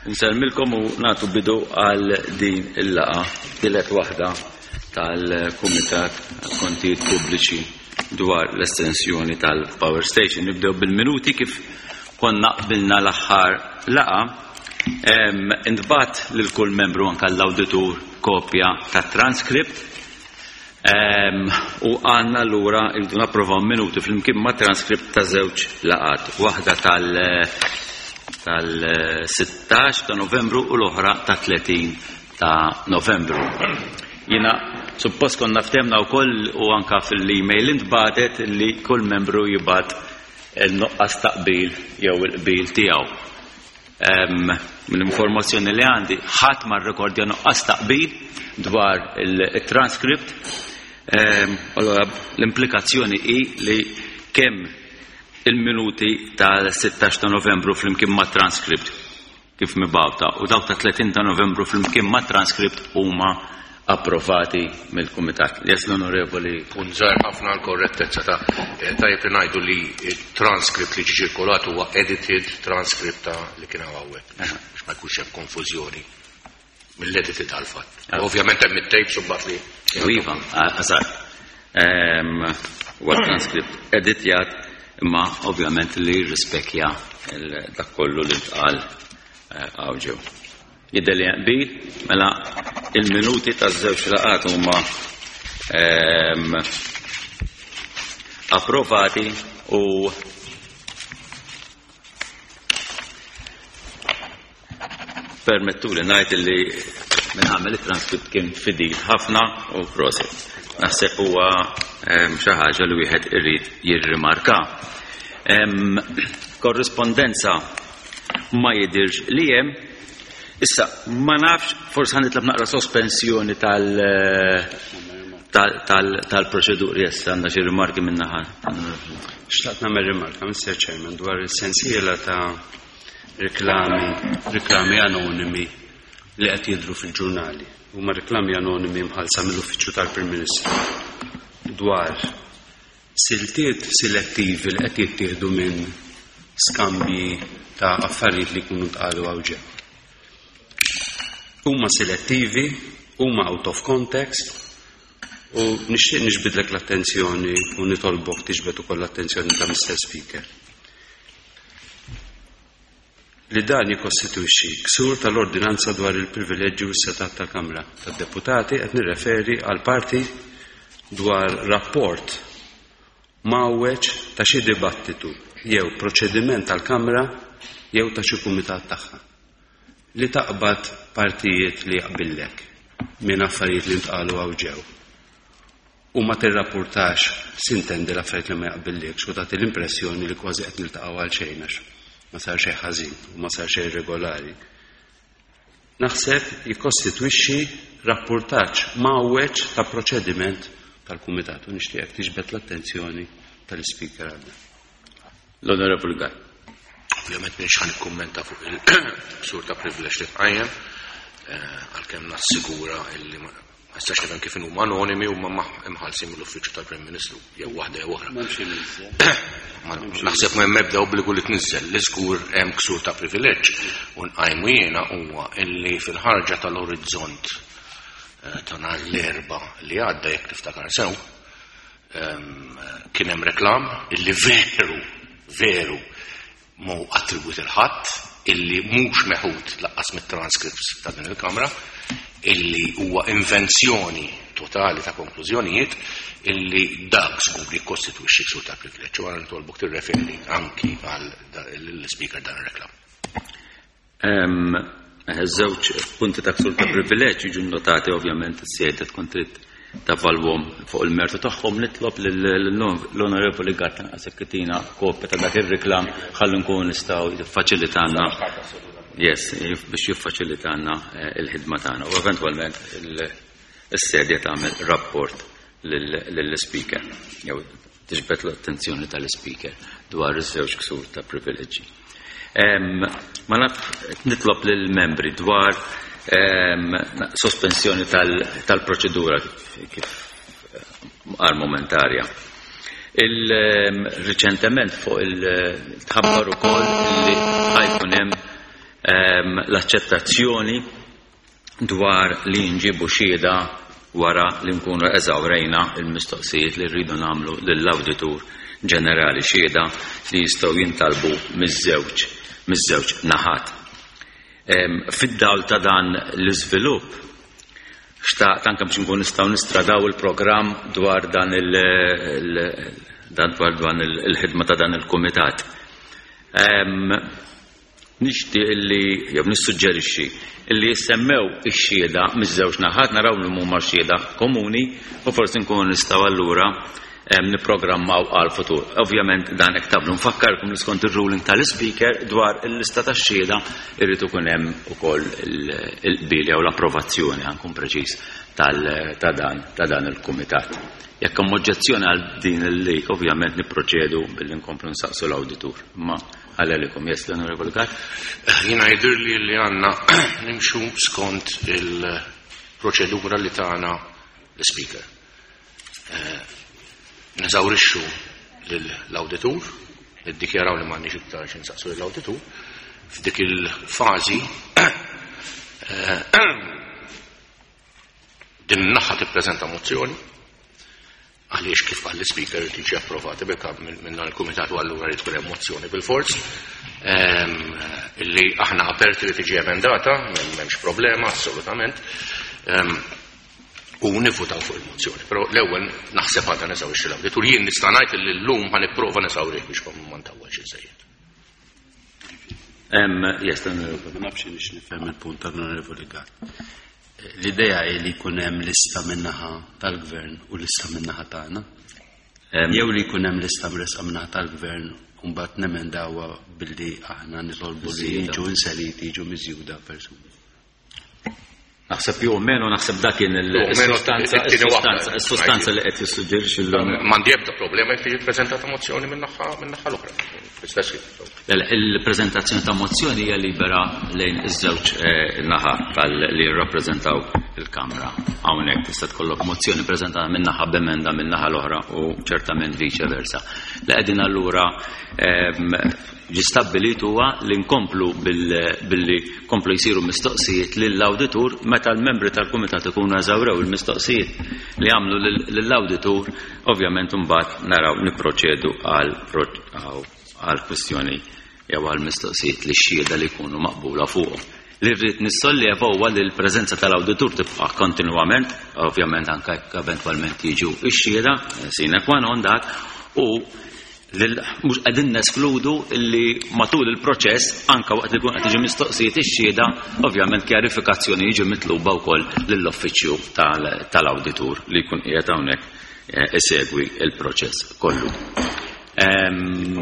Nsellmilkom u nagħtu bidu għal din il-laqgħa, tielet waħda tal-Kumitat Kontijiet Pubbliċi dwar l-estensjoni tal-Power Station. Nibdew bil-minuti kif konna qbilna l-aħħar laqgħa. Intbagħat lil kull membru anke l-awditur kopja tat-transkript U għandna allura irridu napprovaw minuti flimkien ma' transkript ta' żewġ laqgħat, waħda tal tal-16 ta' Novembru u l-oħra ta' 30 ta' Novembru. Jiena suppost konna ftemna wkoll u anka fil-email intbatet li kull membru jibgħat il-nuqqas ta' qbil jew il-qbil tiegħu. Mill-informazzjoni li għandi, ħadd ma rrekordja nuqqas ta' qbil dwar il-transkript. Allora, l-implikazzjoni hi li kemm il-minuti tal-16 ta' Novembru flimkien ma' transkript kif mibgħuta u dawk ta' 30 ta' Novembru flimkien ma' transkript huma approvati mill-Kumitat. Yes, l-Onorevoli. Punt żgħir ħafna għall-korrettezza ta' tajjeb li ngħidu li t-transkript li ġie ċirkolat huwa edited transcript ta' li kien hawn hawnhekk biex ma jkunx hemm konfużjoni mill-edited għall-fatt. Ovvjament hemm it-tapes u mbagħad li. Iva, eżatt. Huwa transkript editjat imma ovvjament li jirrispekja dak kollu li ntqal hawn ġew. Jidher li hemm qbil, mela il-minuti taż-żewġ laqgħat huma ehm, approvati u permettu li ngħid li minn għamel it-transkript kien fidil ħafna u proset. Naħseb huwa ehm, xi ħaġa li wieħed irid jirrimarka. Ehm, korrispondenza ma jidhirx li hemm. Issa, ma nafx, forsi ħa nitlob naqra sospensjoni tal-proċeduri issa għandna xi rimarki minn naħa. Xtaqt nagħmel rimarka, Mr. Chairman, dwar il-sensiela ta' reklami, reklami anonimi li qed jidhru fil-ġurnali. Huma reklami anonimi mħallsa mill-Uffiċċju tal-Prim Ministru dwar Siltiet silettivi li qed jittieħdu minn skambji ta' affarijiet li jkunu ntqalu hawn ġew. Huma silettivi, huma out of context u nixtieq niġbidlek l-attenzjoni u nitolbok tiġbed ukoll l-attenzjoni ta' Mr. Speaker. Li dan jikkostitwixxi ksur tal-Ordinanza dwar il-Privileġġi u s-Setgħat tal-Kamra tad-Deputati qed nirreferi għall-parti dwar rapport mgħawweġ ta' xi dibattitu jew proċediment tal-Kamra jew ta' xi kumitat tagħha. Li taqbad partijiet li jaqbillek minn affarijiet li ntqalu hawn ġew. U ma tirrappurtax, sintendi l-affarijiet li ma jaqbillikx u tagħti l-impressjoni li kważi qed niltaqgħu għal xejn għax ma sar xejn ħażin u ma sar xejn irregolari. Naħseb jikkostitwixxi rappurtaġġ mgħawweġ ta' proċediment tal-Kumitat u nixtieqek tiġbed l-attenzjoni tal-Ispeaker għal dan. L-Onorevoli Gall. Ovvjament m'iniex ħa nikkummenta fuq il-ksur ta' privileġġ li tqajjem, eh, għalkemm nassigura illi ma nistax nifhem kif huma anonimi huma imħallsin mill-Uffiċċju tal-Prim Ministru jew waħda jew oħra. Naħseb ma hemm ebda obbligu li tniżżel li żgur hemm ksur ta' privileġġ u nqajmu jiena huwa illi fil-ħarġa tal-orizzont eh, ta' nhar l-erba' li għadda jekk tiftakar sew, ehm, kien hemm reklam illi veru veru Mhu attribwit 'il ħadd, illi mhux meħud lanqas mit-transcripts ta' din il-Kamra, illi huwa invenzjoni totali ta' konklużjonijiet illi dak żgur jikkostitwixxi ksur ta' privileġġ. U għara nitolbok tirreferi anki għal l-Ispeaker dan ir-reklam. Żewġ punti ta' ksur ta' privileġġ jiġu nnotati ovvjament is-sejda tkun trid tavalwhom fuq il-mertu tagħhom nitlob lill-Onorevoli Gatt anqas jekk itina kopja ta' dak ir-reklam ħalli nkunu nistgħu jiffaċilitanna yes, biex jiffaċilitanna eh, il-ħidma tagħna u eventwalment is-sedja tagħmel rapport lill-speaker jew tiġbed l-attenzjoni tal-Ispeaker dwar iż-żewġ ksur ta' privileġġi. Ma naf nitlob lill-membri dwar sospensjoni tal-proċedura kif għal momentarja. Il-riċentement fuq il-tħabbar ukoll li ħajkun hemm L-aċċettazzjoni dwar li nġibu xhieda wara li nkunu eżawrejna l-mistoqsijiet li rridu nagħmlu lill-Awditur Ġenerali, xhieda li jistgħu jintalbu miż-żewġ miż-żewġ naħat. Fid-dawl ta' dan l-iżvilupp, xtaqt anke biex nkun nistgħu nistradaw il-programm dwar dan il dan dwar dan il-ħidma ta' dan il-kumitat. Nixtieq illi, jew nissuġġerixxi, illi jissemmew ix-xhieda miż-żewġ naħat, naraw li huma xhieda komuni u forsi nkunu nistgħu allura nipprogrammaw għall-futur. Ovvjament dan hekk tagħmlu. Nfakkarkom li skont ir-ruling tal-Ispeaker dwar il-lista tax-xhieda irid ikun hemm ukoll il-qbil jew l-approvazzjoni, ħa nkun preċiż, ta' dan ta' dan il-kumitat. Jekk hemm oġġezzjoni għal din il-lik, ovvjament nipproċedu billi nkomplu nsaqsu l-awditur. Imma Għalelikom, yes, l-Onorevoli Gatt. Jiena jidhirli li għandna nimxu skont il-proċedura li tana l-Speaker. Eh, neżawrixxu lill-awditur, niddikjaraw li m'għandniex iktar xi nsaqsu lill-awditur. F'dik il-fażi eh, din in-naħa tippreżenta mozzjoni għaliex kif qal l-Ispeaker irid jiġi approvati bil-kap minn dan il-kumitat u allura jrid tkun hemm mozzjoni bil-fors ehm, illi aħna aperti li tiġi emendata, m'hemmx problema assolutament. Ehm, u nivvutaw fuq il-mozzjoni. Però l-ewwel naħseb għandna neżawrixxi l-awditur. Jien nista' ngħid li llum ħa nipprova neżawrih biex ma ntawwalx iżejjed. Yes, Ma nafx nix nifhem il-punt tal-Onorevoli Gatt. L-idea hi li jkun hemm lista min-naħa tal-Gvern u lista min-naħa tagħna. Jew li jkun hemm lista mressqa min-naħa tal-Gvern u mbagħad nemendawha billi aħna nitolbu li jiġu inseriti, jiġu miżjuda persuni. Naħseb jew menu naħseb dak kien il-sustanza il-sustanza li qed jissuġġerixxi l M'għandi ebda problema jekk tiġi ppreżentata mozzjoni min-naħa l-oħra. Fl-istess ħin. Il-preżentazzjoni ta' mozzjoni hija libera lejn iż-żewġ eh, naħa li jirrappreżentaw il-Kamra. Hawnhekk tista' tkollok mozzjoni preżentata minn naħa b'emenda minn naħa l-oħra u ċertament viċe versa. Li qegħdin allura ehm, Ġie stabbilit huwa li nkomplu billi komplu jsiru mistoqsijiet lill-awditur meta l-membri tal-kumitat ikunu eżawrew il-mistoqsijiet li għamlu lill-awditur, ovvjament imbagħad naraw nipproċedu għal kwistjoni jew għal mistoqsijiet li xhieda li jkunu maqbula fuqhom. Li rrid nissolleva huwa li l-preżenza tal-awditur tibqa' kontinwament, ovvjament anke jekk eventwalment jiġu x-xhieda, sine qua non dak, u Mhux qegħdin neskludu li matul il-proċess, anke waqt li jkun qed tiġi mistoqsijiet ix-xhieda, ovvjament kjarifikazzjoni jiġi mitluba wkoll lill-uffiċċju tal-awditur li jkun qiegħed hawnhekk eh, isegwi il-proċess kollu. Ehm,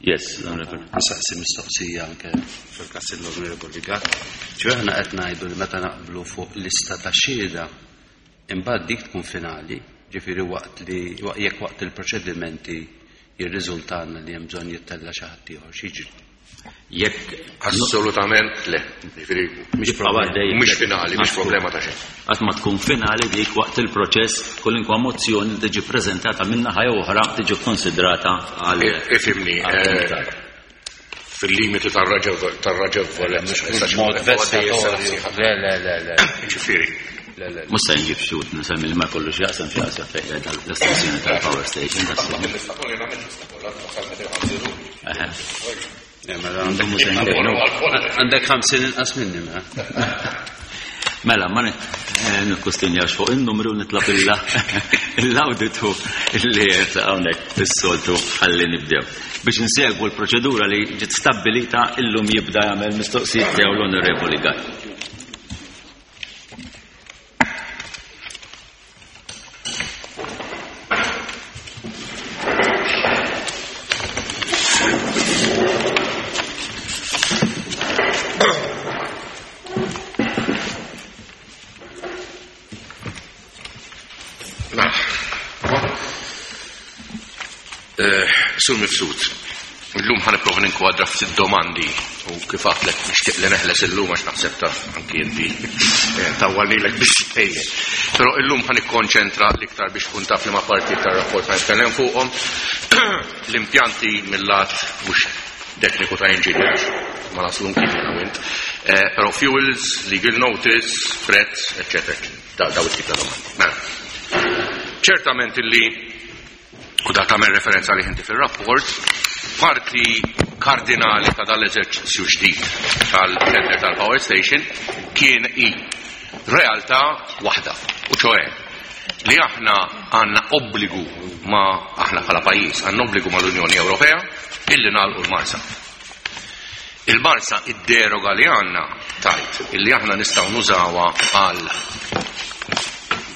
yes, l-Onorevoli. Nisaqsi mistoqsija anke fil-każ l-Onorevoli Gatt. Ġifieri aħna qed ngħidu li meta naqblu fuq lista ta' xhieda Imbagħad dik tkun finali, ġifieri waqt li jekk waqt il-proċedimenti jirriżultalna li hemm bżonn jittella' xi ħadd ieħor, x'jiġri? Jekk Assolutament le. Ġifieri mhix problema. Mhix finali, mhix problema ta' xejn. Qatt ma tkun finali dik waqt il-proċess kwalinkwa mozzjoni li tiġi ppreżentata minn naħa jew oħra tiġi kkonsidrata għal Ifhimni, fil-limiti tar-raġevolezza. Mod vessatorju. Le, le, le, le. Ġifieri. Le, le. Mhux se nġib xi wħud nsemmi li ma jkollux jaqsam xi jaqsam fejn qiegħda l-istazzjoni tal-power station. Għandek 50 inqas minni, mela. Mela, ma eh, nikkustinjax fuq il-numru nitlob l-awditu li hawnhekk fis-soltu ħalli nibdew. Biex insegwu l-proċedura li ġiet stabbilita illum jibda jagħmel mistoqsijiet tiegħu l-Onorevoli Gatt. Eh, Sur Mifsud, illum ħa nipprova ninkwadra ftit domandi u kif għadtlek nixtieq li neħles illum għax naħseb taf anki inti eh, tawwalnilek biżżejjed. Però illum ħa nikkonċentra l-iktar biex tkun taf li ma parti tar-rapport ħa nitkellem fuqhom l-impjanti mill-lat mhux tekniku ta' engineer ma naslu nkien jiena u int. Però fuels, legal notice, prezz, eccetera, eccetera. Daw it-tip ta' domandi. Mela. Ċertament illi, u da tagħmel referenza li inti fir-rapport, parti kardinali ta' dal-eżerċizzju ġdid tal-tender tal-power station kien i realtà waħda, u ċoe li aħna għandna obbligu ma aħna bħala pajjiż għandna obbligu mal-Unjoni Ewropea illi nagħlqu l-Marsa. Il-Marsa id-deroga li għandna tajt illi aħna nistgħu nużawha għal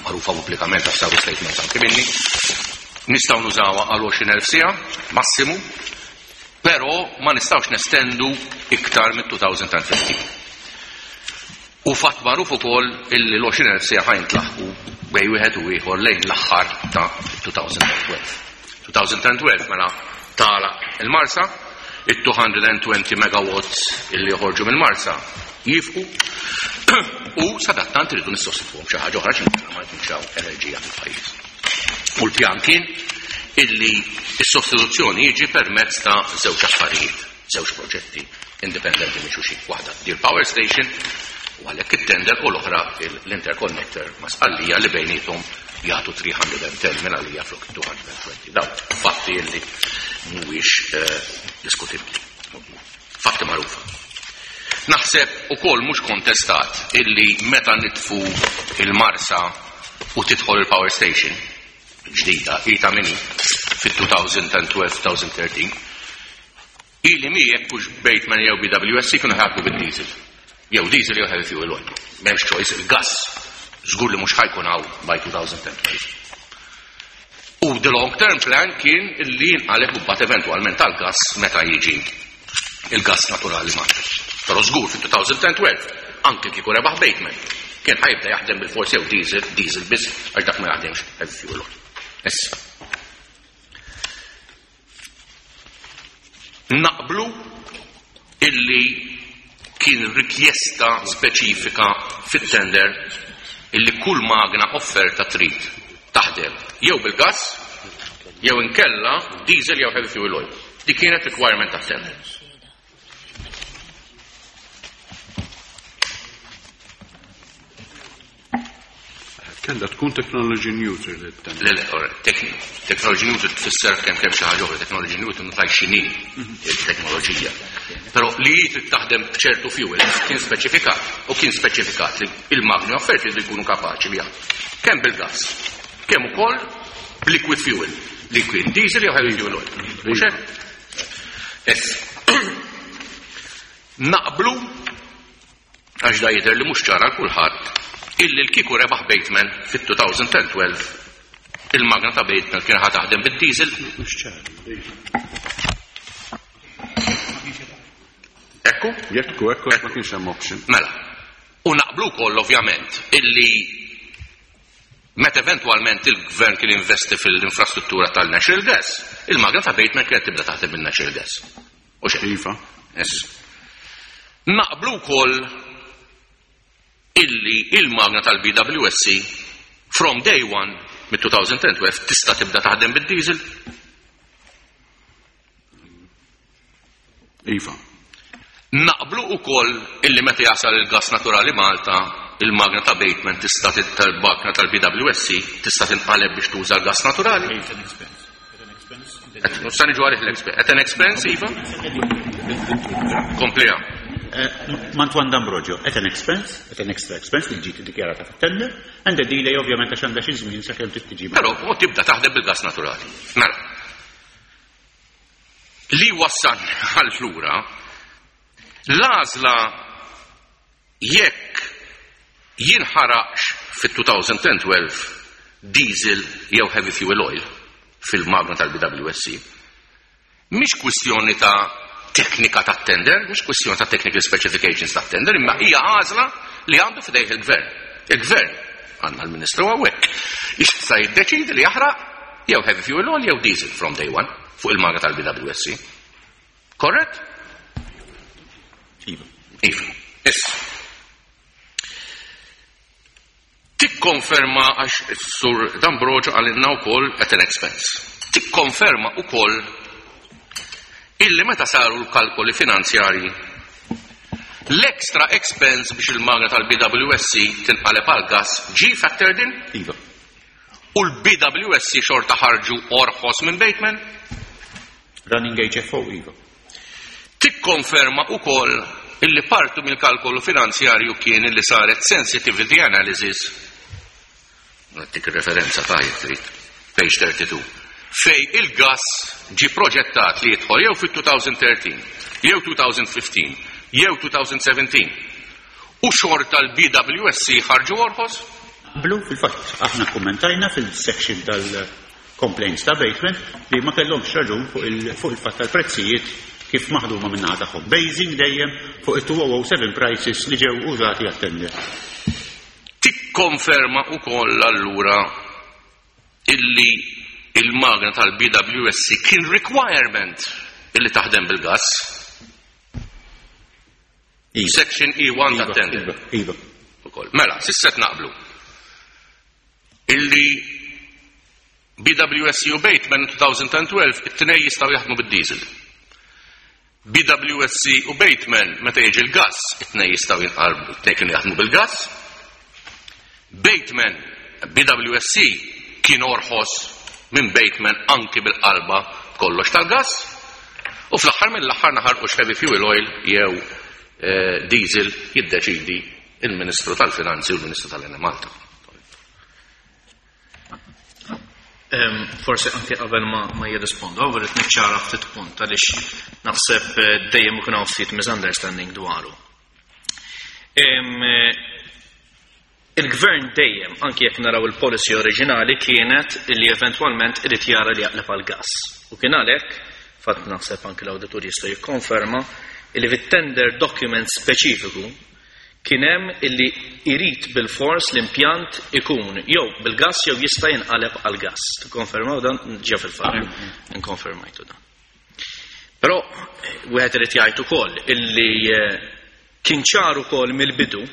magħrufa pubblikament għax saru statements anke minni, nistgħu nużawha għal 20,000 siegħa massimu, però ma nistgħux nestendu iktar mit-2015. U fatt magħruf ukoll illi l-20,000 siegħa ħa jintlaħqu bejn wieħed u ieħor lejn l-aħħar ta' 2012. 2012 mela tagħlaq il-Marsa, it-220 megawatts illi joħorġu mill-Marsa jifqu u sadattant irridu nissostitwhom xi ħaġa oħra xi ma jkunx hawn enerġija fil-pajjiż. U l-pjan kien illi s-sostituzzjoni jiġi permezz ta' żewġ affarijiet, żewġ proġetti indipendenti minn xulxin. Waħda di l-power station u għalhekk it-tender u l-oħra l-interconnector ma' Sqallija li bejniethom jagħtu 310 minn għalija flok 220. Daw fatti illi mhuwiex diskutibbli. Fatti magħrufa. Naħseb ukoll mhux kontestat illi meta nitfu il-Marsa u tidħol il-power station ġdida, hi ta' minni fit-2012-2013, ili mi jekk hux Bateman jew BWSC kienu ħadmu bid-diesel. Jew diesel jew heavy fuel oil. M'hemmx choice, il-gas żgur li mhux ħa jkun hawn by 2012. U the long term plan kien li jinqaleb u mbagħad eventwalment tal-gas meta jiġi il-gas naturali Malta. Però żgur fit-2012, anke kieku rebaħ Bateman, kien ħa jibda jaħdem bil-forsi jew diesel, diesel biss, għax dak ma jaħdemx heavy fuel oil. Issa. Naqblu illi kien rikjesta speċifika fit-tender illi kull magna offerta trid taħdem jew bil-gas jew inkella diesel jew heavy fuel oil. Dik kienet requirement tat-tender. Kellha tkun technology neutral it-tender. Le, le, ora, technology neutral tfisser kemm kemm xi ħaġa oħra, technology neutral ma tgħidx x'inhi il-teknoloġija. Però li hi trid taħdem b'ċertu fuel kien speċifikat, u kien speċifikat li il-magni offerti jridu jkunu kapaċi li jaħdmu kemm bil-gas, kemm ukoll b'liquid fuel, liquid diesel jew heavy fuel oil. Mhux hekk? Issa. Naqblu għax da jidher li mhux ċara għal kulħadd illi l-kieku rebaħ Bateman fit-2012 il-magna ta' Bateman kien ħa taħdem bid-diesel. Mhux ċar. Ekku? Jekku, ekku, ma kienx hemm option. Mela. U naqblu wkoll ovvjament illi meta eventwalment il-gvern kien investi fil-infrastruttura tal-natural gas, il-magna ta' Bateman kienet tibda taħdem bil-natural gas. U xejn. Iva. Yes. Naqblu wkoll illi il-magna tal-BWSC from day one mit-2012 tista' tibda taħdem bid-diesel. Iva. Naqblu wkoll illi meta jasal il-gas naturali Malta, il-magna ta' Bateman tista' tal-magna tal-BWSC tista' tinqaleb biex tuża l-gas naturali. Sa niġu għalih l-expense. At an expense, Iva? Komplija. Mantuan D'Ambrogio, at an expense, at an extra expense li ġiet iddikjarata fit-tender, and a delay ovvjament għax għandha xi żmien sakemm trid tiġi. Però u tibda taħdem bil-gas naturali. Mela. Li wassal għal-flura, l-għażla jekk jinħaraqx fit-2012 diesel jew heavy fuel oil fil-magna tal-BWSC, mhix kwistjoni ta' teknika ta' tender, mhix kwistjoni ta' technical specifications ta' tender, imma hija għażla li għandu f'idejh il-gvern. Il-gvern, għandna l-Ministru hawnhekk, jista' jiddeċidi li jaħraq jew heavy fuel oil jew diesel from day one fuq il-magna tal-BWSC. Korrett? Iva. Iva. Issa. Tikkonferma għax Sur D'Ambrogio għalinna wkoll at an expense. Tikkonferma wkoll illi meta saru l-kalkoli finanzjarji L-extra expense biex il-magna tal-BWSC tinqaleb għal gas ġie factored in? Iva. U l-BWSC xorta ħarġu orħos minn Bateman? Running HFO, iva. Tikkonferma ukoll illi partu mill-kalkolu finanzjarju kien illi saret sensitivity analysis. Nagħtik referenza ta' jekk trid. Page 32. Fej il-gas ġi proġettat li jidħol jew fit-2013, jew 2015, jew 2017. U xorta l-BWSC ħarġu orħos? Blu, fil-fatt, aħna kommentajna fil-section tal-complaints ta' Bateman li ma kellhomx raġun fuq il-fatt tal-prezzijiet kif maħduma min-naħa tagħhom. Basing dejjem fuq il-2007 prices li ġew użati għat-tender. Tikkonferma ukoll allura illi il-magna tal-BWSC kien requirement illi taħdem bil-gas. Iva. Section E1 Iva, tat-tender. Iva, iva. Ukoll. Mela, s'issa naqblu. Illi BWSC u Bateman 2012 it-tnej jistgħu jaħdmu bid-diesel. BWSC u Bateman meta jiġi l-gas, it-tnej jistgħu jinqalbu, it-tnej kienu jaħdmu bil-gas. Bateman, BWSC kien orħos minn Bateman anki bil-qalba kollox tal-gas. U fl-aħħar mill-aħħar naħarqux heavy fuel oil jew diesel jiddeċidi il-Ministru tal-Finanzi u l-Ministru tal-Enemalta. Forsi anke qabel ma jirrispondu, għaw irrid niċċara ftit punt għaliex naħseb dejjem ikun hawn ftit misunderstanding dwaru. Il-gvern dejjem, anke jekk naraw il-policy oriġinali, kienet li eventwalment irid jara li jaqleb għal gas. U kien għalhekk, fatt naħseb anke l-awditur jista' jikkonferma, li fit-tender document speċifiku kien hemm illi irid bil-fors l-impjant ikun jew bil-gas jew jista' jinqaleb għal gas. Tikkonfermaw dan ġew fil-fatt. Inkonfermajtu dan. Però wieħed irid jgħid ukoll illi kien ċar ukoll mill-bidu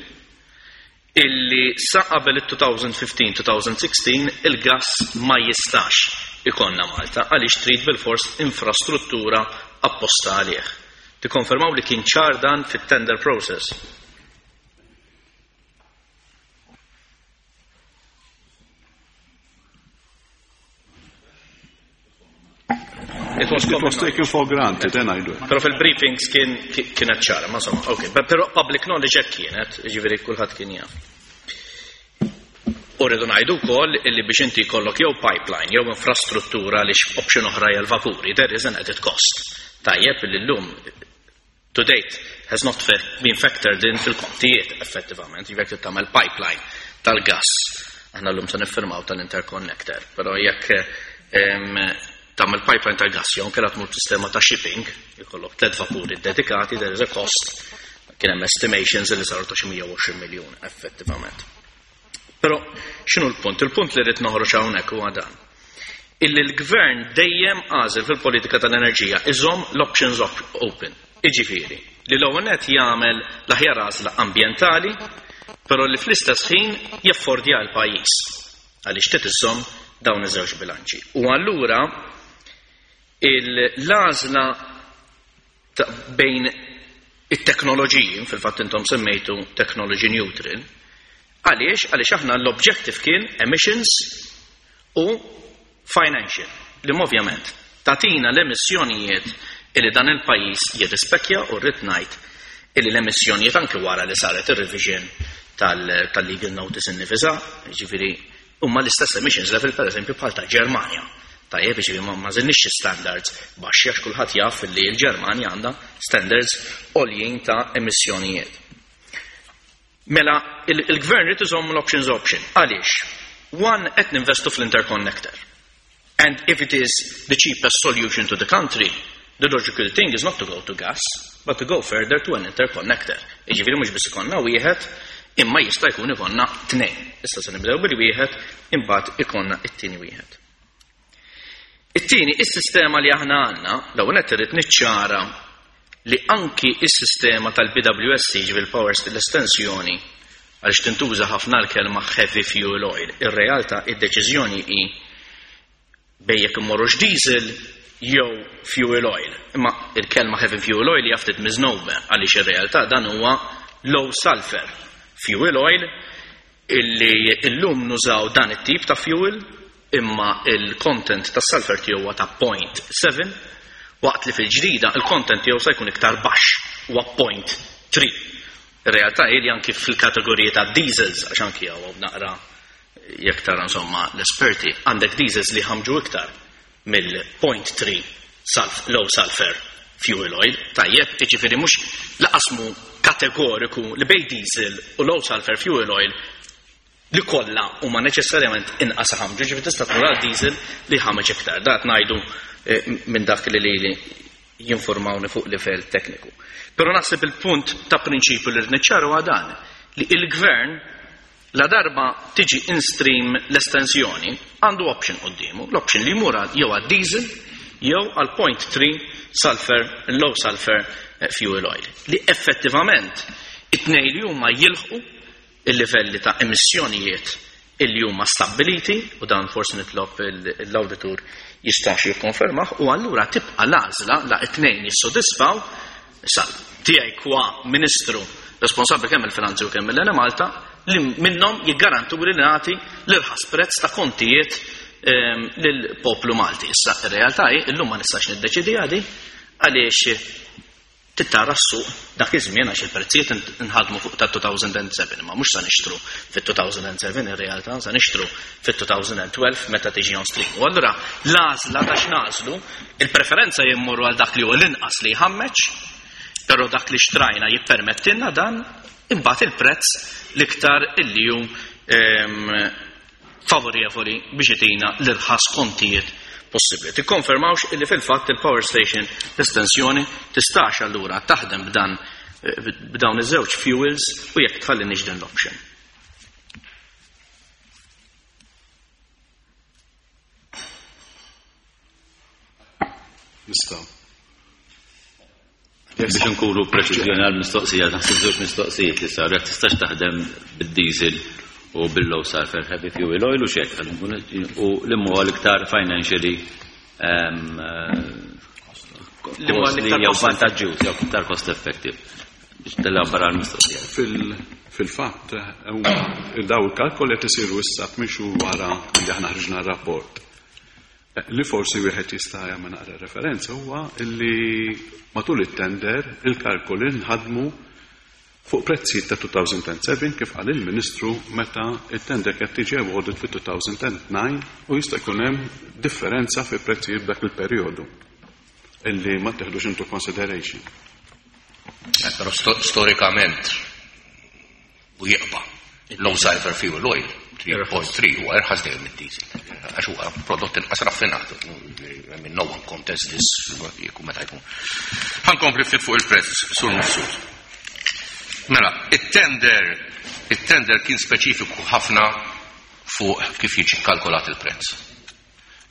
illi sa qabel it-2015-2016 il-gas ma jistax ikonna Malta għaliex trid bil-fors infrastruttura apposta għalih. Tikkonfermaw li kien ċar dan fit-tender process. It was It was common taken for granted, then I do. Però fil-briefings kienet ċara, ma insomma, ok. Però public knowledge hekk kienet, ġifieri kulħadd kien jaf. U rridu ngħidu wkoll illi biex inti jkollok jew pipeline jew infrastruttura li option oħra hija l-vapuri, there is an added cost. Tajjeb illi llum to date has not been factored in fil-kontijiet effettivament, jekk trid tagħmel pipeline tal-gas. Aħna llum se niffirmaw tal-interconnector, però jekk tagħmel pipeline tal-gas jew inkella tmur sistema ta' shipping, jkollok tliet vapuri dedikati, there is a cost. Kien hemm estimations li saru ta' xi 120 miljun effettivament. Però x'inhu l-punt? Il-punt li rrid noħroġ hawnhekk huwa dan. Illi l-gvern dejjem għażel fil-politika tal-enerġija iżomm l-options open. Iġifieri, li l-ewwel nett jagħmel l-aħjar għażla ambjentali, però li fl-istess ħin jaffordja l-pajjiż għaliex trid iżomm dawn iż-żewġ bilanċi. U allura l-għażla bejn it-teknoloġiji, fil-fatt intom semmejtu technology neutral, għaliex? Għaliex aħna l-objective kien emissions u financial, li ovvjament tatina l-emissjonijiet illi dan il-pajjiż jirrispekja u rrid ngħid illi l-emissjonijiet anke wara li saret ir-revision tal-legal notice innifisha, jiġifieri huma l-istess emissions level per eżempju bħal ta' Ġermanja. Tajjeb, jiġifieri ma żilniex standards baxxi għax kulħadd jaf li l-Ġermanja għandha standards għoljin ta' emissjonijiet. Mela, il-gvern irid iżomm l-options option. Għaliex? One, qed ninvestu fl-interconnector. And if it is the cheapest solution to the country, the logical thing is not to go to gas, but to go further to an interconnector. Jiġifieri mhux biss ikonna wieħed, imma jista' jkun ikonna tnejn. Issa se nibdew bil-wieħed, imbagħad ikonna it-tieni wieħed. It-tieni, is-sistema li aħna għandna, l-ewwel nett irrid niċċara li anki is-sistema tal-BWSC, ġifieri power l-estensjoni, għaliex tintuża ħafna l-kelma heavy fuel oil. Ir-realtà, id-deċiżjoni hi bejn jekk immorrux diesel jew fuel oil. Imma il-kelma heavy fuel oil hija ftit misnomer għaliex ir-realtà dan huwa low sulfur fuel oil illi illum nużaw dan it-tip ta' fuel imma il-content tas sulfur tiegħu huwa ta' 0.7 waqt li fil-ġdida il-content tiegħu se jkun iktar baxx huwa 0.3. Ir-realtà hi li anki fil-kategoriji ta' diesels għax anki hawn naqra jekk tara insomma l-esperti għandek diesels li ħamġu iktar mill-0.3 low sulfur fuel oil, tajjeb, jiġifieri mhux laqasmu kategoriku li bej diesel u low sulfur fuel oil li kollha huma neċessarjament inqas ħamġu, ġifieri tista' tmur għal diesel li ħameġ iktar. Dat ngħidu minn dak li lili jinformawni fuq livell tekniku. Però naħseb il-punt ta' prinċipju li rrid niċċaru dan li il-gvern la darba tiġi in-stream l-estensjoni għandu option qoddimu, l-option li jmur jew għad diesel jew għal 0.3 sulfur, low sulfur fuel oil. Li effettivament it-tnejn li huma jilħqu il-livelli ta' emissjonijiet illi huma stabbiliti u dan forsi nitlob l-awditur jistax jikkonfermah u allura tibqa' l-għażla la it-tnejn jissodisfaw issa tiegħi kwa ministru responsabbli kemm il-finanzi u kemm l-Enemalta li minnhom jiggarantu li nagħti l-irħas prezz ta' kontijiet lill-poplu Malti. Issa ir-realtà hi illum ma nistax niddeċidi għadi għaliex tittara s-suq dak iż-żmien għax il-prezzijiet nħadmu fuq ta' 2007, imma mhux sa nixtru fit-2007 ir-realtà, sa nixtru fit-2012 meta tiġi on stream. U allura l-għażla ta' x'nagħżlu, il-preferenza jimmorru għal dak li huwa l-inqas li jħammeġ, però dak li xtrajna jippermettilna dan, imbagħad il-prezz l-iktar illi hu favorevoli biex itina l-irħas kontijiet possibbli. Tikkonfermawx illi fil-fatt il-power station l-estensjoni tistax allura taħdem b'dawn iż-żewġ fuels u jekk tħalli din l-option. Nistgħu. Biex nkunu preċiżjoni għal-mistoqsija, naħseb żewġ mistoqsijiet li saru, jekk tistax taħdem bid-diesel u bil-low sulfur heavy fuel oil u xek, u li huwa l-iktar financially Li huwa l-iktar jew cost vantaġġjuż, jew iktar cost effective. Biex telabora l-mistoqsija. Fil-fatt, huma daw il-kalkoli qed isiru issa tmixu wara li aħna ħriġna r-rapport. Li forsi wieħed jista' jagħmel naqra referenza huwa li matul it-tender il-kalkoli nħadmu fuq prezzijiet ta' 2007 kif qal il-Ministru meta it-tender qed tiġi awarded fi 2009 u jista' jkun hemm differenza fi prezzijiet f'dak il-perjodu illi ma teħdux into consideration. Però storikament u jibqa' low sulfur fuel oil 3.3 huwa irħas dejjem mid-diesel. Għax huwa prodott inqas raffinat. I mean, no one contests this jekk meta jkun. Ħa nkompli ftit fuq il-prezz sur Mifsud. Mela, it-tender kien speċifiku ħafna fuq kif jiġi kalkolat il-prezz.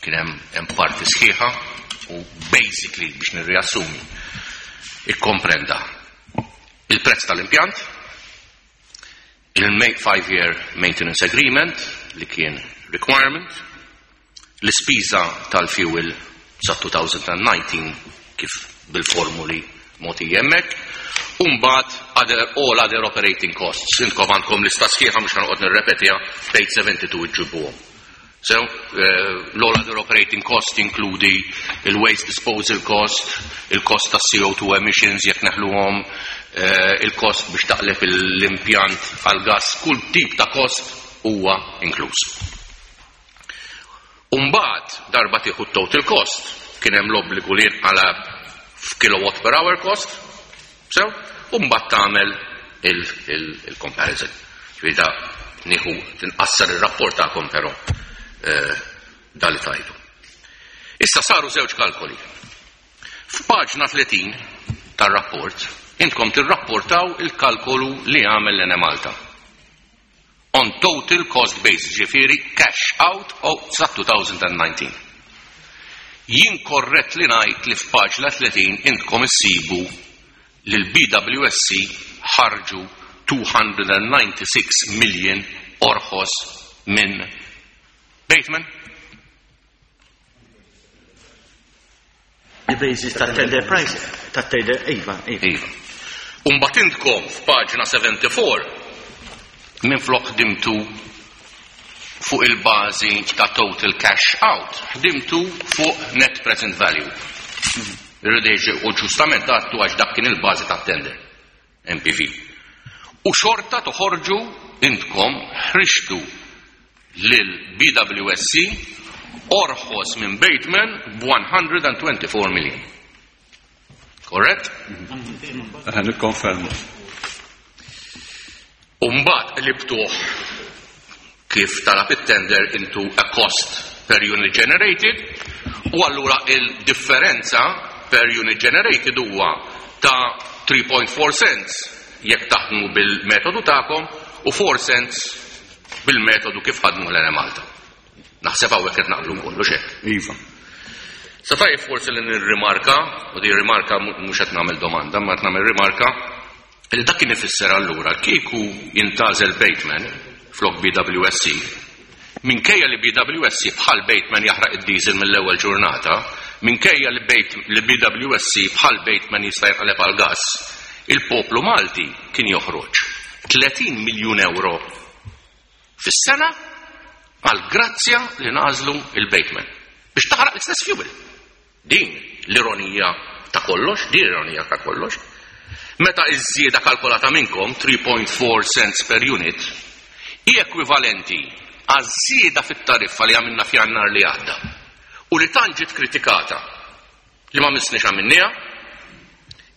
Kien hemm parti sħiħa u basically biex nirriassumi ikkomprenda il-prezz tal-impjant, il-5-year maintenance agreement li kien requirement, l-ispiża tal-fuel sa 2019 kif bil-formuli moti jemmek, Umbat all other operating costs. Intkom għandkom lista sħiħa mhux ħanqod nirrepetiha, page 72 iġġibuhom. So, l-all other operating cost inkludi il-waste disposal cost, il-cost ta' CO2 emissions jekk neħluhom, il-cost biex taqleb l-impjant għal-gas, kull tip ta' cost huwa inkluż. Umbagħad darba tieħu total cost, kien hemm l-obbligu li jinqalab f'kilowatt per hour cost, so, umbagħad tagħmel il-comparison. Ġifieri da nieħu tinqassar ir-rapport tagħkom però dali tajdu. Issa saru żewġ kalkoli. F'paġna 30 tar-rapport intkom tirrapportaw il-kalkolu li għamel l-Enemalta. On total cost base, ġifieri cash out of sa 2019. Jien korrett li ngħid li f'paġna 30 intkom issibu li l-BWSC ħarġu 296 million orħos minn Bateman? The basis tat-tender price, tat-tender, iva, iva. Iva. U mbagħad intkom f'paġna 74 minflok ħdimtu fuq il-bażi ta' total cash out, ħdimtu fuq net present value. Irrideġi u ġustament għattu għax dak kien il-bażi tat-tender, NPV. U xorta toħorġu intkom ħrixtu lil BWSC orħos minn Bateman b'124 million. Korrett? Nikkonferma. U mbagħad qlibtuh kif talab it-tender into a cost per unit generated u allura il-differenza per unit generated huwa ta' 3.4 cents jekk taħdmu bil-metodu tagħkom u 4 cents bil-metodu kif ħadmu l-Enemalta. Naħseb hawnhekk qed naqblu kollu xek. Iva. Sa tajjeb forsi li nirrimarka, u di rimarka mhux qed nagħmel domanda, ma qed nagħmel rimarka, li dak kien ifisser allura kieku jintgħażel Bateman flok BWSC, minkejja li BWSC bħal Bateman jaħraq id-diesel mill-ewwel ġurnata, minkejja li BWSC bħal Bateman jista' jinqaleb għal gas, il-poplu Malti kien joħroġ 30 miljun euro fis-sena għal grazzja li nażlu il-Bateman biex taħraq l-istess fuel. Din l-ironija ta' kollox, din l-ironija ta' kollox. Meta iż-żieda kalkolata minnkom 3.4 cents per unit hi ekwivalenti għaż-żieda fit-tariffa li għamilna f'Jannar li għadda u li tant ġiet kritikata li ma missniex għamilniha,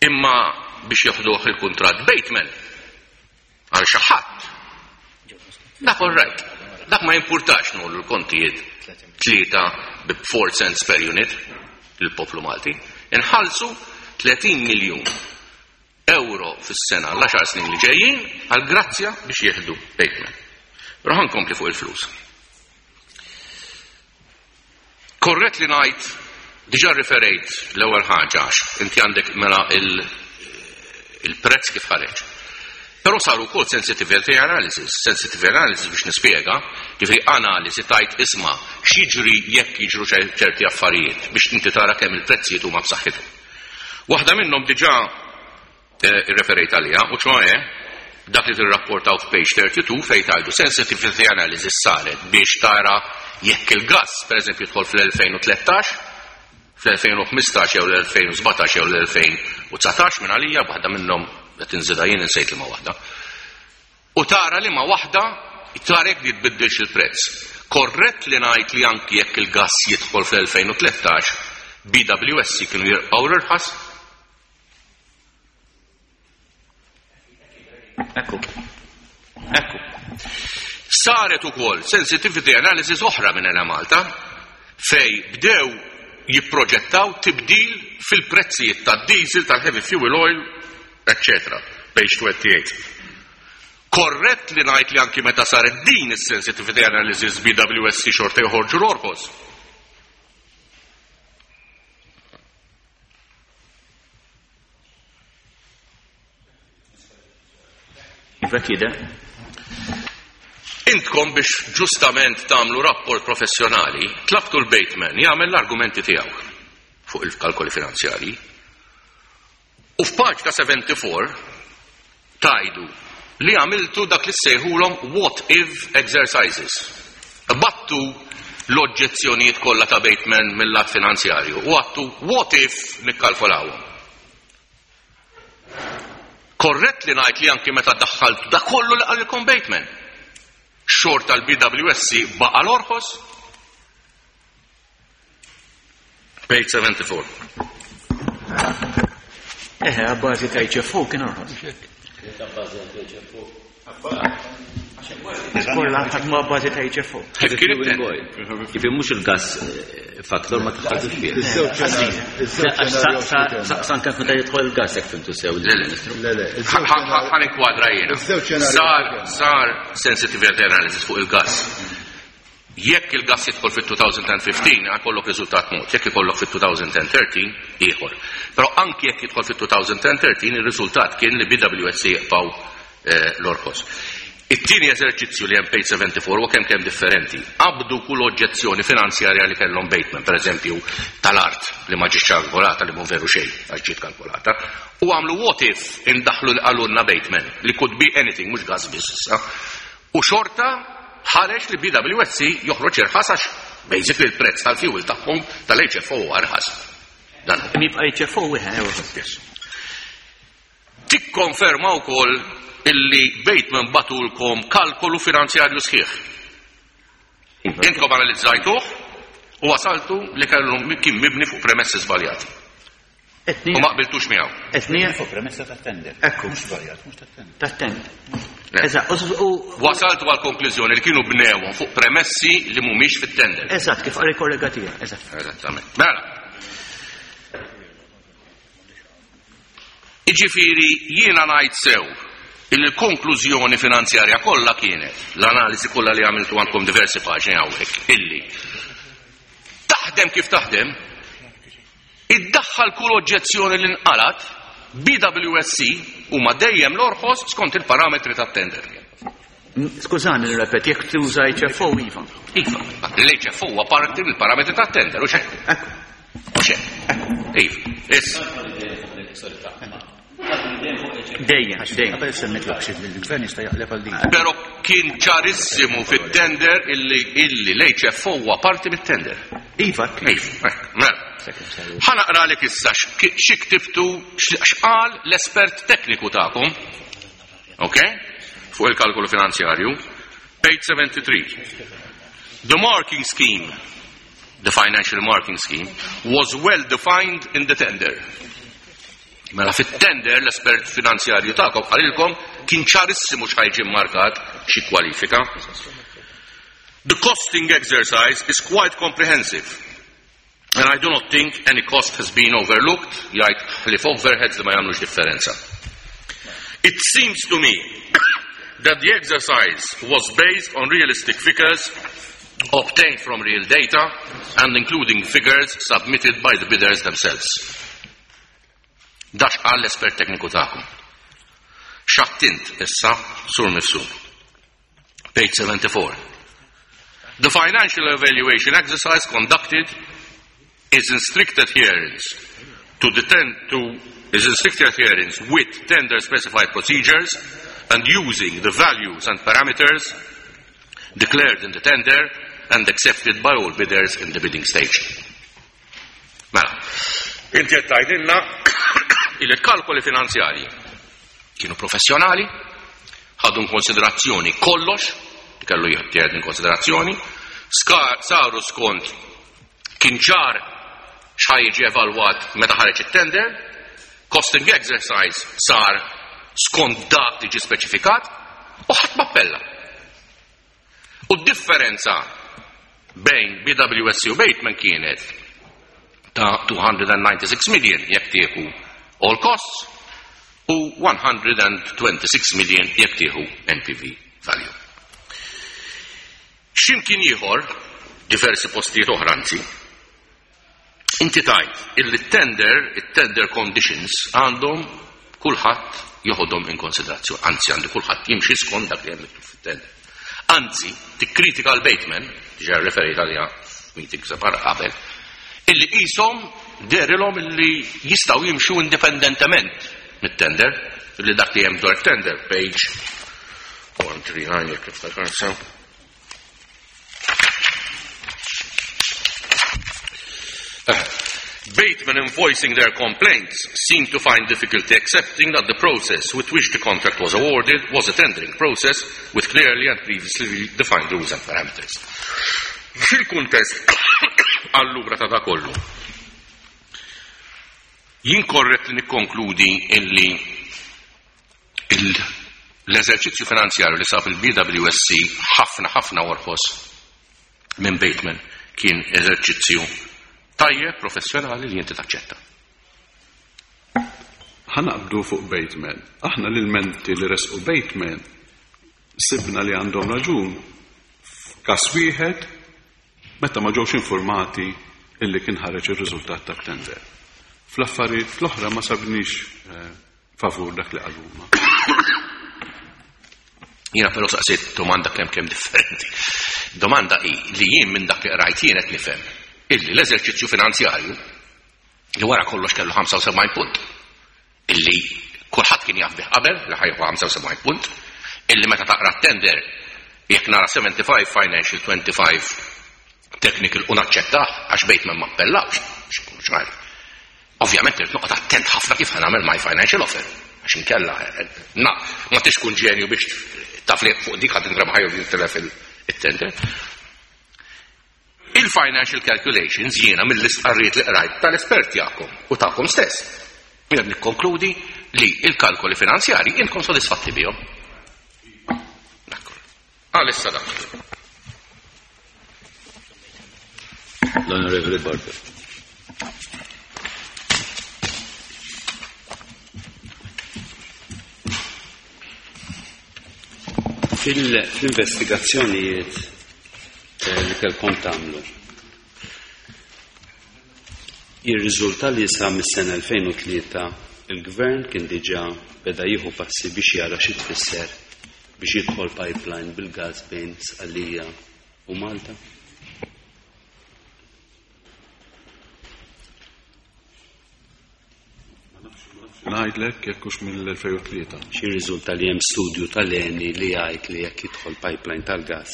imma biex joħduh il-kuntratt Bateman għal xi ħadd. Dak all right. Dak ma jimpurtax nollu l-kontijiet tlieta bi 4 cents per unit lill-poplu Malti. Inħallsu 30 miljun euro fis-sena l-10 snin li ġejjin għal grazzja biex jieħdu Bateman. Però ħa nkompli fuq il-flus. Korrett li ngħid, diġà riferejt l-ewwel ħaġa għax inti għandek mela il-prezz kif ħareġ. Però saru wkoll sensitivity analysis, sensitivity analysis biex nispjega, ġifieri analiżi tajt isma' x'jiġri jekk jiġru ċerti affarijiet biex inti tara kemm il-prezzijiet huma b'saħħithom. Waħda minnhom diġà irreferejt għaliha, u ċoe dak li tirrapportaw f'page 32 fejn tgħidu sensitivity analysis saret biex tara jekk il-gas, per eżempju, jidħol fl-2013, fl-2015 jew l-2017 jew l-2019 minn għalija, waħda minnhom qed inżidha jien insejt li ma waħda. U tara li ma waħda tara jekk jitbiddilx il-prezz. Korrett li ngħid li anki jekk il-gas jidħol fl-2013, BWSC kienu jirqgħu l-irħas? Ekku. Ekku. Saret ukoll sensitivity analysis oħra minn Enemalta fej bdew jipproġettaw tibdil fil-prezzijiet tad-diesel, tal-heavy fuel oil, eccetera. Page 28. Korrett li ngħid li anki meta saret din is-sensitivity analysis BWSC xorta joħorġu l-orħos? Iva kida. Intkom biex ġustament tagħmlu rapport professjonali, tlabtu l-Bateman jagħmel l-argumenti tiegħu fuq il-kalkoli finanzjarji. U f'paġna 74 tajdu li għamiltu dak li ssejħulhom what if exercises. Battu l-oġġezzjonijiet kollha ta' Bateman mill-lat finanzjarju u għattu what if nikkalkulawhom. Korrett li ngħid li anki meta daħħaltu da kollu li qalilkom Bateman, xorta l-BWSC baqa' l-orħos? Page 74. Eħe, għabbażi ta' HFO kien orħos. Kolla ħadmu għabbażi ta' HFO. Kif kien it-tender? Kif mhux il-gas faktor ma taħħaltux fih. San kif meta jidħol il-gas jekk fimtu sew il-Ministru. Ħa ninkwadra jiena. Sar sensitivity analysis fuq il-gas. Jekk il-gas jidħol fit-2015, għakollok riżultat mod, jekk ikollok fit-2013, ieħor. Però anki jekk jidħol fit-2013, il-riżultat kien li BWSC jibqgħu l-orħos. It-tieni eżerċizzju li hemm page 74 huwa kemm kemm differenti. Qabdu kull oġġezzjoni finanzjarja li kellhom Bateman, per eżempju, tal-art li ma ġietx kalkolata li mhu veru xejn għax ġiet kalkolata, u għamlu what if indaħħlu li qalulna Bateman li could be anything mhux gas biss issa. U xorta ħareġ li BWSC joħroġ irħas għax basically il-prezz tal-fuel tagħhom tal-HFO huwa irħas. Dan. Jibqa' HFO wieħed. Yes. Tikkonferma wkoll illi Bateman bagħtulkom kalkolu finanzjarju sħiħ. Intkom analizzajtuh u wasaltu li kellu kien mibni fuq premessi żbaljati. U ma qbiltux miegħu. Etnija fuq premessa tat-tender. Ekku. Mhux żbaljat, mhux tat-tender. Tat-tender. Eżatt, u Wasaltu għal konklużjoni li kienu bnewhom fuq premessi li mhumiex fit-tender. Eżatt, kif qal il-kollega tiegħek, eżatt. Eżattament. Mela. Jiġifieri jiena ngħid sew illi l-konklużjoni finanzjarja kollha kienet, l-analiżi kollha li għamiltu għandkom diversi paġni hawnhekk, illi taħdem kif taħdem, iddaħħal kull oġġezzjoni li nqalat, BWSC huma dejjem l-orħos skont il-parametri tat-tender. Skużani nirrepeti, jekk tuża HFO, iva. Iva, l-HFO huwa parti mill-parametri tat-tender, u xejn. Ekku. U xejn. Iva, issa. Dejjem, dejjem. Qabel semmit l-akxid li l-gvern jista' jaqleb għal din. Però kien ċarissimu fit-tender illi illi l-HFO huwa parti mit-tender. Iva, Iva, mela. Ħa naqralek issa xi ktibtu x'qal l-espert tekniku tagħkom. Ok? Fuq il-kalkolu finanzjarju. Page 73. The marking scheme, the financial marking scheme, was well defined in the tender. Mela fit-tender l-espert finanzjarju tagħkom qalilkom kien ċarissimu x'ħa jiġi markat xi kwalifika. The costing exercise is quite comprehensive. And I do not think any cost has been overlooked, jgħid ħlief overheads li ma jagħmlux differenza. It seems to me that the exercise was based on realistic figures obtained from real data and including figures submitted by the bidders themselves. Dak qal l-espert tekniku tagħkom. X'għedt int issa Sur Mifsud. Page 74. The financial evaluation exercise conducted is in strict adherence to the ten, to is in strict adherence with tender specified procedures and using the values and parameters declared in the tender and accepted by all bidders in the bidding stage. Mela, inti qed tgħidilna il-kalkoli finanzjarji kienu professjonali, ħadu konsiderazzjoni kollox, li kellu jittieħed in konsiderazzjoni, saru skont kien ċar x'ħa jiġi evalwat meta ħareġ it-tender, costing exercise sar skont dak li ġi speċifikat u ħadd m'appella. U d-differenza bejn BWSC u Bateman kienet ta' 296 million jekk tieħu all costs u 126 million jekk tieħu NPV value. X'imkien ieħor, diversi postijiet oħra anzi, inti tgħid illi tender, it-tender conditions għandhom kulħadd joħodhom in konsiderazzjoni, anzi għandu kulħadd jimxi skont dak li hemm miktub fit-tender. Anzi, tikkritika l-Bateman, diġà referit għaliha meeting separat qabel, illi qishom dehrilhom illi jistgħu jimxu indipendentement mit-tender, illi dak li hemm dwar tender, page 139 jekk niftakar sew. Bateman, in voicing their complaints, seemed to find difficulty accepting that the process with which the contract was awarded was a tendering process with clearly and previously defined rules and parameters. Fil-kuntest allura ta' da kollu, jien korrett li nikkonkludi illi l-eżerċizzju finanzjarju li sab il-BWSC ħafna ħafna orħos minn Bateman kien eżerċizzju tajjeb professjonali li inti taċċetta. Ħa naqbdu fuq Bateman. Aħna l-ilmenti li resqu Bateman sibna li għandhom raġun f'każ wieħed meta ma ġewx informati illi kien ħareġ ir-riżultat tat-tender. Fl-affarijiet l-oħra ma sabniex favur dak li qaluma. Jiena però saqsejt domanda kemm kemm differenti. Domanda hi li jien minn dak li qrajt jien qed nifhem illi l-eżerċizzju finanzjarju li wara kollox kellu 75 punt illi kulħadd kien jaf bih qabel li ħa jieħu 75 punt, illi meta taqra t-tender jekk nara 75 financial, 25 technical u naċċettah għax Bateman ma appellawx, x'ikun ċar. Ovvjament irid noqgħod attent ħafna kif ħa nagħmel my financial offer, għax inkella na ma tix tkun ġenju biex taf li fuq dik ħadd inrebaħ jew jintilef il-tender. Il-financial calculations jiena mill-istqarrijiet li qrajt tal-esperti tagħkom u tagħkom stess. Jiena nikkonkludi li il-kalkoli finanzjari intkom sodisfatti bihom. Għalissa dak. L-Onorevoli Barber. Fil-investigazzjonijiet li kellkom tagħmlu, jirriżulta li sa mis-sena 2003 il-Gvern kien diġà beda jieħu passi biex jara xi tfisser biex jidħol pipeline bil-gas bejn Sqallija u Malta? Ngħidlek jekk hux mill-2003. Xi riżulta li hemm studju tal-ENI li jgħid li jekk jidħol pipeline tal-gas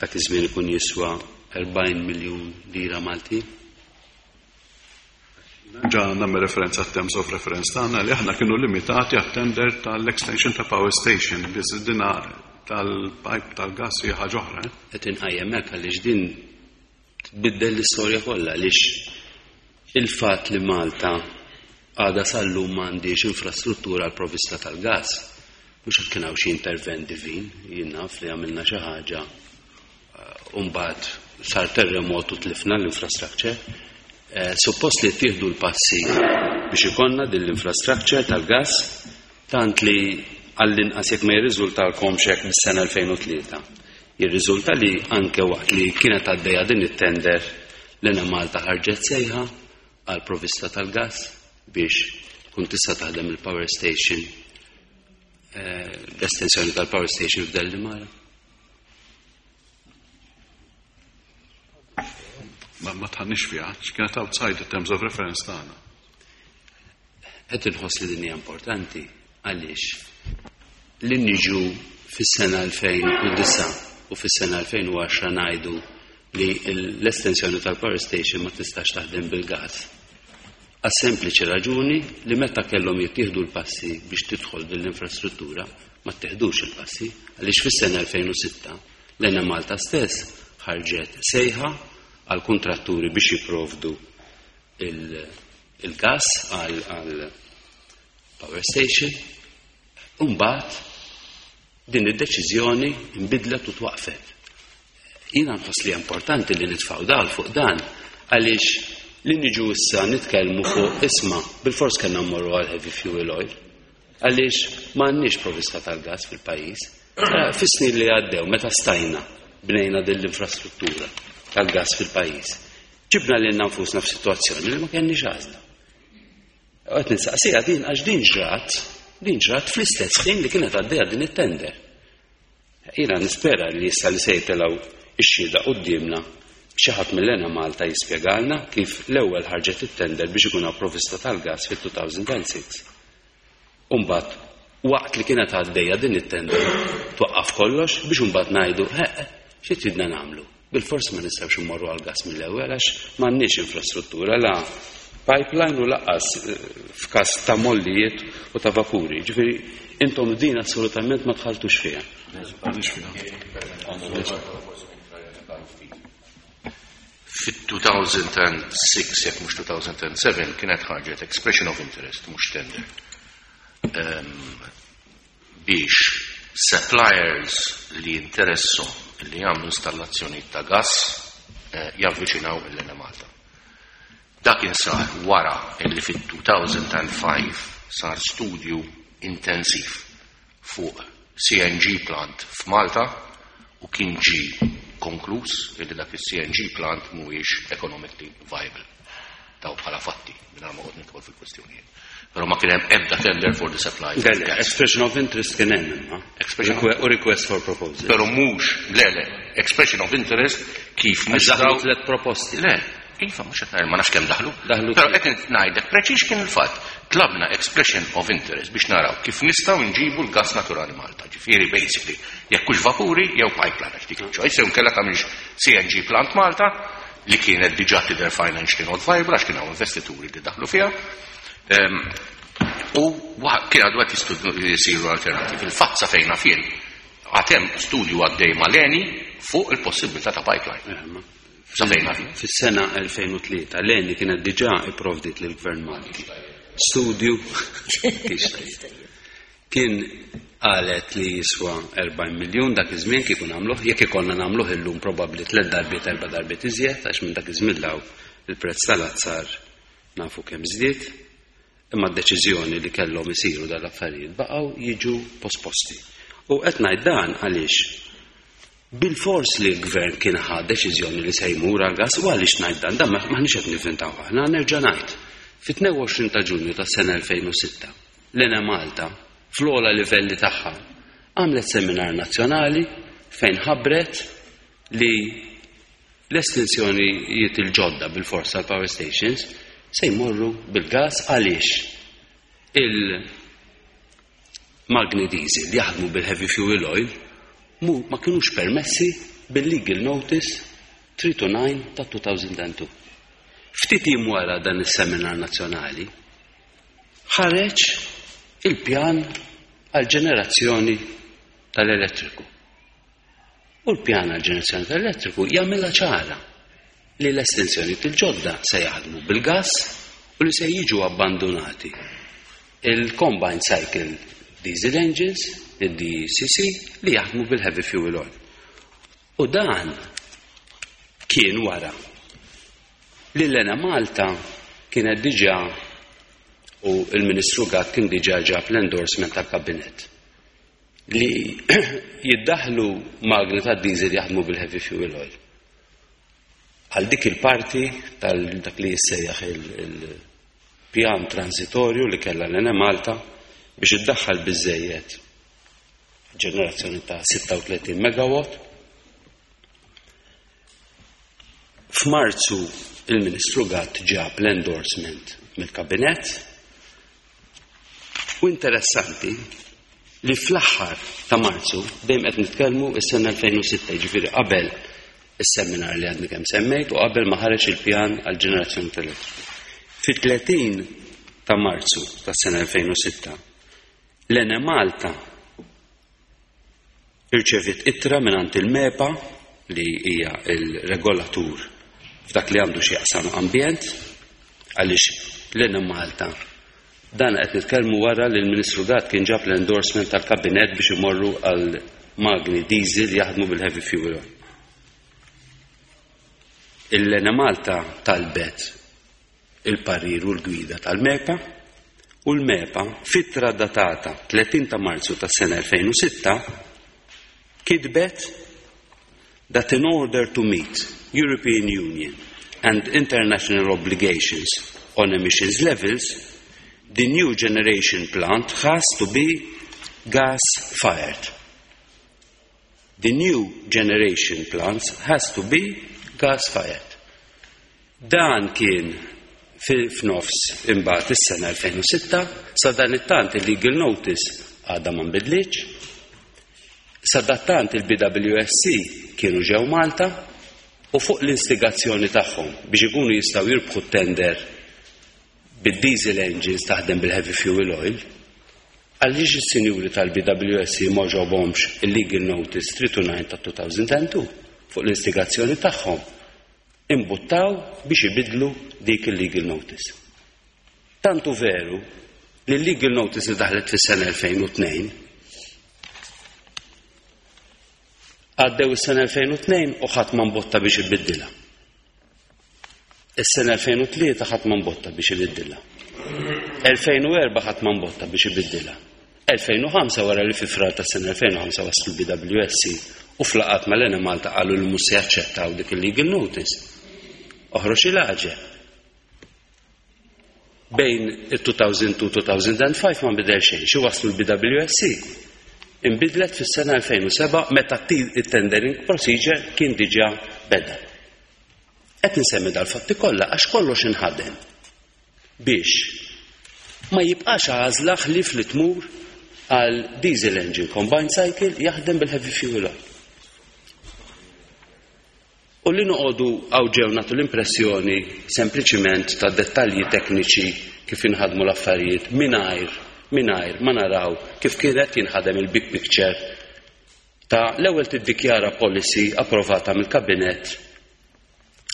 dak iż-żmien ikun jiswa 40 miljun lira Malti? Ġa nagħmel referenza terms of reference tagħna li aħna kienu limitati għat-tender tal-extension ta' power station, biss dina tal-pipe tal-gas hija ħaġa oħra. Qed inqajjem hekk għaliex din tbiddel l-istorja kollha, għaliex il-fatt li Malta għadha sal-lum m'għandix infrastruttura għal provvista tal-gas, mhux hekk kien hawn xi intervent divin, jien naf li għamilna xi ħaġa u mbagħad sar terremot u tlifna l-infrastructure. Suppost li ttieħdu l-passi biex ikollna din l-infrastructure tal-gas, tant li għall-inqas jekk ma jirriżultalkomx hekk mis-sena 2003. Jirriżulta li anke waqt li kienet għaddejja din it-tender l-Enemalta ħarġet sejħa għal provvista tal-gas biex tkun tista' taħdem il-power station, l-estensjoni tal-power station f'Dellimara. Ma tħannix fiha, kienet outside the terms of reference tagħna. Qed inħoss li din hija importanti għaliex li niġu fis-sena 2009 u fis-sena 2010 ngħidu li l-estensjoni tal-power station ma tistax taħdem bil-gas. Għas sempliċi raġuni li meta kellhom jittieħdu l-passi biex tidħol din l-infrastruttura ma ttieħdux il-passi, għaliex fis-sena 2006 l-Enemalta stess ħarġet sejħa għal kontratturi biex jipprovdu il-gas għal power station, u mbagħad din id-deċiżjoni nbidlet u twaqfet. Jiena nħoss li importanti li nitfgħu dal fuq dan għaliex li niġu issa nitkellmu fuq isma' bil-fors kellna mmorru għal heavy fuel oil għaliex m'għandniex provvista tal-gas fil-pajjiż. Fis-snin li għaddew meta stajna bnejna din l-infrastruttura tal-gas fil-pajjiż, ġibna lilna nfusna f'sitwazzjoni li ma kenniex għażla. Qed nistaqsiha din għax din ġrat fl-istess ħin li kienet għaddejja din it-tender. Jiena nispera li issa li se jitilgħu ix-xhieda quddiemna xi ħadd mill-Enemalta jispjegalna kif l-ewwel ħarġet it-tender biex ikun hawn provvista tal-gas fit-2006. U mbagħad waqt li kienet għaddejja din it-tender twaqqaf kollox biex imbagħad ngħidu xi tridna nagħmlu. Bil-fors ma nistgħux immorru għall-gas mill-ewwel għax m'għandniex infrastruttura la pipeline u laqqas f'każ ta' mollijiet u ta' vapuri. Ġifieri intom din assolutament ma tħaltux fiha. Fit-2006, jekk mhux 2007, kienet ħarġet expression of interest, mhux tender, biex suppliers li interessom li jagħmlu installazzjoni ta' gas javviċinaw l-Enemalta. Dak sar wara illi fit-2005 sar studju intensiv fuq CNG plant f'Malta u kien ġi konkluż illi dak il-CNG plant mhuwiex economically viable. Daw bħala fatti, mingħajr ma qgħod nidħol fil-kwestjonijiet. Però ma kien hemm ebda tender for the supply. Le, le, expression of interest kien hemm imma. Expression U request for proposal. Però mhux, le, le, expression of interest kif Għax daħlu nistgħu tliet proposti. Le, iva, mhux qed ngħid, ma nafx kemm daħlu. Daħlu Però tliet. qed ngħidlek preċiż kien il-fatt. Tlabna expression of interest biex naraw kif nistgħu nġibu l-gas naturali Malta. Ġifieri basically, jekk hux vapuri jew pipeline għax dik il-choice, jew inkella tagħmilx CNG plant Malta li kienet diġà tidher financially not viable għax kien hawn investituri li daħlu fiha. U kien għadu qed jisiru alternativi. Il-fatt sa fejn naf jien, għad hemm studju għaddej mal-Eni fuq il-possibilità ta' pipeline. Sa fejn naf jien. Fis-sena 2003 l-Eni kienet diġà ipprovdiet lill-Gvern Malti studju kien qalet li jiswa 40 miljun dak iż-żmien kieku nagħmluh, jekk ikollna nagħmluh illum probabbli tliet darbiet erba' darbiet iżjed għax minn dak iż-żmien 'l hawn il-prezz tal-azzar nafu kemm żdied, imma d-deċiżjoni li kellhom isiru dal-affarijiet baqgħu jiġu posposti. U qed ngħid dan għaliex bil-fors li l-gvern kien ħa deċiżjoni li se jmur għal gas, u għaliex ngħid dan, dan maħniex qed nivvintaw aħna, nerġa' ngħid. Fit-22 ta' Ġunju tas-sena 2006, l-Enemalta fl-ogħla livelli tagħha għamlet seminar nazzjonali fejn ħabbret li l-estensjonijiet il-ġodda bil-forsa tal-power stations se jmorru bil-gas għaliex il-magni diesel li jaħdmu bil-heavy fuel oil ma kienux permessi bil-legal notice 329 ta' 2002. Ftit jiem wara dan is-seminar nazzjonali ħareġ il-pjan għal-ġenerazzjoni tal-elettriku. U l-pjan għal-ġenerazzjoni tal-elettriku jagħmilha ċara li l-estensjoni il-ġodda se jaħdmu bil-gas u li se jiġu abbandonati il-combined cycle diesel engines, il-DCC, li jaħdmu bil-heavy fuel oil. U dan kien wara li l-Enemalta kienet diġà u il-Ministru Gatt kien diġà ġab l-endorsement tal-kabinet li jiddaħlu magni ta' diesel jaħdmu bil-heavy fuel oil. Għal dik il-parti tal-dak li jissejjaħ il-pjan transitorju li kellha l-Enemalta biex iddaħħal biżejjed ġenerazzjoni ta' 36 megawatt. F'Marzu il-Ministru Gatt ġab l-endorsement mill-kabinet u interessanti li fl-aħħar ta' Marzu dejjem qed nitkellmu s-sena 2006, jiġifieri qabel is-seminar li għadni kemm semmejt u qabel ma ħareġ il-pjan għal ġenerazzjoni tal-elettriku. Fit-30 ta' Marzu tas-sena 2006 l-Enemalta irċevit ittra mingħand il-MEPA li hija il-regolatur f'dak li għandu x'jaqsam ambjent, għaliex l-Enemalta dan qed nitkellmu wara li l-Ministru Gatt kien ġab l-endorsement tal-kabinet biex imorru għal magni diesel jaħdmu bil-heavy fuel oil. Il-Enemalta talbet il-parir u l-gwida tal-MEPA u l-MEPA f'ittra datata 30 ta' Marzu tas-sena 2006 kitbet that in order to meet European Union and international obligations on emissions levels, the new generation plant has to be gas-fired. The new generation plants has to be gas-fired. Dan kien f'nofs imbagħad is-sena 2006, sa dan it-tant il-legal notice għadha ma nbidlitx. Sa dattant il-BWSC kienu ġew Malta u fuq l-instigazzjoni tagħhom biex ikunu jistgħu jirbħu tender bid-diesel engines taħdem bil-heavy fuel oil, għaliex is-sinjuri tal-BWSC ma ġobhomx il-legal notice 329 ta' 2002 fuq l-instigazzjoni tagħhom imbuttaw biex ibidlu dik il-legal notice. Tantu veru li l-legal notice li daħlet fis-sena 2002 għaddew is-sena 2002 u ħadd ma mbotta biex ibiddilha. Is-sena 2003 ħadd ma mbotta biex ibiddilha. 2004 ħadd ma mbotta biex ibiddilha. 2005 wara li fi frar tas-sena 2005 waslu BWSC u flaqat mal-Enemalta qalu li mhux se jaċċettaw dik il-legal notice. Oħroġ il-għaġeb. Bejn il-2002-2005 ma nbidel xejn, xi waslu l-BWSC. Inbidlet fis-sena 2007 meta it-tendering procedure kien diġà beda. Qed insemmi dal-fatti kollha għax kollox inħadem biex ma jibqax għażla ħlief li tmur għal diesel engine combined cycle jaħdem bil-heavy fuel oil. U li noqogħdu hawn ġew nagħtu l-impressjoni sempliċiment ta' dettalji tekniċi kif inħadmu l-affarijiet mingħajr ma naraw kif kienet jinħadem il-big picture ta' l-ewwel tiddikjara policy approvata mill-kabinett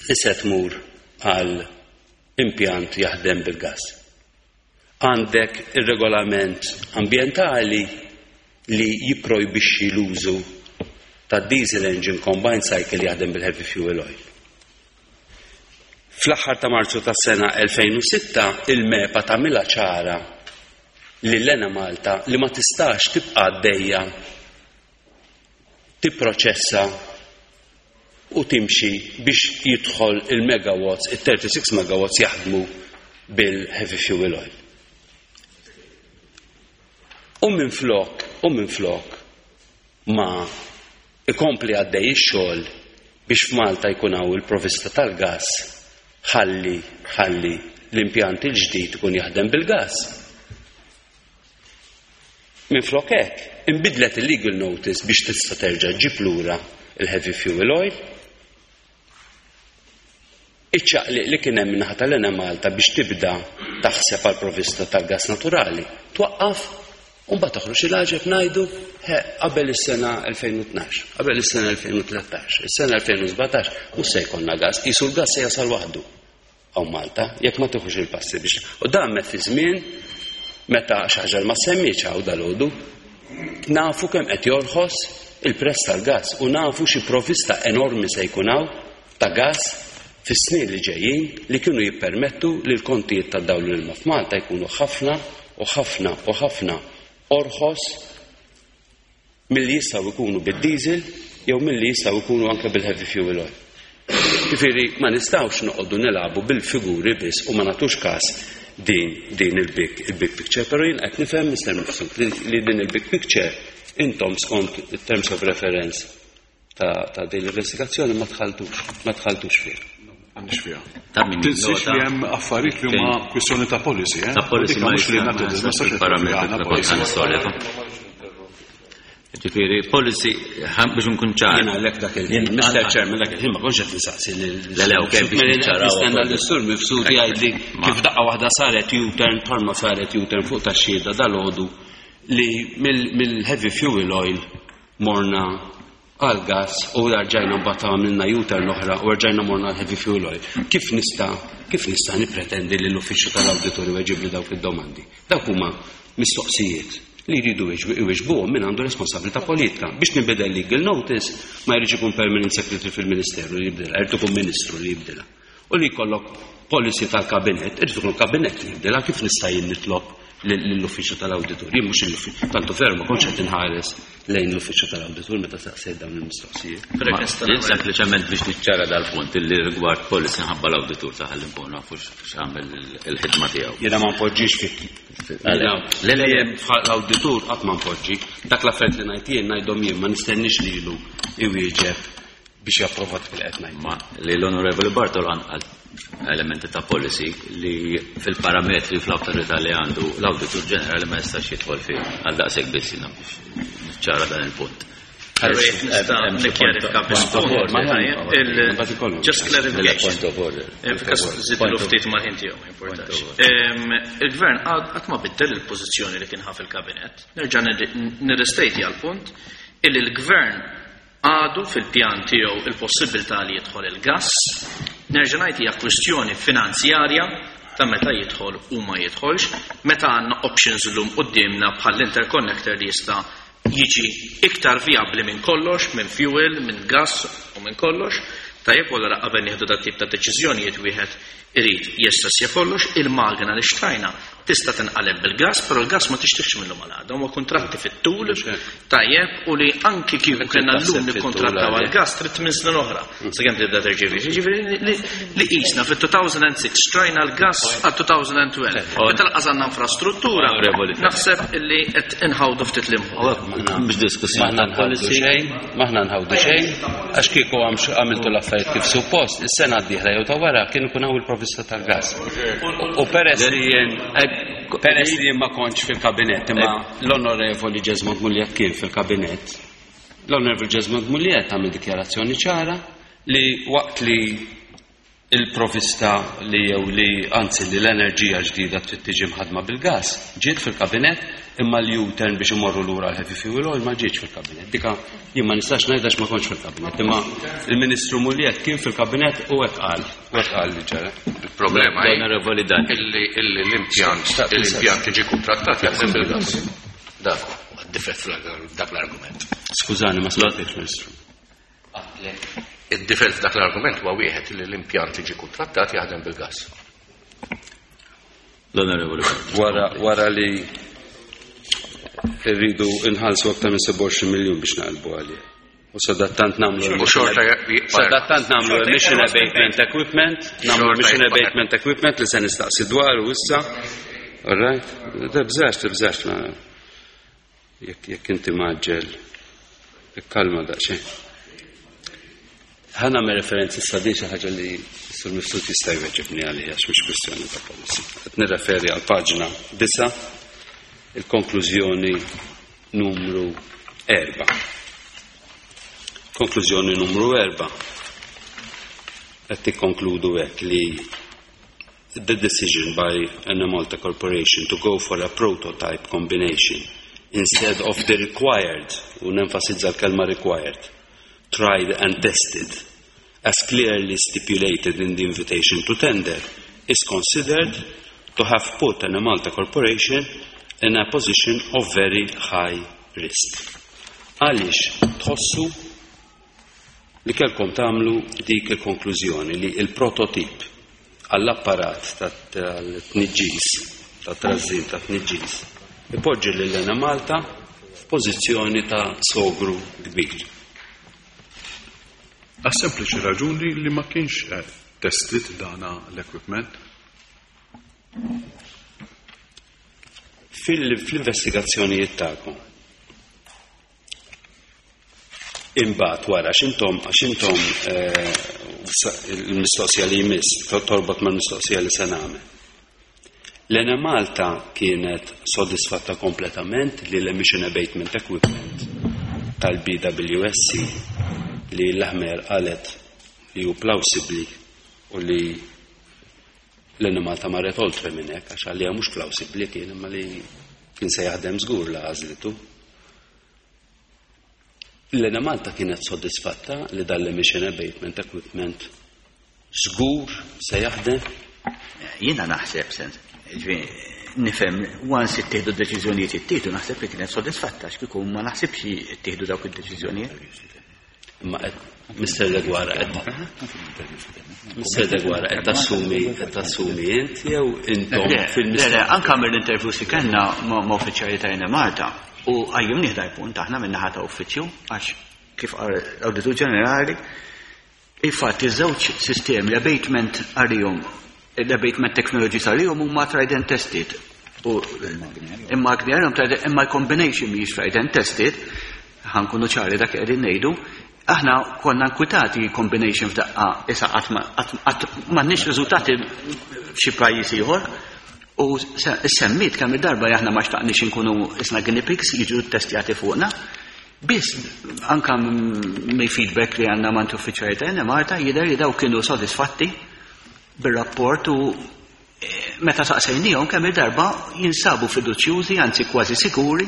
li se tmur għal impjant jaħdem bil-gas. Għandek ir-regolament ambjentali li jipprojbixxi l-użu ta' diesel engine combined cycle jaħdem bil-heavy fuel oil. Fl-aħħar ta' Marzu tas-sena 2006 il-MEPA tagħmilha ċara li l-Enemalta li ma tistax tibqa' għaddejja tipproċessa u timxi biex jidħol il-megawatts, il-36 megawatts jaħdmu bil-heavy fuel oil. U minn flok ma ikompli għaddej ix-xogħol biex f'Malta jkun hawn il-provista tal-gas ħalli l-impjant il-ġdid ikun jaħdem bil-gas. Minn flok hekk, inbidlet il-legal notice biex tista' terġa' ġġib lura il-heavy fuel oil. Iċ-ċaqliq li kien hemm min-naħa tal-Enemalta biex tibda taħseb għal provista tal-gas naturali. Twaqqaf u mbagħad toħroġ il-għaġeb ngħidu qabel is-sena 2012, qabel is-sena 2013, is-sena 2017 mhux se jkollna gas, qisu l-gas se jasal waħdu hawn Malta, jekk ma tieħux il-passi biex. U dan fi żmien meta xi ħaġa ma semmitx hawn dalgħodu, nafu kemm qed jorħos il-prezz tal-gas u nafu xi provista enormi se jkun hawn ta' gas fis-snin li ġejjin li kienu jippermettu li l-kontijiet ta' dawl l-ilma f'Malta jkunu ħafna u ħafna u ħafna orħos milli jistgħu jkunu bid-diesel jew milli jistgħu jkunu anke bil-heavy fuel oil. Ġifieri ma nistgħux noqogħdu nilagħbu bil-figuri biss u ma nagħtux każ din il-big picture, però jien qed nifhem, Mr. Mifsud, li din il-big picture intom skont terms of reference ta' din l-investigazzjoni ma dħaltux fih. Għandix fiha. Ta' min Tinsiex li hemm affarijiet li huma kwistjoni ta' policy, eh? Ta' policy Dik ma mhux li jista' nagħti ma ma parametri policy. storja. Ġifieri, policy, biex nkun ċar. Jiena għalhekk dak il-ħin, Mr. Chairman, dak il-ħin ma kontx qed insaqsi lil Le, ok, biex Mela, niċċaraw Nistenna ukoll. l-Sur Mifsud jgħidli kif daqqa waħda saret U-turn bħalma saret U-turn fuq tax-xhieda dalgħodu li mill-heavy fuel oil morna għal gas u rġajna mbagħad għamilna U-turn oħra u rġajna morna għal heavy fuel oil. Kif nista' nipretendi li l-uffiċċju tal-awditorju jġibli dawk id-domandi? Dawk huma mistoqsijiet li jridu iwiġbuhom min għandu responsabilità politika. Biex nibdel legal notice ma jridx ikun permanent secretary fil-ministeru li jibdilha, jrid ikun ministru li jibdilha. U li jkollok policy tal-kabinet, irid ikun kabinet li jibdilha. Kif nista' jien nitlob lill-uffiċċju tal-awditur? Jien mhux l-uffiċċju, tantu ferma kontx qed inħares lejn l-uffiċċju tal-awditur meta saqsejt dawn il-mistoqsijiet. Però jekk Jien sempliċement biex niċċara dal-punt illi rigward policy ħabba l-awditur ta' ħalli nkun nafu x'għamel il-ħidma tiegħu. Jiena ma npoġġix fit. Le. L-awditur qatt ma npoġġi. Dak l-affarijiet li ngħid jien ngħidhom jien, ma nistenniex lilu iwieġeb biex japprova dak li qed ngħid. Ma li l-Onorevoli Bartolo għal elementi ta' policy li fil-parametri fl-autorità li għandu l-Awditur Ġenerali ma jistax jidħol fih, għal daqshekk biss jiena biex niċċara dan il-punt. Allora jekk nista' Hemm xi nikkjarifika biss point of punt, order. tajjeb, just clarification. Point of order. F'każ żidlu ftit mal-ħin tiegħu, ma importax. Il-gvern qatt ma biddel il-pożizzjoni li kien ħa fil-kabinett. Nerġa' nirrestejti għal-punt illi l-gvern għadu fil-pjan tiegħu il-possibilità li jidħol il-gas. Nerġa' ngħid hija kwistjoni finanzjarja ta' meta jidħol u ma jidħolx, meta għandna options illum quddiemna bħall-interconnector li jista' jiġi iktar viabli minn kollox, minn fuel, minn gas u minn kollox. Tajjeb, allura qabel nieħdu dat tip ta' deċiżjonijiet wieħed irid jessessja kollox. Il-magna li xtrajna Tista' tinqaleb bil-gas, però l-gas ma tixtrihx minnhom għal għada, huma kuntratti fit-tul, tajjeb, u li anki kieku kellna llum nikkontrattaw għall-gas trid tmien snin oħra sakemm tibda terġivi. Jiġifieri li qisna fit-2006 xtrajna l-gas għal 2012. Meta lanqas għandna infrastruttura, naħseb illi qed inħawdu ftit l-imħuħ. Mhux diskussjoni Maħna nħawdu xejn, maħna nħawdu xejn, għax kieku għamiltu l-affarijiet kif suppost, is-sena d-dieħla jew ta' wara kien ikun hawn il-provvista tal-gas. U peress li jien peress li jien ma kontx fil-kabinett, imma l-Onorevoli Jesmond Mugliett kien fil-kabinett, l-Onorevoli Jesmond Mugliett għamel dikjarazzjoni ċara li waqt li il-provista li jew li anzi li l-enerġija ġdida trid tiġi mħadma bil-gas ġiet fil-kabinett imma l-U-turn biex imorru lura l-heavy fuel oil ma ġietx fil-kabinett. Dika jien ma nistax ngħid għax ma kontx fil-kabinett, imma il-Ministru Mugliett kien fil-kabinett u hekk qal, u hekk qal li ġara. Il-problema hi Onorevoli Dan. illi illi l-impjant l-impjant iġi kontrattat jaħdem bil-gas. Dak huwa d-difett f'dak l-argument. Skużani, ma smajtekx, Ministru. Id-difett f'dak l-argument huwa wieħed li l-impjant iġi kontrattat jaħdem bil-gas. L-Onorevoli Wara wara li rridu nħallsu aktar minn 27 miljun biex naqalbu għalih. U sadattant nagħmlu U xorta jibqa' Sadattant nagħmlu emission abatement equipment, nagħmlu Xorta emission jibqa' abatement equipment li se nistaqsi dwaru issa. All right? Tibżax, tibżax ma jekk jekk inti maġġel ikkalma daqsxejn. Ħa nagħmel referenzi issa din xi ħaġa li Sur Mifsud jista' jweġibni għaliha għax mhix kwistjoni ta' policy. Qed nirreferi għal paġna 9 il-konklużjoni numru 4. Konklużjoni numru 4. Qed tikkonkludu hekk li the decision by Enemalta Corporation to go for a prototype combination instead of the required, u nenfasizza l-kelma required, tried and tested, as clearly stipulated in the invitation to tender, is considered to have put Enemalta Corporation in a position of very high risk. Għaliex tħossu li kellkom tagħmlu dik il-konklużjoni li il-prototip għall-apparat tal-tniġġis, tat-trażżin tat-tniġġis, ipoġġi lil Enemalta f'pożizzjoni ta' sogru kbir. Għas sempliċi raġuni li ma kienx tested dana l-equipment. Fil-investigazzjonijiet tagħkom. Imbagħad wara x'intom għax intom il-mistoqsija li jmiss torbot mal-mistoqsija li se nagħmel. L-Enemalta kienet sodisfatta kompletament li l-emission abatement equipment tal-BWSC li l-Aħmer qalet li hu plausibli u li l-Enemalta marret oltre minn hekk għax għalija mhux plausibli kien imma li kien se jaħdem żgur la għażlitu. L-Enemalta kienet sodisfatta li dal-emission abatement equipment żgur se jaħdem? Jiena naħseb sens, ġifieri, nifhem once ittieħdu d-deċiżjonijiet ittieħdu naħseb li kienet sodisfatta għax kieku ma naħsibx ittieħdu dawk id-deċiżjonijiet. Imma qed Mr. Deguara qed Mr. Deguara qed tassumi qed tassumi int jew intom Le, fil-mistoqsija? le, anke mill-interviews li kellna ma' uffiċjali ta' Enemalta u qajjimnieh dal-punt aħna min-naħa ta' uffiċċju għax kif qal l-Awditur Ġenerali il-fatt iż-żewġ sistemi l-abatement għalihom l-abatement technologies għalihom huma tried and tested. U imma għalihom tried imma l-combination mhijiex tried and tested, ħankunu ċari dak qegħdin ngħidu, aħna konna nkwitati combination f'daqqa issa qatt m'għandniex riżultati f'xi pajjiż ieħor. U semmit kemm il-darba aħna ma xtaqniex inkunu isna guinea pigs jiġu testjati fuqna. Biss anka mill-feedback li għandna mant uffiċjali ta' Enemalta jidher li daw kienu sodisfatti bir-rapport u meta saqsejnihom kemm il-darba jinsabu fiduċjużi, anzi kważi sikuri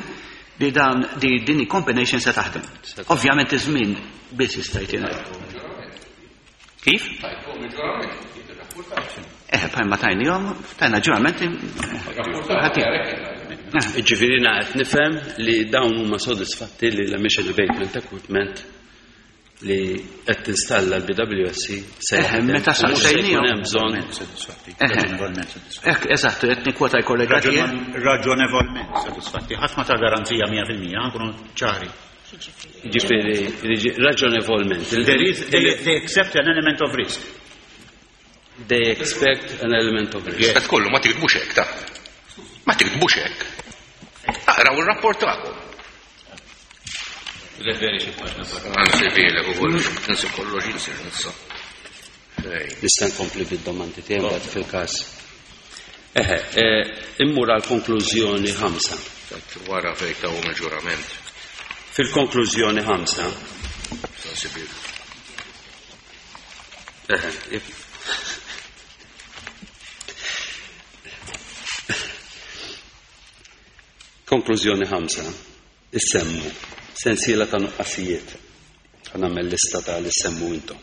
li dan di din il-combination se taħdem. Ovvjament iż-żmien biss jista' jtina. Kif? Bħalma tajnihom, tajna ġurament ħati. Ġifieri qed nifhem li dawn huma sodisfatti li l-emission abatement equipment li qed tinstalla l-BWSC se Eħe, meta u mhux se jkun saqsejniehom. hemm bżonn Sodisfatti. Eħe. Raġonevolment sodisfatti. Ek, eżatt, qed nikkwota l-kollega tiegħi. Raġonevolment sodisfatti. Ħadd ma ta' garanzija 100%, nkunu ċari. Ġifieri raġonevolment. There is, they accept an element of risk. They expect an element of risk. Yes. Qed kollu ma tiktbux hekk ta. Ma tiktbux hekk. Aqraw ir-rapport tagħkom. Referi xi paġna barra. Anzi bilek ukoll tinsi kollox jinsir nissa. Ej. Nista' nkompli bid-domandi tiegħi mbagħad fil-każ. Eħe, immur għal konklużjoni 5. Tat wara fejn tawhom il-ġurament. Fil-konklużjoni 5, Anzi bilek. eħe, Konklużjoni 5, issemmu sensiela ta' nuqqasijiet. Ħa nagħmel lista ta' li semmu intom.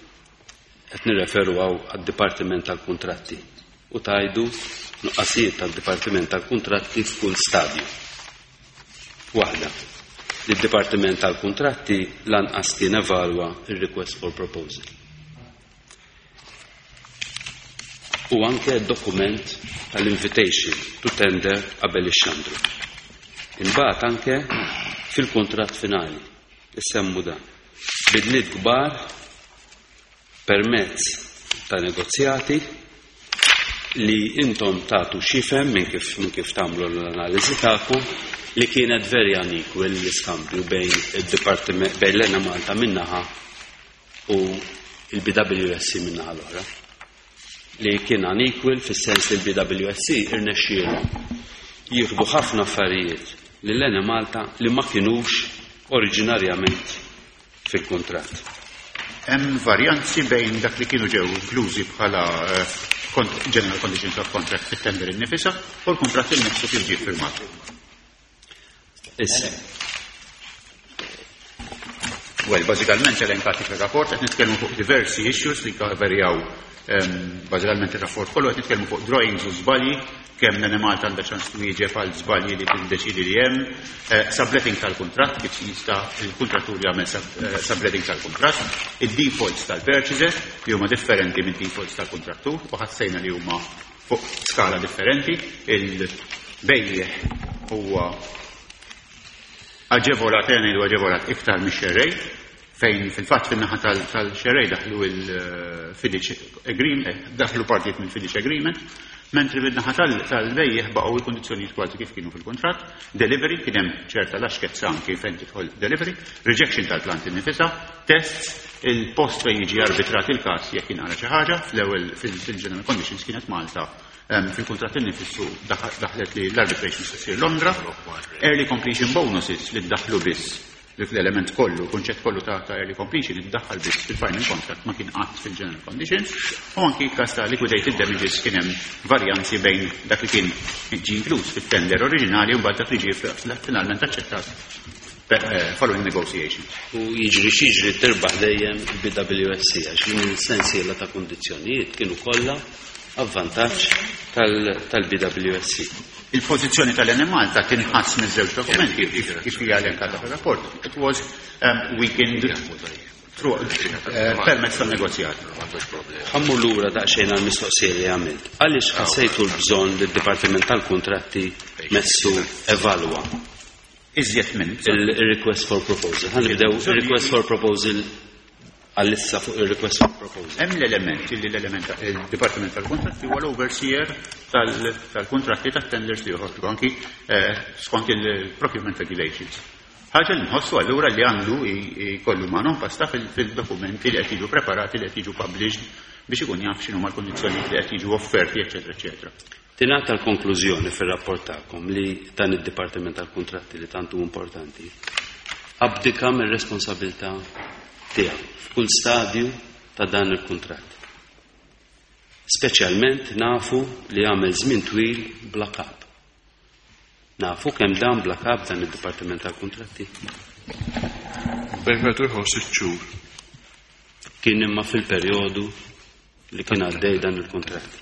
Qed nirreferu hawn għad-Dipartiment tal-Kuntratti u tajdu nuqqasijiet tad-Dipartiment tal-Kuntratti f'kull stadju. Waħda, li d-Dipartiment tal-Kuntratti lanqas kien evalwa il-request for proposal. U anke dokument tal-invitation to tender qabel ix-xandru. Imbagħad anke fil-kuntratt finali issemmu dan. Bidliet kbar permezz ta' negozjati li intom tagħtu xifem minn kif tagħmlu l-analiżi tagħkom li kienet very unequal l-iskambju bejn id-dipartiment bejn l-Enemalta minnaħa u il-BWSC minnaħa l-oħra. Li kien unequal fis-sens li l-BWSC irnexxielhom jieħdu ħafna affarijiet lil Enemalta li ma kinux oriġinarjament fil-kuntratt. Hemm varjanzi bejn dak li kienu ġew inklużi bħala general conditions of contract fit-tender innifisha u l-kuntratt innifsu kif ġie firmat. Issa. Well, bażikament elenkati fir-rapport qed nitkellmu fuq diversi issues li varjaw bażikament ir-rapport kollu qed nitkellmu fuq drawings u żbalji, kemm l-Enemalta għandha ċans twieġeb għal żbalji li tiddeċidi li hemm, subletting tal-kuntratt, kif jista' il-kuntrattur jagħmel subletting tal-kuntratt, id-defaults tal-purchaser li huma differenti minn defaults tal-kuntrattur u ħassejna li huma fuq skala differenti, il-bejjeħ huwa aġevolat, ejja ngħidu aġevolat iktar mix-xerrej, fejn fil-fatt fin-naħa tal-xerrej daħlu il-FIDIC agreement, daħlu partijiet mill-FIDIC agreement, mentri bin-naħa tal-bejjeħ baqgħu l-kundizzjonijiet kważi kif kienu fil-kuntratt, delivery kien hemm ċerta laxkezza anki fejn tidħol delivery, rejection tal-plant innifisha, tests, il-post fejn jiġi arbitrat il-każ jekk jinqara xi ħaġa, fl-ewwel fil-general conditions kienet Malta. Fil-kuntratt innifissu daħlet li l-arbitration se ssir Londra, early completion bonuses li ddaħlu biss li fl-element kollu, kunċett kollu ta' early completion iddaħħal biss fil-final contract ma kien qatt fil-general conditions, u anki każ ta' liquidated damages kien hemm varjanzi bejn dak li kien ġie inkluż fit-tender oriġinali u mbagħad dak li ġie finalment aċċettat following negotiations. U jiġri x'jiġri tirbaħ dejjem il-BWSC għax din il-sensiela ta' kundizzjonijiet kienu kollha avvantaġġ tal-BWSC. Il-pożizzjoni tal-Enemalta tinħass miż-żewġ dokumenti kif hija elenkata fir-rapport. It was weakened through permezz tan-negozjat. Ħa mmur lura daqsxejn għall-mistoqsija li għamilt. Għaliex ħassejtu l-bżonn li d-Dipartiment tal-Kuntratti messu evalwa Iżjed minn il-request for proposal. Ħa nibdew il-request for proposal għal-issa fuq il-request for proposal. Hemm l-element li l-element il-Dipartiment tal-Kuntratti huwa l-overseer tal-kuntratti tat-tenders li joħorġu anki skont il-procurement regulations. Ħaġa li nħossu allura li għandu jkollu ma pasta fil-dokumenti li qed jiġu preparati, li qed jiġu published biex ikun jaf x'inhuma l-kondizzjonijiet li qed jiġu offerti, eċetera, eċetera. Tingħata l-konklużjoni fir-rapport tagħkom li dan id-Dipartiment tal-Kuntratti li tant hu importanti abdika mir-responsabilità tiegħu f'kull stadju ta' dan il-kuntratt. Speċjalment nafu li għamel żmien twil bla kap. Nafu kemm dan bla kap dan id-Dipartiment tal-Kuntratti. Bejn wieħed u ieħor 6 xhur. Kien imma fil-perjodu li kien għaddej dan il-kuntratt.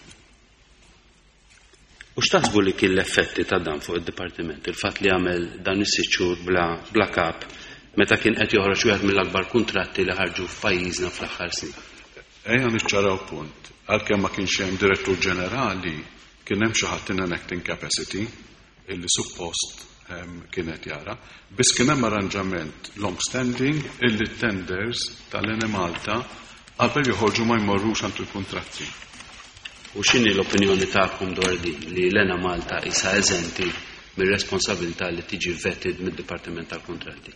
U x'taħsbu li kien l-effetti ta' dan fuq id-dipartiment? Il-fatt li għamel dan is-6 xhur bla kap meta kien qed joħroġ wieħed mill-akbar kuntratti li ħarġu f'pajjiżna fl-aħħar snin. Ejja niċċaraw punt. Għalkemm ma kienx hemm direttur ġenerali, kien hemm xi ħadd in an acting capacity illi suppost kienet jara. Biss kien hemm arranġament long standing illi tenders tal-Enemalta qabel joħorġu ma jmorrux għand il-kuntratti. U x'inhi l-opinjoni tagħkom dwar din li l-Enemalta isa eżenti mir-responsabilità li tiġi vetted mid-Dipartiment tal-Kuntratti?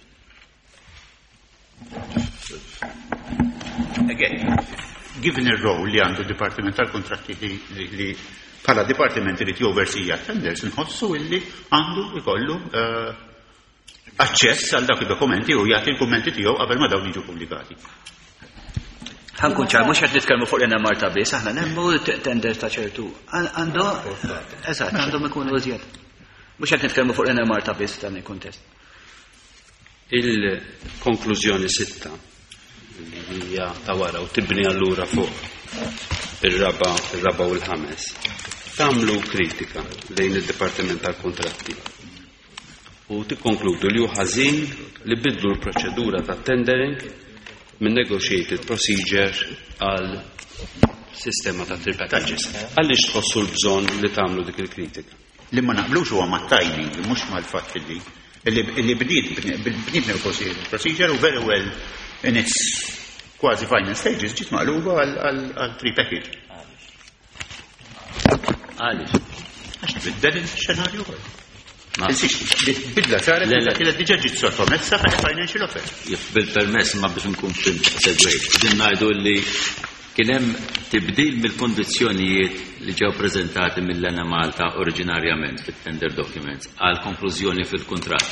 Again, given il-role li għandu d-Dipartiment tal-Kontratti li bħala dipartiment li oversee tenders, nħossu illi għandu ikollu aċċess għal dak id-dokumenti u jagħti l-kummenti tiegħu qabel ma dawn jiġu pubblikati. Ħa nkun ċar, mhux qed nitkellmu fuq l-Enemalta biss, aħna nemmu tender ta' ċertu. Għandu, eżatt, għandhom ikunu iżjed. Mhux qed nitkellmu fuq l-Enemalta biss dan il-kuntest. Il-konklużjoni 6 li hija ta' wara u tibni allura fuq ir-raba' u l-ħames. Tagħmlu kritika lejn id-Dipartiment tal-Kuntratti u tikkonkludu li hu ħażin li bidlu l-proċedura ta' tendering minn negotiated procedure għal sistema ta' three packages. Għaliex tħossu l-bżonn li tagħmlu dik il-kritika? Li ma naqblux huwa ma' timing, mhux mal-fatt li bniet negotiated procedure u very well in its quasi final stages ġiet maqluba għal three package. Għaliex? Għax tbiddel il-xenarju. Bidla saret kienet diġà ġiet sottomessa bħala financial offer. Bil-permess ma biex nkun segwejt. Din ngħidu li kien hemm tibdil mill-kondizzjonijiet li ġew preżentati mill-Enemalta oriġinarjament fit-tender documents għal konklużjoni fil-kuntratt.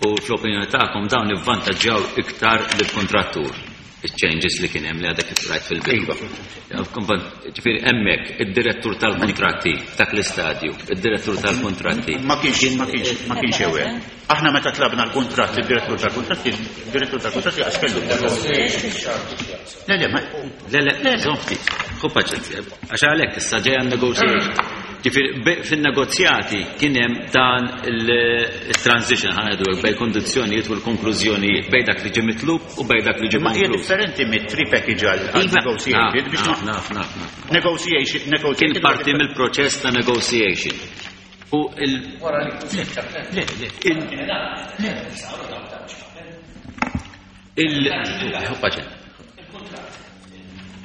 U fl-opinjoni tagħkom dawn ivvantaġġjaw iktar lill-kontrattur. Il-changes li kien hemm li għadek kif rajt fil-bidu. Ġifieri hemmhekk id-direttur tal-kontratti dak l-istadju, id-direttur tal-kontratti. Ma kienx ewwel. Aħna meta tlabna l-kuntratt, id-direttur tal-kontratti għax kellu. Le, le, ma le, le, żomm ftit. Ħu paċenzja. Għax għalhekk issa ġejja negotiation. Ġifieri fin-negozjati kien hemm dan il-transition, ħa ngħidu bejn kondizzjonijiet u l-konklużjonijiet, bejn dak li ġie mitlub u bejn dak li ġie Ma hija konkluż. differenti mit three package għal negotiated biex Naf, naf, naf, naf. negotiation negotiated Kien parti mill-proċess ta' negotiation. U il Le, le, il paċen.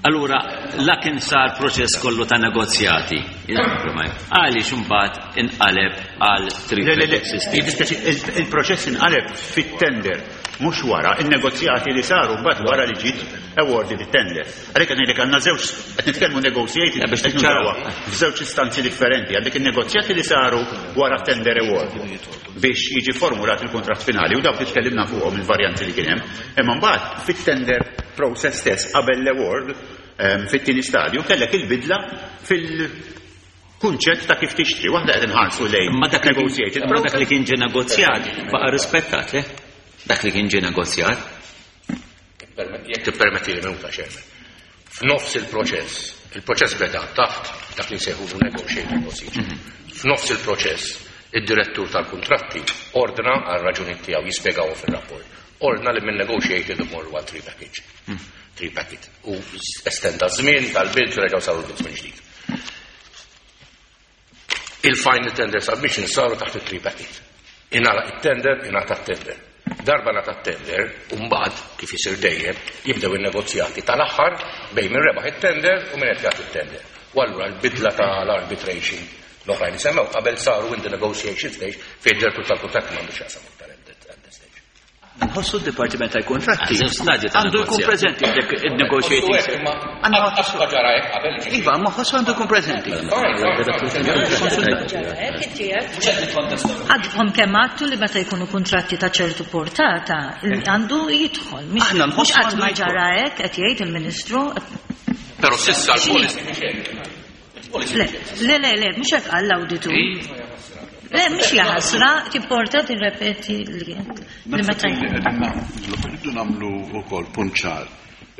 Allura, la kien sar proċess kollu ta' negozjati. Għaliex imbagħad inqaleb għal three Le, le, le, package system? jiddispjaċi, il-proċess inqaleb fit-tender, mhux wara, il-negozjati li saru mbagħad wara li ġiet awarded it-tender. Għalhekk qed ngħidlek għandna żewġ qed nitkellmu negotiated Ja, biex qed niċċaraw. nużawha f'żewġ istanzi differenti. Għandek il-negozjati li saru wara tender award biex jiġi formulat il-kuntratt finali u dawk li tkellimna fuqhom il-varjanti li kien hemm. Imma mbagħad fit-tender process stess qabel l-award fit-tieni stadju kellek il-bidla fil-kunċett ta' kif tixtri. Waħda qed inħarsu lejn Ma dak li kien- negotiated ma dak li process. kien ġie negozjat baqa' rispettat, le? Dak li kien ġie negozjat. Jekk tippermetti li minuta, Chairman. F'nofs il-proċess, il-proċess beda taħt dak li nsejħulu negotiated procedure. F'nofs il-proċess, id-direttur tal-kontratti ordna għal raġuni tiegħu jispjegaw fir-rapport. Ordna li minn negotiated imorru għal three package. Three packet. U estenda żmien tal-bid reġgħu saru l-bid minn ġdid. Il-final tender submission saru taħt il-three packet. Ingħalaq it-tender, ingħata t-tender. Darba ngħata t-tender, u mbagħad kif isir dejjem, jibdew in-negozjati tal-aħħar bejn min rebaħ it-tender u min qed jagħti it-tender. U allura l-bidla tal-arbitration l-oħrajn semmew qabel saru in the negotiation stage fejn id-direttur tal-kuntratt m'għandux jaqsam iktar at that stage. Nħossu d-Dipartiment tal-Kontratti Ah, żewġ stadji ta' għandu jkun negozjati. preżenti f'dik il-negotiating. ġara hekk qabel. Iva, ma ħossu għandu jkun preżenti. Għadkom kemm għadtu li meta jkunu kontratti ta' ċertu portata, għandu jidħol. Aħna nħossu Mhux qatt għandu ma jidħol. ġara hekk qed jgħid il-Ministru. Però s'issa l-policy Le, le, le, le, mhux hekk qal l-awditur. Le, mhux jaħasra, tipporta tirrepeti li meta Rridu nagħmlu wkoll punt ċar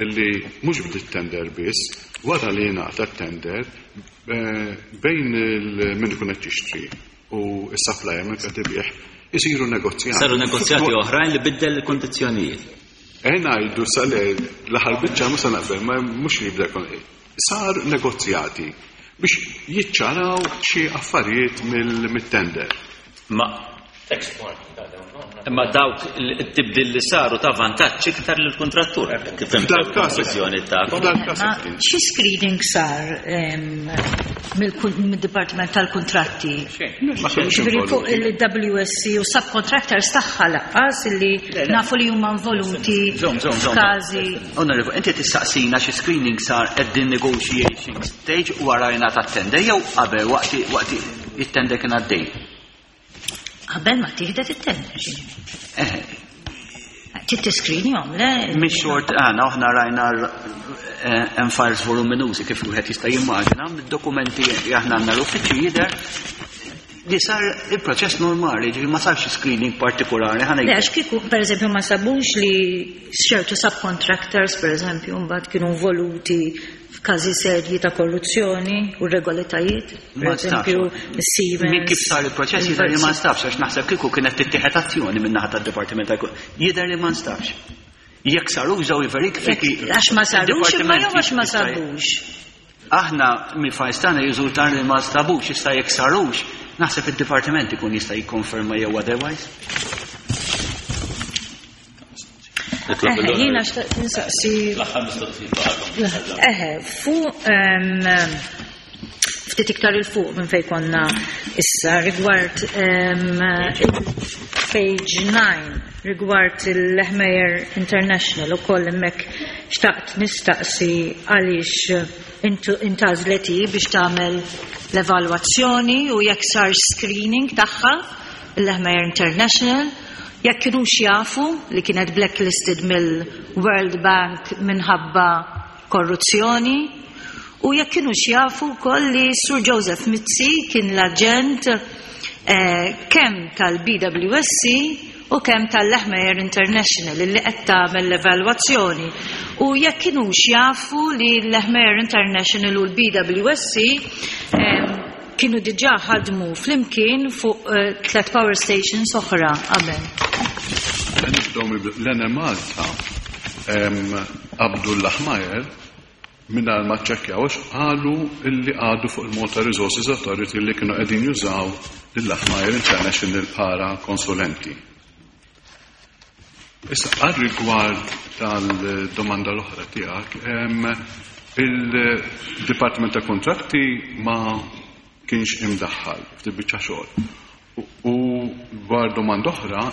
illi mhux bdiet tender biss, wara li jingħata tender bejn min ikun qed jixtri u s-supplier min qed ibih. Isiru negozjati. Saru negozjati oħrajn li biddel il-kondizzjonijiet. Eh ngħidu sa le l-aħħar biċċa mhux se naqbel, ma mhux li jibda Sar negozjati biex jiċċaraw xi affarijiet mill-tender. Ma Imma dawk it-tibdil li saru ta' vantaġġ iktar lill-kuntrattur. Kif fhimt il-konklużjoni tagħkom. Xi screening sar mid-Dipartiment tal-Kuntratti? Ġifieri fuq il-WSC u subcontractors tagħha laqqas illi nafu li huma involuti f'każi. Onorevoli, inti tistaqsina xi screening sar at the negotiation stage wara jingħata t-tender jew qabel waqt it-tender kien għaddej? Qabel ma tieħdet it-tender, ġifieri. Trid tiskrinjhom, le? Mhix xort għana, aħna rajna hemm files voluminużi kif wieħed jista' jimmaġina, mid-dokumenti li aħna għandna l-uffiċċju jidher li sar il-proċess normali, ġifieri ma sarx screening partikolari. Le, għax kieku, pereżempju, ma sabux li ċertu subcontractors, pereżempju, mbagħad kienu involuti f'każi serji ta' korruzzjoni u irregolaritajiet, per eżempju, Siemens. Minn kif sar il-proċess jidher li ma nstabx, għax naħseb kieku kienet tittieħed azzjoni min-naħa tad-Dipartiment tal Jidher li ma nstabx. Jekk saru żew verifiki. Għax ma sarux imma jew għax ma sabux. Aħna mill-files tagħna jirriżulta li ma nstabux, issa jekk sarux, naħseb id-dipartiment ikun jista' jikkonferma jew otherwise. Eħe, jiena xtaqt insaqsi. L-aħħar mistoqsija. Eħe, fuq ftit iktar il fuq minn fejn konna issa rigward page 9 rigward il-Lehmeyer International ukoll hemmhekk xtaqt nistaqsi għaliex intgħażlet hi biex tagħmel l-evalwazzjoni u jekk sar screening tagħha il-Lehmeyer International jekk kinux jafu li kienet blacklisted mill-World Bank minħabba korruzzjoni u jekk kinux jafu wkoll li Sur Joseph Mizzi kien l-aġent kemm tal-BWSC u kemm tal-Lehmeyer International li qed tagħmel l-evalwazzjoni u jekk kinux jafu li l-Lehmeyer International u l-BWSC kienu diġà ħadmu flimkien fuq tlet power stations oħra qabel. Nibdew l-Enemalta qabdu l-Lehmeyer mingħajr ma ċċekkjaw għax qalu illi għadu fuq il-Malta Resources Authority li kienu qegħdin jużaw lill-Lehmeyer International bħala konsulenti. Issa, għal rigward tal-domanda l-oħra tiegħek, il-Dipartiment ta' Kontratti ma kienx imdaħħal f'dil biċċa xogħol. U dwar domanda oħra,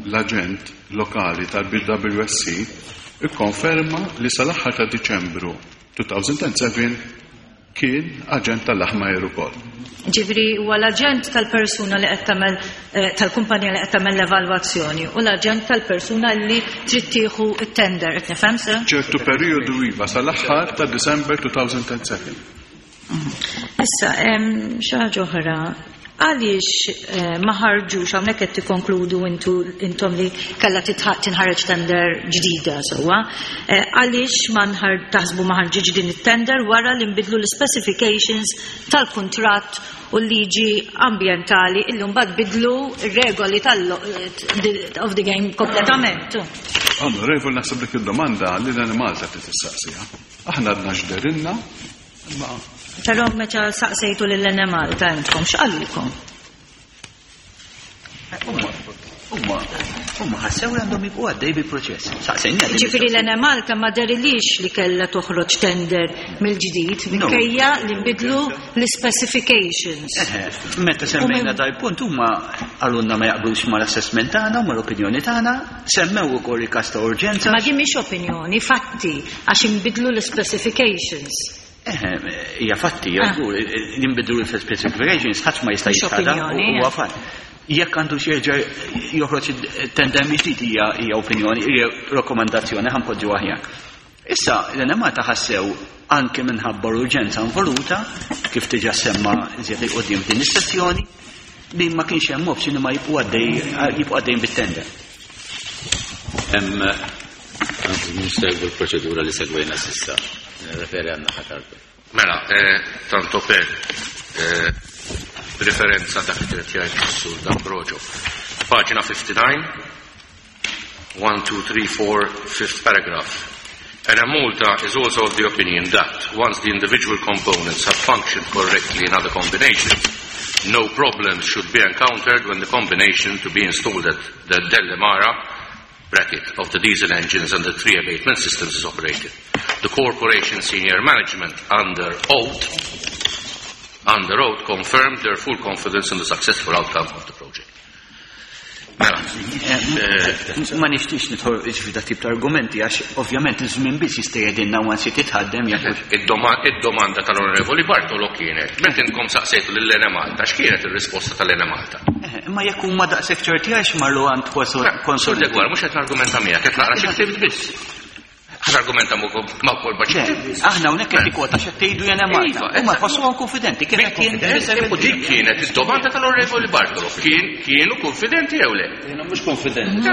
l-aġent lokali tal-BWSC ikkonferma li sal-aħħar ta' Diċembru 2007 kien aġent tal-Lehmeyer ukoll. Ġifieri huwa l-aġent tal-persuna li qed tagħmel tal-kumpanija li qed tagħmel l-evalwazzjoni u l-aġent tal-persuna li trid tieħu t-tender, qed nifhem sew? Ċertu perjodu iva sal-aħħar ta' December 2007. Issa, xi ħaġa oħra, għaliex ma ħarġux hawnhekk qed tikkonkludu intom li kellha tinħareġ tender ġdida sewwa, għaliex ma taħsbu ma ħarġitx din it-tender wara li nbidlu l-specifications tal-kuntratt u l-liġi ambjentali illi mbagħad bidlu r-regoli of the game kompletament. Onorevoli, naħseb dik id-domanda li l-Enemalta trid tistaqsiha. Aħna għadna x'derilna, imma Però meta saqsejtu lill-Enemalta intkom x'qalulkom? Huma ħassew li għandhom jibqgħu għaddej bil-proċess. Saqsejna. Ġifieri l-Enemalta ma derilix li kellha toħroġ tender mill-ġdid minkejja li nbidlu l-specifications. Meta semmejna dal-punt huma qalulna ma jaqblux mal-assessment tagħna u mal-opinjoni tagħna, semmew ukoll il-każ ta' urġenza. Ma din mhix opinjoni, fatti għax inbidlu l-specifications. Hija fatti, żgur, jinbidlu l-specifications, ħadd ma jista' jitħadha, huwa fatt. Jekk għandu xi jerġa' joħroġ tender mill-ġdid hija opinjoni, hija rakkomandazzjoni ħa npoġġu aħjar. Issa l-Enemalta ħassew anke minħabba l-urġenza involuta, kif diġà semma iżjed il qudiem din is-sessjoni, li ma kienx hemm option li ma jibqgħu għaddej jibqgħu għaddejjin bit-tender. Hemm nsegwu l-proċedura li segwejna s'issa. Nirreferi għan-naħa tal Mela, tanto per. B'riferenza dak li kien qed jgħid is-Sur D'Ambrogio. Paġna 59, 1, 2, 3, 4, fifth paragraph. Enemalta is also of the opinion that once the individual components have functioned correctly in other combinations, no problems should be encountered when the combination to be installed at the Delimara bracket of the diesel engines and the three abatement systems is operated. The corporation senior management under oath under oath confirmed their full confidence in the successful outcome of the project. Mela. Eh, ma nixtiex nidħol ġifi dak tip ta' argumenti għax ovvjament iż-żmien biss jista' jgħidilna once titħaddem jekk. Id-domanda tal-Onorevoli Bartolo kienet, meta intkom saqsejtu lil Enemalta, x'kienet ir-risposta tal-Enemalta? Eh, imma jekk huma daqshekk ċerti għax marru għand konsulenti. Degwar, mhux qed nargumenta miegħek, qed naqra xi ktibt biss. Ħa nargumenta ma' wkoll ma' xi Aħna hawnhekk qed tikkwota x'qed tgħidu jena Malta. Iva, Huma jħossuhom konfidenti kif qed jien. U dik kienet id-domanda tal-Onorevoli Bartolo. Kien kienu konfidenti jew le? Jiena mhux konfidenti.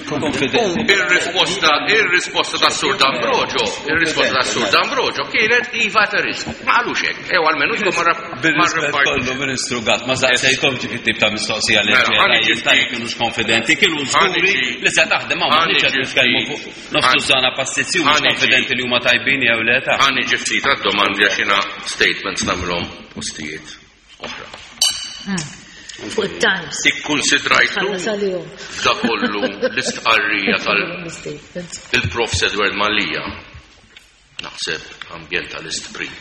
Konfidenti. Ir-risposta ir-risposta tas-Sur D'Ambrogio, ir-risposta tas-Sur D'Ambrogio kienet iva ta' risk. Ma qalux hekk. Ew almenu tkun marra Bir-rispett kollu Ministru Gatt, ma saqsejthomx dik it-tip ta' mistoqsija li mela, ġejja kienux konfidenti, kienu żguri li se taħdem hawn m'aħniex qed nitkellmu fuq Nofs tużana pastizzi u mhux konfidenti li huma tajbin jew le ta'. Ħa niġi ftit għad-domandi għax jiena statements nagħmilhom postijiet oħra. Fuq it-Times. Ikkunsidrajtu f'da kollu l-istqarrija tal-Profs Edward Mallia, naħseb ambjentalist prim.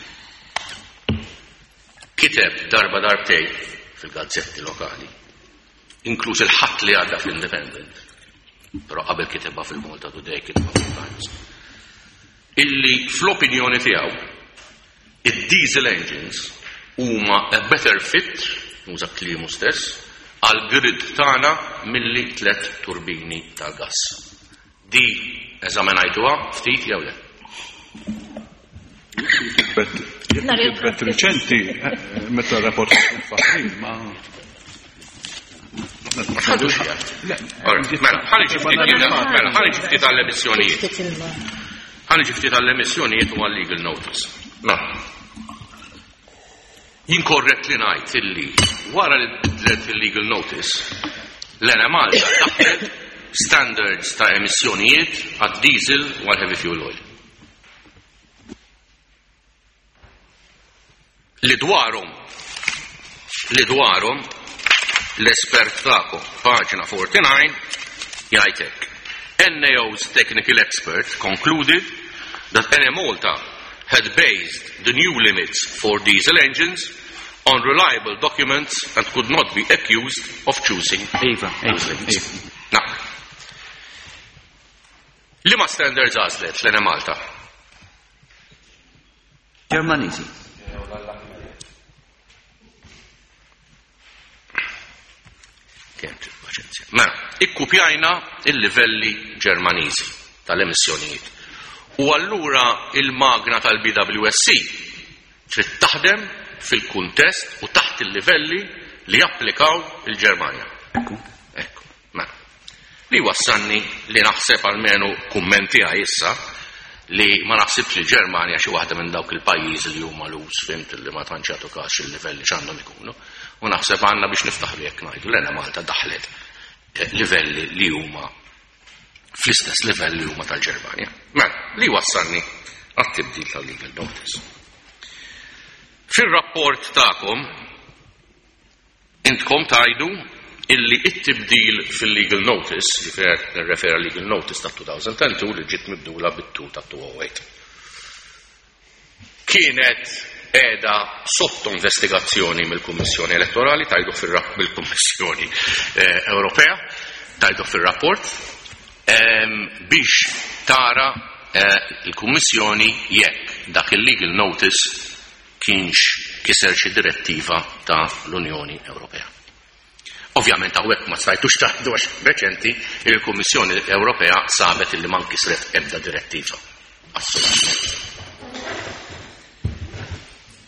Kiteb darba darbtej fil-gazzetti lokali inkluż il-Ħadd li għadda fl-Independent, però qabel kitebha fil-Malta Today kitebha fil-Times, illi fl-opinjoni tiegħu id-diesel engines huma a better fit, nuża kliemu stess, għal grid tagħna milli tlet turbini tal-gass. Di eżaminajtuha ftit jew le? Kitbet riċenti, eh, meta rapport fil ma. Mela, ħalli ftit għall-emissjonijiet. Ħalli ftit għall-emissjonijiet u għall-legal notice. Mela. Jien korrett li ngħid illi wara li bidlet il-legal notice, l-Enemalta daħħlet standards ta' emissjonijiet għad-diesel u għall-heavy fuel oil. Li dwarhom li dwarhom l-espert tagħkom, paġna 49, jgħid hekk. NAO's technical expert concluded that Enemalta had based the new limits for diesel engines on reliable documents and could not be accused of choosing Iva, those iva, limits. iva. Naqra. Liema standards għażlet l-Enemalta? Ġermaniżi. Kemm trid paċenzja. Mela, ikkupjajna il-livelli Ġermaniżi tal-emissjonijiet. U allura il-magna tal-BWSC trid taħdem fil-kuntest u taħt il-livelli li japplikaw il-Ġermanja. Ekku. Ekku, mela. Li wassalni li naħseb almenu kumment tiegħi issa li ma naħsibx li Ġermanja xi waħda minn dawk il-pajjiżi li huma lus fimt li ma tantx jagħtu każ il-livelli x'għandhom ikunu. U naħseb għandna biex niftaħru jekk ngħidu l Malta daħlet eh, livelli li huma fl-istess livell li huma tal-Ġermanja. Mela, li wassalni għat-tibdil tal-legal notice. Fir-rapport tagħkom Intkom tgħidu illi it-tibdil fil-legal notice, jiġifieri qed nirreferi legal notice ta' 2002 li ġiet mibdula bit-2 ta' 2008, kienet qiegħda sotto investigazzjoni mill-Kummissjoni Elettorali, tgħidu mill-Kummissjoni eh, Ewropea, tgħidu fir-rapport, ehm, biex tara eh, il-Kummissjoni jekk dak il-legal notice kienx kiser xi direttiva ta' l-Unjoni Ewropea. Ovvjament hawnhekk ma stajtux tgħidu għax reċenti il-Kummissjoni Ewropea sabet illi ma nkisret ebda direttiva. Assolutament.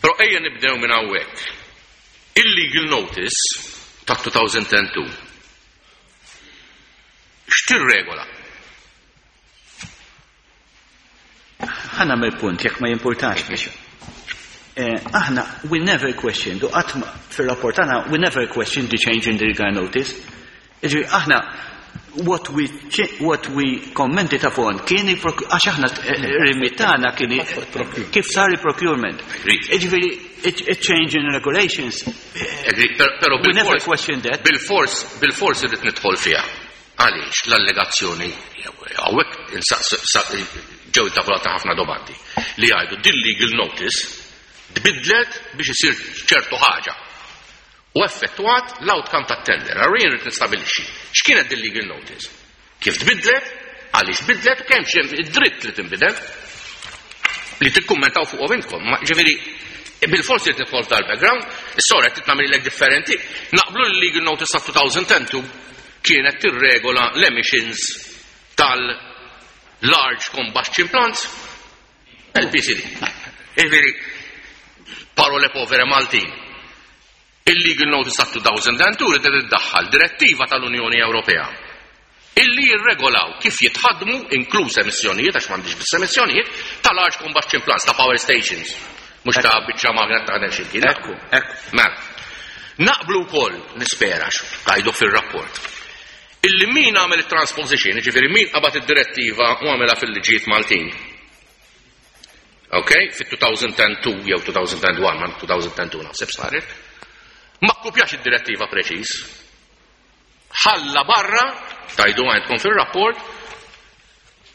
Però ejja nibdew minn hawnhekk. Il-legal notice ta' 2002 x'tirregola? Ħa nagħmel punt jekk ma jimpurtax biex. Aħna, we never questioned, u qatt fir-rapport tagħna, we never questioned the change in the legal notice. Jiġifieri aħna what we what we commented upon kien għax aħna rimit tagħna kien kif sar il-procurement. Jiġifieri change in regulations. Però we never questioned that. Bil-fors bil-fors irrid nidħol fiha. Għaliex l-allegazzjoni hawnhekk ġew intavolati ħafna domandi li jgħidu din legal notice tbiddlet biex isir ċertu ħaġa u effettwat l-outcome tat-tender. Allura jien rrid nistabilixxi x'kienet din legal notice, kif tbiddlet, għaliex tbiddlet u kemm hemm id-dritt li tinbidel li tikkummentaw fuqhom intkom. Ġifieri bil-forsi rrid nidħol f'dal-background, is-sora qed titnagħmilek differenti. Naqblu li legal notice ta' 2010 kienet tirregola l-emissions tal-large combustion plants, LPCD. Ġifieri, parole povere Maltin. Il-Legal Notice ta' 2002 ridet iddaħħal direttiva tal-Unjoni Ewropea illi jirregolaw kif jitħaddmu inkluż emissjonijiet, għax m'għandix biss emissjonijiet, ta' large combustion plants, ta' power stations, mhux ta' biċċa magna taħdem xi mkien. Ekku, ekku. Mela, naqblu wkoll, nispera, tgħidu fir-rapport, illi min għamel it-transposition, jiġifieri min qabad id-direttiva u għamilha fil-liġijiet Maltin. Ok, fit-2002 jew 2001, ma 2002 naħseb saret, ma kkupjax id-direttiva preċiż. Ħalla barra, tajdu għandkom fil-rapport,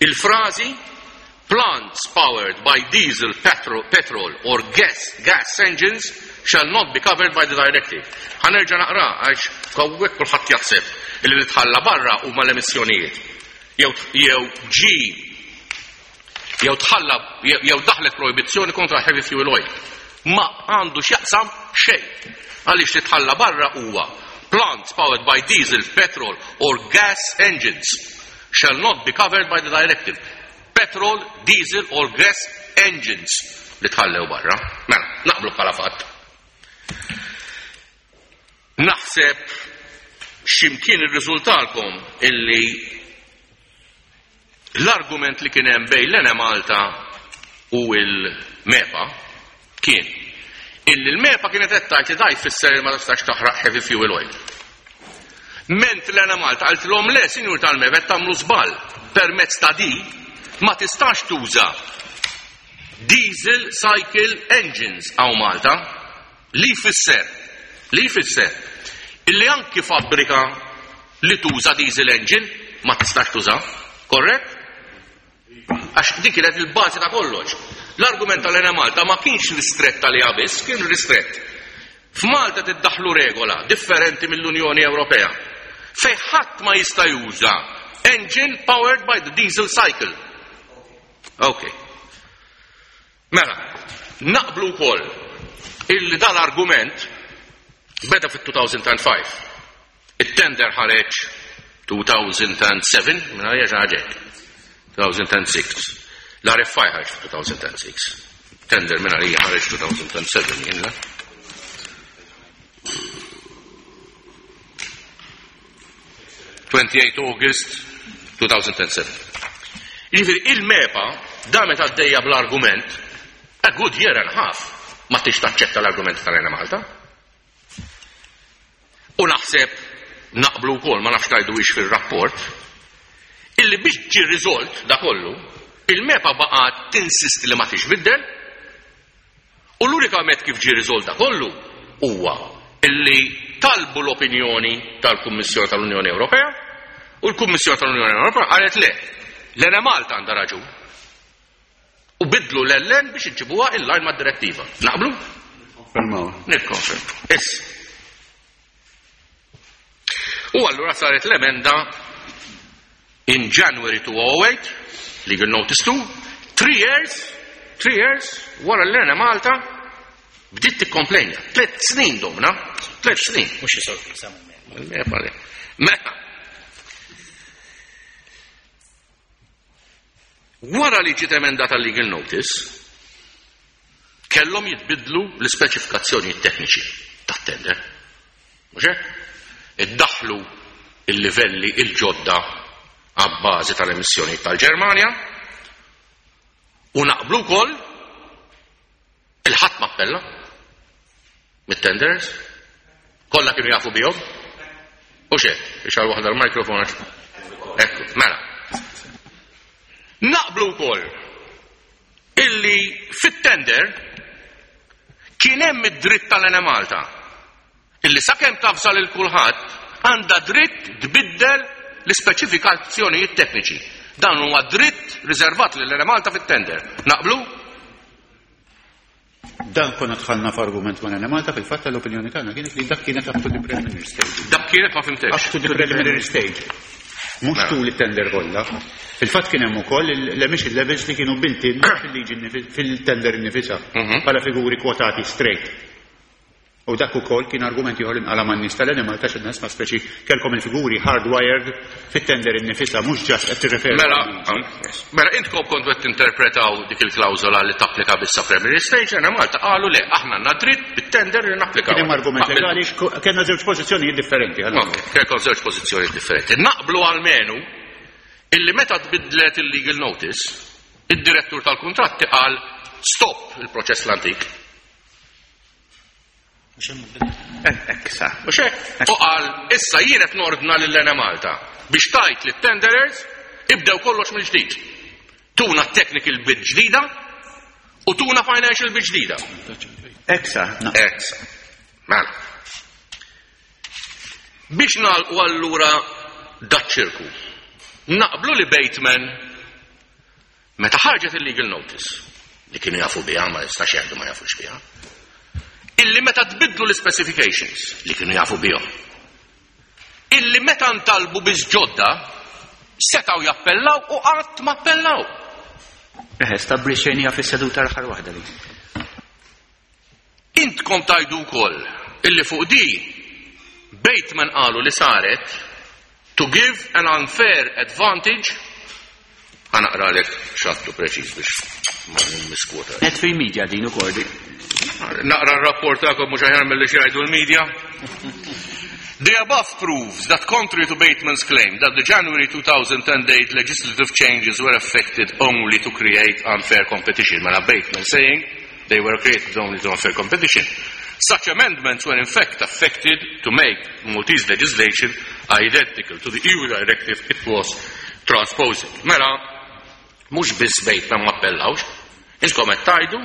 il-frażi plants powered by diesel, petrol, petrol or gas, gas engines shall not be covered by the directive. Ħa nerġa' naqra għax hawnhekk kulħadd jaħseb li tħalla barra huma l-emissjonijiet. Jew jew ġi jew tħalla jew daħlet proibizzjoni kontra heavy fuel oil. Ma għandu x'jaqsam xejn. Għaliex li tħalla barra huwa plants powered by diesel, petrol or gas engines shall not be covered by the directive. Petrol, diesel or gas engines li tħallew barra. Mela, naqblu bħala fatt. Naħseb x'imkien irriżultalkom illi l-argument li kien hemm bejn l-Enemalta u l-MEPA kien illi l-MEPA kienet qed tgħid li da jfisser li ma tistax taħraq heavy fuel oil. Ment l-Enemalta qaltilhom le, sinjur tal-MEPA qed tagħmlu żball permezz ta' di ma tistax tuża diesel cycle engines hawn Malta li jfisser li jfisser illi anki fabbrika li tuża diesel engine ma tistax tuża, korrett? Għax dik kienet il-bażi ta' kollox. L-argument tal-Enemalta ma kienx ristrett għaliha biss, kien ristrett. F'Malta tiddaħlu regola differenti mill-Unjoni Ewropea fejn ħadd ma jista' juża engine powered by the diesel cycle. Ok. Mela, naqblu wkoll illi dal-argument beda fit-2005. It-tender ħareġ 2007, minn għalija xi ħaġa hekk. 2006. L-RFI ħareġ 2006. Tender minn għalija ħareġ 2007, jien la? 28 August 2007. Jiġifieri il-MEPA damet għaddejja bl-argument a good year and a half ma tix taċċetta l-argument tal-Enemalta. U naħseb naqblu wkoll ma nafx tgħidu fir-rapport illi biex ġi riżolt da kollu, il-MEPA baqgħet tinsisti li ma tixbiddel u l-unika met kif ġi riżolt da kollu huwa illi talbu l-opinjoni tal-Kummissjoni tal-Unjoni Ewropea u l-Kummissjoni tal-Unjoni Ewropea qalet le, l-Enemalta għandha raġun. U bidlu l-LN biex iġibuha in line mad-direttiva. Naqblu? Konfermaw. Nikkonferm. Issa. U allura saret l-emenda in January 2008, legal notice 2, 3 years, 3 years, wara l-Enemalta bdiet tikkomplejnja. 3 snin domna, 3 snin. Mhux xi sorpriża. Mela. Wara li ġiet emendata legal notice, kellhom jitbidlu l-ispeċifikazzjoni tekniċi tat-tender. Mhux hekk? Iddaħlu il-livelli il-ġodda għabbażi tal-emissjoni tal-Ġermanja u naqblu wkoll il-ħadd ma appella mit-tenders? Kollha kienu jafu bihom? U xe, ixgħal waħda l-mikrofon għax. Ekku, mela. Naqblu wkoll illi fit-tender kien hemm id-dritt tal-Enemalta illi sakemm tafżal il kulħadd għandha dritt tbiddel l-ispeċifikazzjonijiet tekniċi. Dan huwa dritt riservat lil Enemalta fit-tender. Naqblu? Dan konna dħalna f'argument ma' Enemalta, fil-fatt l-opinjoni tagħna kienet li dak kienet up to the preliminary stage. Dak kienet, ma fhimtekx. Up to the preliminary stage. Mhux Mela. tul it-tender kollha. Fil-fatt kien hemm ukoll l-emission levels li kienu built-in fil-liġi fil-tender innifisha bħala figuri kwotati straight. U dak ukoll kien argument ieħor li nqala man-nies tal-Enemalta xi nies ma speċi kellkom il-figuri hardwired fit-tender innifisha, mhux just qed tirreferu Mela, għal-liġi. Mela intkom kontu qed tinterpretaw dik il-klawżola li tapplika biss sa preliminary stage, Enemalta qalu le, aħna għandna dritt bit-tender li napplikaw. Kien hemm argument Naqbel. legali, kellna żewġ pożizzjonijiet differenti, għal Ok, kellkom żewġ pożizzjonijiet differenti. Naqblu almenu illi meta tbidlet il-legal notice, id-direttur tal-kuntratti qal stop il-proċess l-antik. Ekk sa. Mhux hekk? U qal issa jien qed nordna lil Enemalta biex tajt lit tenderers ibdew kollox mill-ġdid. Tuna technical bid ġdida u tuna financial bid ġdida. Ekk sa. Ekk sa. Mela. Biex nagħlqu allura daċ-ċirku. Naqblu li Bateman meta ħarġet il-legal notice li kienu jafu biha, ma jistax jgħidu ma jafux biha, illi meta tbidlu l-specifications li kienu jafu bihom, illi meta ntalbu biss ġodda setgħu jappellaw u qatt ma appellaw. Eħe, stabbilixxejniha fis-seduta l-aħħar waħda li. Intkom tajdu wkoll illi fuq di Bateman qalu li saret to give an unfair advantage. Ħa naqralek x'għedtu preċiż biex ma nimmiskwota. Net fil-media din ukoll di. Naqra r-rapport tagħkom mhux aħjar milli xi jgħidu l-media. The above proves that, contrary to Bateman's claim that the January 2010 date legislative changes were affected only to create unfair competition. Mela Bateman saying they were created only to unfair competition. Such amendments were in fact affected to make Maltese legislation identical to the EU directive it was transposing. Mela, mhux biss Bateman ma appellawx, intkom qed tgħidu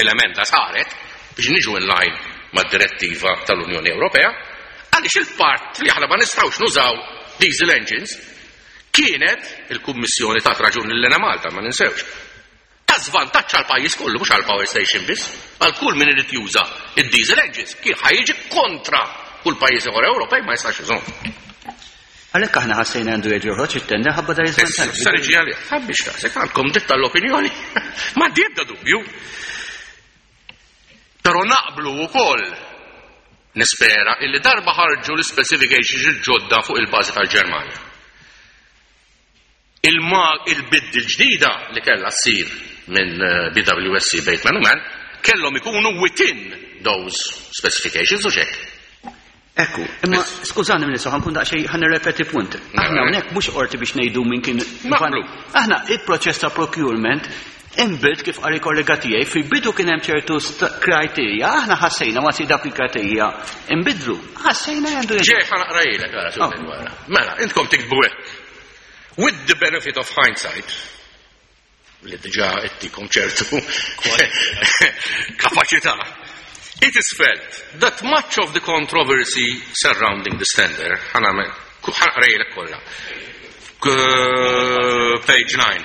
l-emenda saret biex niġu in line mad-direttiva tal-Unjoni Ewropea, għaliex il-part li aħna ma nistgħux nużaw diesel engines kienet il-Kummissjoni ta' raġun lil Enemalta, ma ninsewx. Ta' żvantaġġ għal pajjiż kollu, mhux għal power station biss, għal kull min irid juża id-diesel engines, kien ħa jiġi kontra kull pajjiż ieħor Ewropej ma jistax jużhom. Għalhekk aħna ħassejna għandu jerġa' joħroġ it-tender ħabba dar iż-żvantaġġ. Issa niġi għalih, ħabbix rasek, għandkom dritt tal-opinjoni. Ma għandi ebda dubju. Però naqblu wkoll nispera illi darba ħarġu l-specifications il-ġodda fuq il-bażi tal-Ġermanja. Il-bid il-ġdida li kellha ssir minn BWSC Bateman u Mann kellhom ikunu within those specifications u xek. Ekku, imma skużani minn ħa nkun daqsxejn ħa nirrepeti punt. Aħna hawnhekk mhux qorti biex ngħidu minn kien Naqblu. Aħna il-proċess ta' procurement inbidel kif qari kollega tiegħi fil-bidu kien hemm ċertu kriterja, aħna ħassejna wasi dak il-kriterja inbidlu. Ħassejna għandu Ġej ħa naqrajlek ara Oh. wara. Mela, intkom tiktbu hekk. With the benefit of hindsight, li diġà ittikom ċertu kapaċità, it is felt that much of the controversy surrounding this tender, ħa naqrajlek kollha. Page 9.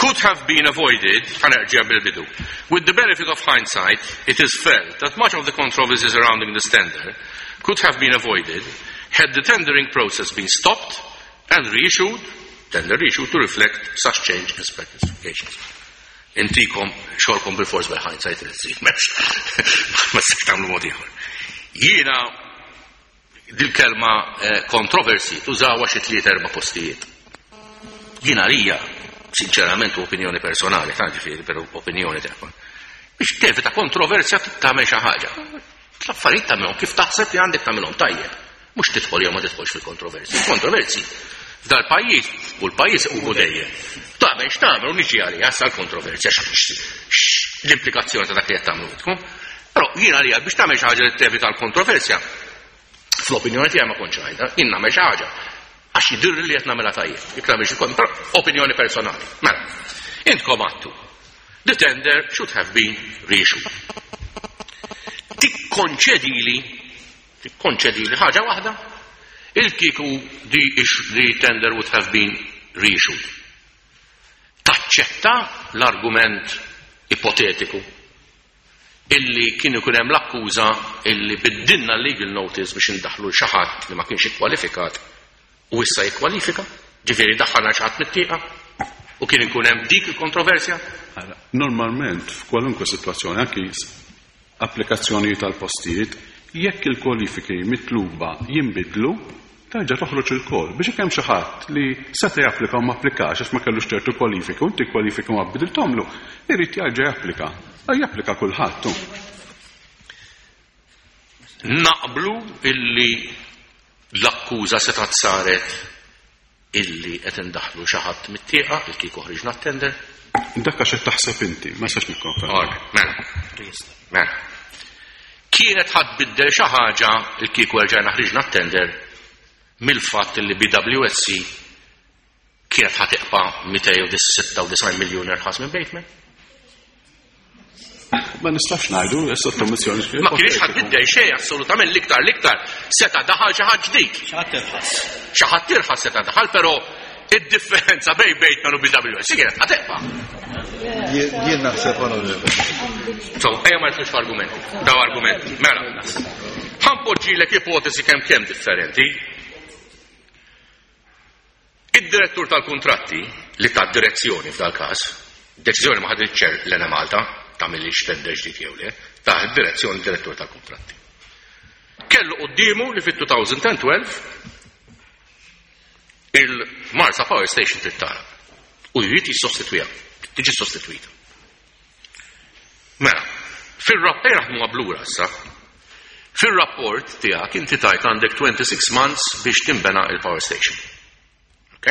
Could have been avoided, ħa nerġa' bil-bidu. With the benefit of hindsight, it is felt that much of the controversy surrounding this tender could have been avoided had the tendering process been stopped and reissued, tender reissued to reflect such change in specifications. Intikom xogħolkom bil-fors bil-hindsight li tsir, m'hemmx, ma tistax tagħmlu mod ieħor. Jiena dil-kelma controversy tużawha xi tliet erba' postijiet. Jiena għalija, sinċerament u opinjoni personali, ta' ġifieri, però opinjoni tagħha. Biex tevita kontroversja tagħmel xi ħaġa. L-affarijiet tagħmilhom kif taħseb li għandek tagħmilhom tajjeb. Mhux tidħol jew ma tidħolx fil-kontroversji. Kontroversi f'dal pajjiż u l-pajjiż huwa dejjem. Tagħmel x'tagħmel u niġi għalija sa l-kontroversja. L-implikazzjoni ta' dak li qed tagħmlu intkom. Però jiena għalija biex tagħmel xi ħaġa li tevita l-kontroversja, fl-opinjoni tiegħi ma kontx ngħidha, jien nagħmel xi ħaġa għax jidhirli li qed nagħmilha tajjeb. Jekk nagħmel xi però opinjoni personali. Mela, intkom għadtu. The tender should have been reissued. Tikkonċedili, tikkonċedili ħaġa waħda, il-kieku the, the tender would have been reissued. Taċċetta l-argument ipotetiku illi kien ikun hemm l-akkuża illi biddilna l-legal notice biex indaħħlu 'l xi ħadd li ma kienx ikkwalifikat u issa jikkwalifika, ġifieri daħħalna xi ħadd mit-tieqa u kien ikun hemm dik il-kontroversja? Ara, normalment f'kwalunkwe sitwazzjoni, anki applikazzjonijiet għal postijiet, jekk il-kwalifiki mitluba jinbidlu, terġa' toħroġ il-call biex jekk hemm xi ħadd li seta' japplika u ma applikax għax ma kellux ċertu kwalifiki u inti kwalifiki ma bidilthomlu, irid jerġa' japplika. Japplika kulħadd hu. Naqblu illi l-akkuża setgħet saret illi qed indaħħlu xi ħadd mit-tieqa il kieku ħriġna t-tender? Dak għax qed taħseb inti, ma nistax nikkonferma. All right, mela. Mela. Kienet ħa tbiddel xi ħaġa il kieku erġajna ħriġna t-tender mill-fatt li BWSC kienet ħa tiqpa' 296 miljun irħas minn Bateman? Ma nistax ngħidu, sottomissjoni. Ma kienx ħadd biddel xejn assolutament l-iktar l-iktar seta' daħal xi ħadd ġdid. Xi ħadd irħas. Xi ħadd irħas seta' daħal, però id-differenza bejn Bateman u BWS kienet ħa teqpa'. Jien naħseb onorevoli. So, ejja ma nidħlux f'argumenti. Daw argumenti. Mela. Ħa npoġġilek ipotesi kemm kemm differenti. Id-direttur tal-kuntratti, li ta direzzjoni f'dal-każ, deċiżjoni ma ħaditx l-Enemalta, tagħmilx tender ġdid jew le, ta direzzjoni d-direttur tal-kuntratti. Kellu quddiemu li fit-2012 il-Marsa Power Station trid tagħlaq u jrid jissostitwiha, tiġi sostitwita. Mela, fir-rapport naħdmu blura issa. Fir-rapport tiegħek inti tajt għandek 26 months biex timbena il-power station. Ok?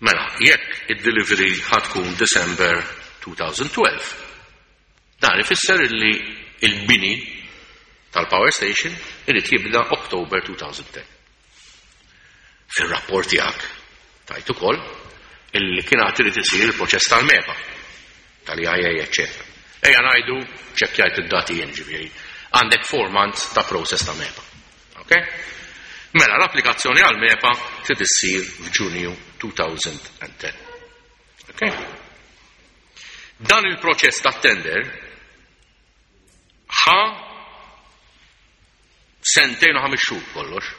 Mela, jekk id-delivery ħa tkun December 2012, dan ifisser illi il-bini tal-power station irid jibda October 2010. Fir-rapport tiegħek tajt ukoll illi kien għad irid isir il-proċess tal-MEPA, tal-EIA, eccetera. Ejja ngħidu ċekkjajt id-dati jien ġifieri. Għandek 4 months ta' process ta' MEPA. Ok? Mela l-applikazzjoni għal MEPA trid issir f'Ġunju 2010. Ok? Dan il-proċess ta' tender ħa sentejn u 5 xhur kollox.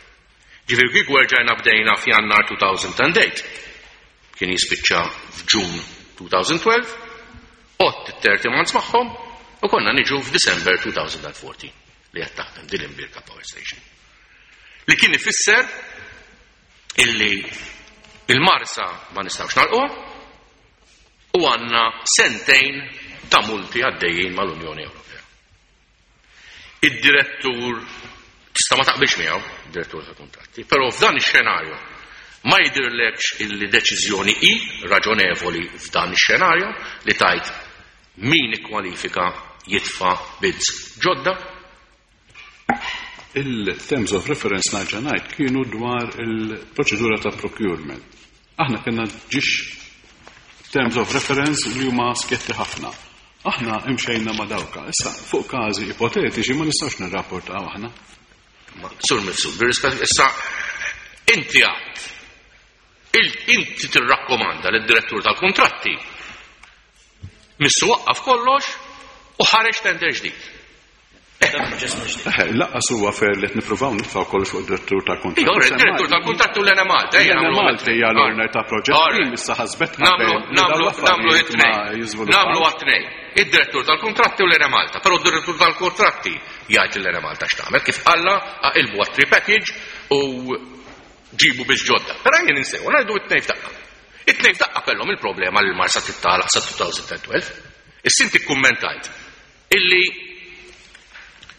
Ġifieri kieku erġajna bdejna f'Jannar 2008, kien jispiċċa f'Ġun 2012, għodd it-30 months magħhom u konna niġu f'December 2014 li qed taħdem din l-Imbirka Power Station. Li kien ifisser illi il-Marsa ma nistgħux nagħlquha u għandna sentejn ta' multi għaddejjin mal-Unjoni Ewropea. Id-direttur tista' ma taqbilx miegħu, direttur ta' kuntratti, però f'dan ix-xenarju ma jidhirlekx illi deċiżjoni hi raġonevoli f'dan ix-xenarju li tajt min ikkwalifika jitfa' bids ġodda? Il-terms of reference nerġa' ngħid kienu dwar il-proċedura ta' procurement. Aħna kellna ġiex terms of reference li huma sketti ħafna. Aħna imxejna ma' dawka. Issa, fuq każi ipotetiċi ma nistgħux nirrapportaw aħna. Sur Mifsud, bir-rispett, issa inti għad inti tirrakkomanda lid-direttur tal-kontratti missu waqqaf kollox u ħareġ tender ġdid. Lanqas huwa fair li qed nippruvaw nitfgħu kollox fuq id-direttur tal-kontratti. Iva, id-direttur tal-kontratti u l-Enemalta. L-Enemalta hija l-owner ta' proġett, issa ħasbet Nagħmlu it-tnejn. Nagħmlu għat-tnejn. Id-direttur tal-kontratti u l-Enemalta. Però d-direttur tal-kontratti jgħid l-Enemalta x'tagħmel kif qalla aqilbu għat package u ġibu biex ġodda. Però jien insew, ngħidu it-tnejn f'daqqa. It-tnejn f'daqqa kellhom il-problema li l-Marsa tittalaq sa 2012. Issa inti kkummentajt illi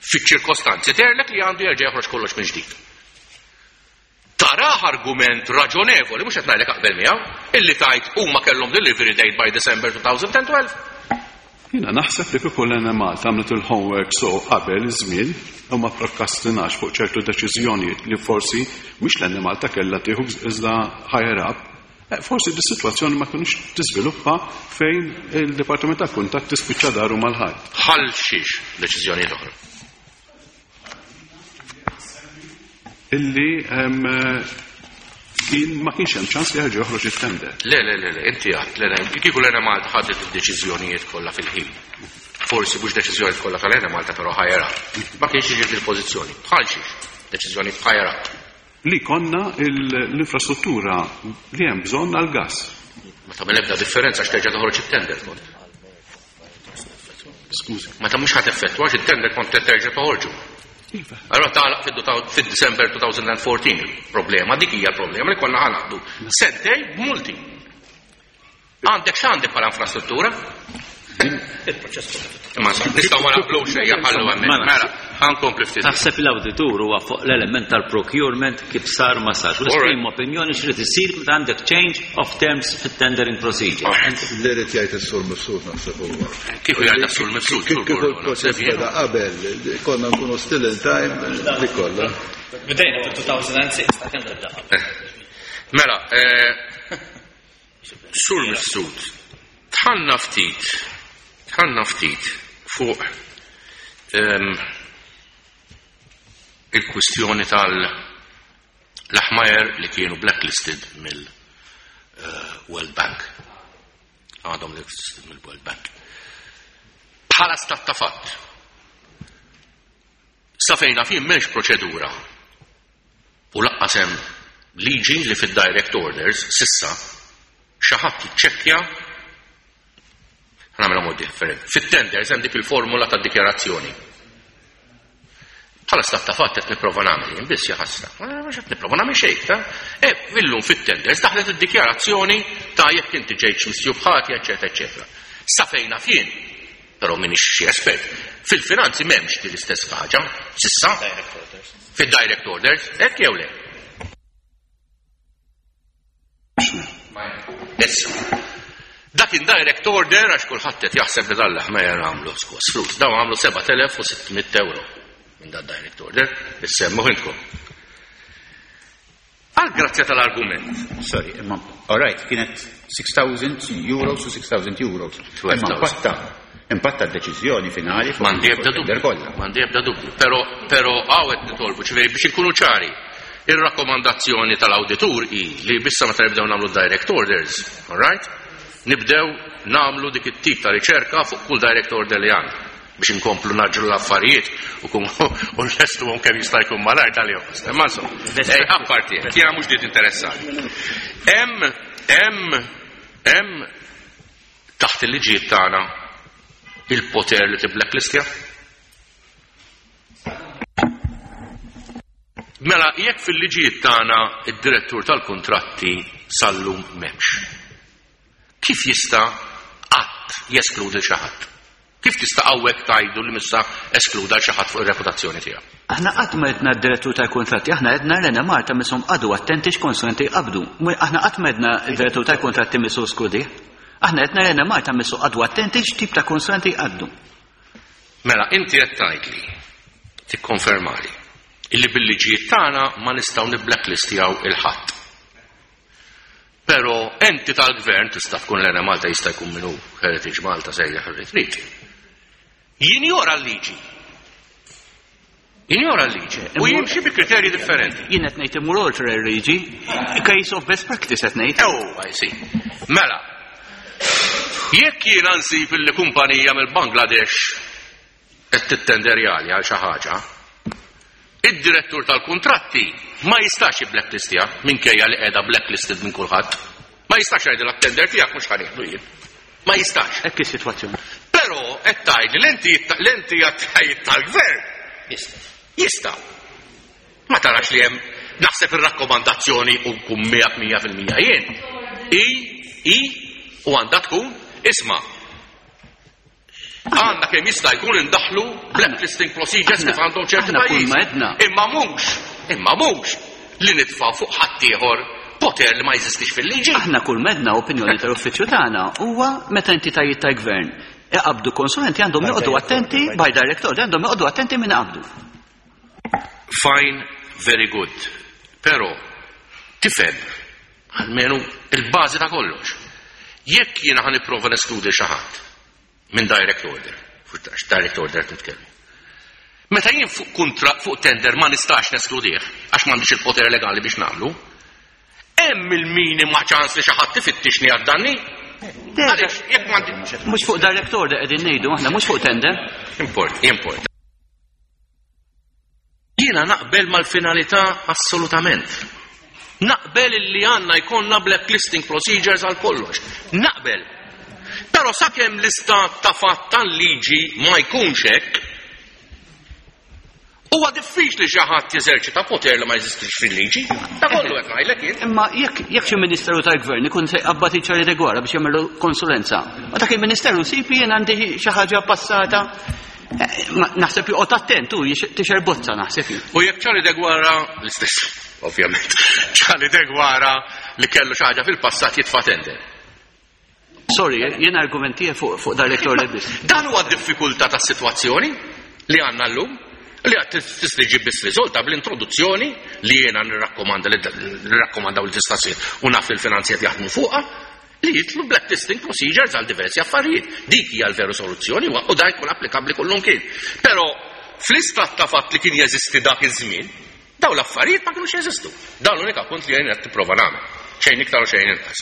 fiċ-ċirkostanzi terlek li għandu jerġa' joħroġ kollox minn ġdid. Taraħ argument raġonevoli, mhux qed ngħidlek aqbel miegħu, illi tajt huma kellhom delivery date by December 2012. Jiena naħseb li kieku l-Enemalta għamlet il-homework so qabel iż-żmien u ma prokrastinax fuq ċertu deċiżjonijiet li forsi mhux l-Enemalta kellha tieħu iżda higher up, forsi dis-sitwazzjoni ma kinux tiżviluppa fejn il-Dipartiment tal-Kuntratt tispiċċa daru mal-ħajt. Bħal xiex deċiżjonijiet oħra? Illi kien ma kienx hemm ċans li jerġa' joħroġ it-tender. Le, le, le, le, inti għadt, le, le, kieku l-Enemalta ħadet id-deċiżjonijiet kollha fil-ħin. Forsi mhux deċiżjonijiet kollha tal-Enemalta però higher up. Ma kienx jiġi fil-pożizzjoni. Bħal xiex deċiżjonijiet higher up. Li konna l-infrastruttura li hemm bżonn għall-gass. Ma tagħmel ebda differenza x'terġa' toħroġ it-tender kont. Skużi. Meta mhux ħadd effettwa għax it-tender kont terġa' toħorġu. Iva. Allora tagħlaq fid-December 2014 il-problema, dik hija l-problema li konna ħanaqdu. Sentej b'multi. Għandek x'għandek bħala infrastruttura? Il-proċess Imma nistgħu ma naqblux ejja ħallu hemmhekk. Mela, ħankompli ftit. Taħseb l-awditur huwa fuq l-element tal-procurement kif sar ma sarx. U esprime opinjoni x'rid isir meta għandek change of terms fit-tendering procedure. Li rid jgħid is-Sur Mifsud naħseb huwa. Kieku jgħid is-Sur Mifsud. Kieku l-proċess beda qabel, konna nkunu still in time li kollha. Bdejna fil-2006 ta' kemm beda qabel. Mela, Sur Mifsud, tħanna ftit, tħanna ftit fuq il-kwistjoni tal-Lahmeyer li kienu blacklisted mill-World Bank. Għadhom blacklisted mill-World Bank. Bħala stat ta' fatt. Sa fejn naf jien m'hemmx proċedura u laqqas hemm liġi li fid-direct orders sissa xi ħadd jiċċekkja Nagħmilha mod differenti. Fit-tenders hemm dik il-formula ta' dikjarazzjoni. Bħala stat ta' fatt qed nipprova nagħmel jien biss jaħasra. Mhux qed nipprova nagħmel xejn, ta' E illum fit-tenders daħlet id-dikjarazzjoni ta' jekk inti ġejtx misjub ħati, eċetera, eċetera. Sa fejn naf jien, però m'iniex xi espert, fil-finanzi m'hemmx din l-istess ħaġa, sissa. Fid-direct orders, hekk jew le? Issa, dak indirect order għax kulħadd qed jaħseb li dan l-ħmejer għamlu skos flus. Dawn għamlu 7600 euro minn dan direct order, issemmu intkom. Għal grazzja tal-argument. Sorry, imma, all right, kienet 6,000 euros u 6,000 euros. Imma impatta, impatta d-deċiżjoni finali fuq M'għandi ebda il-tender dubju. kollha. M'għandi ebda dubju. Però, però hawn qed nitolbu, ċivej biex inkunu ċari. Ir-rakkomandazzjoni tal-awditur hi li bissa meta nibdew nagħmlu direct orders, all right? Nibdew nagħmlu dik it-tip ta' riċerka fuq kull direct order li għandna biex inkomplu naġġlu l-affarijiet u kum u nlestuhom kemm jista' jkun malajr tal-jom. Imma insomma, ej, apparti, jiena mhux dit interessati. Hemm, hemm, hemm taħt il-liġijiet tagħna il-poter li tibblacklistja? Mela, jekk fil-liġijiet tagħna id-direttur tal-kuntratti sal-lum m'hemmx, kif jista' qatt jeskludi xi ħadd? Kif tista' hawnhekk tgħidu li missa eskluda xi ħadd fuq ir-reputazzjoni tiegħu? Aħna qatt ma għedna d-direttur tal-kuntratti, aħna għedna l-Enemalta mishom qagħdu attenti x'konsulenti jqabbdu. Aħna qatt ma għedna d-direttur tal-kuntratti missu eskludi. Aħna għedna l-Enemalta missu qagħdu attenti x'tip ta' konsulenti jqabbdu. Mela, inti qed tgħidli, tikkonfermali, illi bil-liġijiet tagħna ma nistgħu nibblacklistjaw il-ħadd. Però enti tal-gvern tista' tkun l-Enemalta jista' jkun minnu Heritage Malta sejjaħ li trid. Jinjora l-liġi. Jinjora l-liġi. U jimxi bi kriterji differenti. Jien qed ngħid imur oltre l-liġi, case of best practice qed ngħid. Oh, I see. Mela, jekk jiena nsib illi kumpanija mill-Bangladesh qed tittenderjali għal xi ħaġa, id-direttur tal-kuntratti ma jistax jibblacklistja minkejja li qiegħda blacklisted minn kulħadd. Ma jistax jgħidilha t-tender tiegħek mhux ħanieħdu jien. Ma jistax. Hekk is-sitwazzjoni. Però qed tgħidli l-entitajiet tal-gvern Jista'. Jista'. Ma tarax li hemm naħseb ir-rakkomandazzjoni u nkun miegħek mija fil-mija jien. I, i, u għandha tkun, isma' għandna kemm jista' jkun indaħlu blacklisting procedures kif għandhom ċerti Aħna kull pajjiżi. ma għedna. Imma mhux, imma mhux li nitfgħu fuq ħaddieħor poter li ma jeżistix fil-liġi. Aħna kull ma għedna opinjoni tal-uffiċċju tagħna huwa meta entitajiet tal-gvern. iqabbdu konsulenti għandhom joqogħdu attenti by direct order għandhom joqogħdu attenti min iqabbdu. Fine, very good. Però tifhem almenu il-bażi ta' kollox. Jekk jiena ħa nipprova neskludi xi ħadd minn direct order, fuq direct order qed nitkellmu. Meta jien fuq kuntratt fuq tender ma nistax neskludih għax m'għandix il-poter legali biex nagħmlu, hemm il-minima ċans li xi ħadd ifittixni għad-danni. Għaliex jekk m'għandi Mhux fuq direct order qegħdin ngħidu aħna mhux fuq tender. Import, import. Jiena naqbel mal-finalità assolutament. Naqbel illi għandna jkollna blacklisting procedures għal kollox. Naqbel. Però sakemm l-istat ta' fatt tal-liġi ma jkunx hekk, huwa diffiċli xi ħadd jeżerċita poter li ma jeżistix fil-liġi. Ta' kollu qed ngħidlek jien. Imma jekk jekk xi ministeru tal-gvern ikun se jqabbad iċ-Charlie de Guara biex jagħmlu konsulenza, ma dak il-ministeru jsib li jien għandi xi ħaġa passata Naħseb joqgħod attent u tixer bozza naħseb jien. U jekk Charlie Deguara l-istess, ovvjament. Charlie Deguara li kellu xi ħaġa fil-passat jitfa' tender. Sorry, jien argumenti fuq fuq direct order biss. Dan huwa d-diffikultà tas-sitwazzjoni li għandna llum li għad tista' ġib biss riżolta bl-introduzzjoni li jiena nirrakkomanda li nirrakkomandaw li tista' ssir u naf li l-finanzi qed jaħdmu fuqha li jidħlu blacklisting procedures għal diversi affarijiet. Dik hija l-veru soluzzjoni u dan jkun applikabbli kullimkien. Però fl-istat ta' fatt li kien jeżisti dak iż-żmien, dawn l-affarijiet ma kinux jeżistu. Dan l-unika punt li jien qed tipprova nagħmel. Xejn iktar u xejn inqas.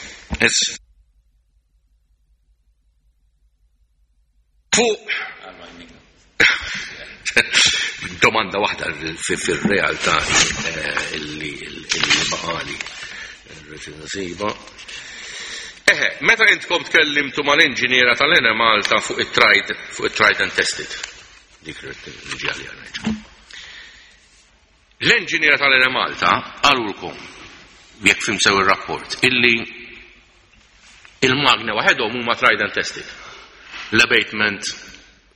Fuq domanda waħda fil-realtà eh, illi baqali. Rrid Eħe, meta intkom tkellimtu mal-inġiniera tal-Ene Malta fuq it-tried fuq it-tried and tested. Dik li għalija nerġa'. L-enġiniera tal-Ene Malta qalulkom, jekk fim sew ir-rapport, illi il-magni waħedhom huma tried and tested. L-abatement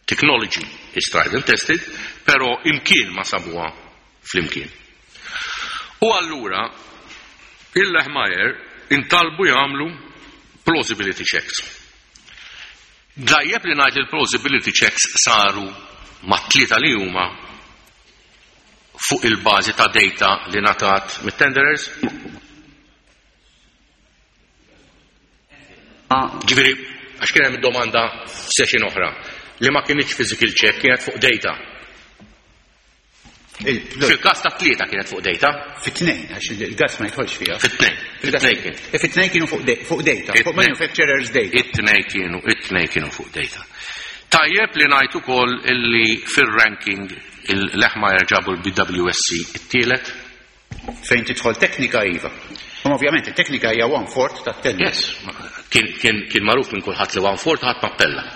technology is tried and tested, però imkien ma sabuha flimkien. U allura il-Lehmajer intalbu jagħmlu plausibility checks. Dajjeb li ngħid il-plausibility checks saru mat-tlieta li huma fuq il-bażi ta' data li ngħatat mit-tenderers? Ġifieri, għax kien hemm domanda f'session oħra li ma kinitx physical check, kienet fuq data. Fil-każ ta' tlieta kienet fuq data. Fit-tnejn, għax il-gas ma jidħolx fiha. Fit-tnejn. Fit-tnejn kien. Fit-tnejn kienu fuq data, fuq manufacturer's data. It-tnejn kienu, it-tnejn kienu fuq data. Tajjeb li ngħid ukoll illi fir-ranking il-Leħmajer ġabu l-BWSC it-tielet. Fejn tidħol teknika iva. U ovvjament it-teknika hija one fourth tat-tender. Yes, kien, kien, kien magħruf minn kulħadd li one fourth ħadd m'appella.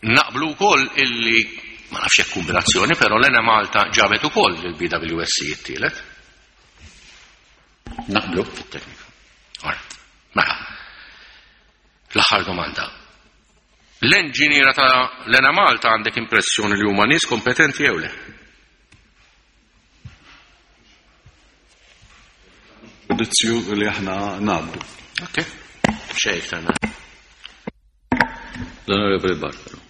Naqblu wkoll illi ma nafx hekk kombinazzjoni, però l-Ene Malta ġabet ukoll il-BWSC it-tielet. Naqblu. Fit-teknika. Alright. Mela. L-aħħar domanda. L-enġiniera ta' l-Ene Malta għandek impressjoni li huma nies kompetenti jew le? Ġudizzju li aħna ngħaddu. Ok. Xejn iktar ma. L-Onorevoli Bartolo.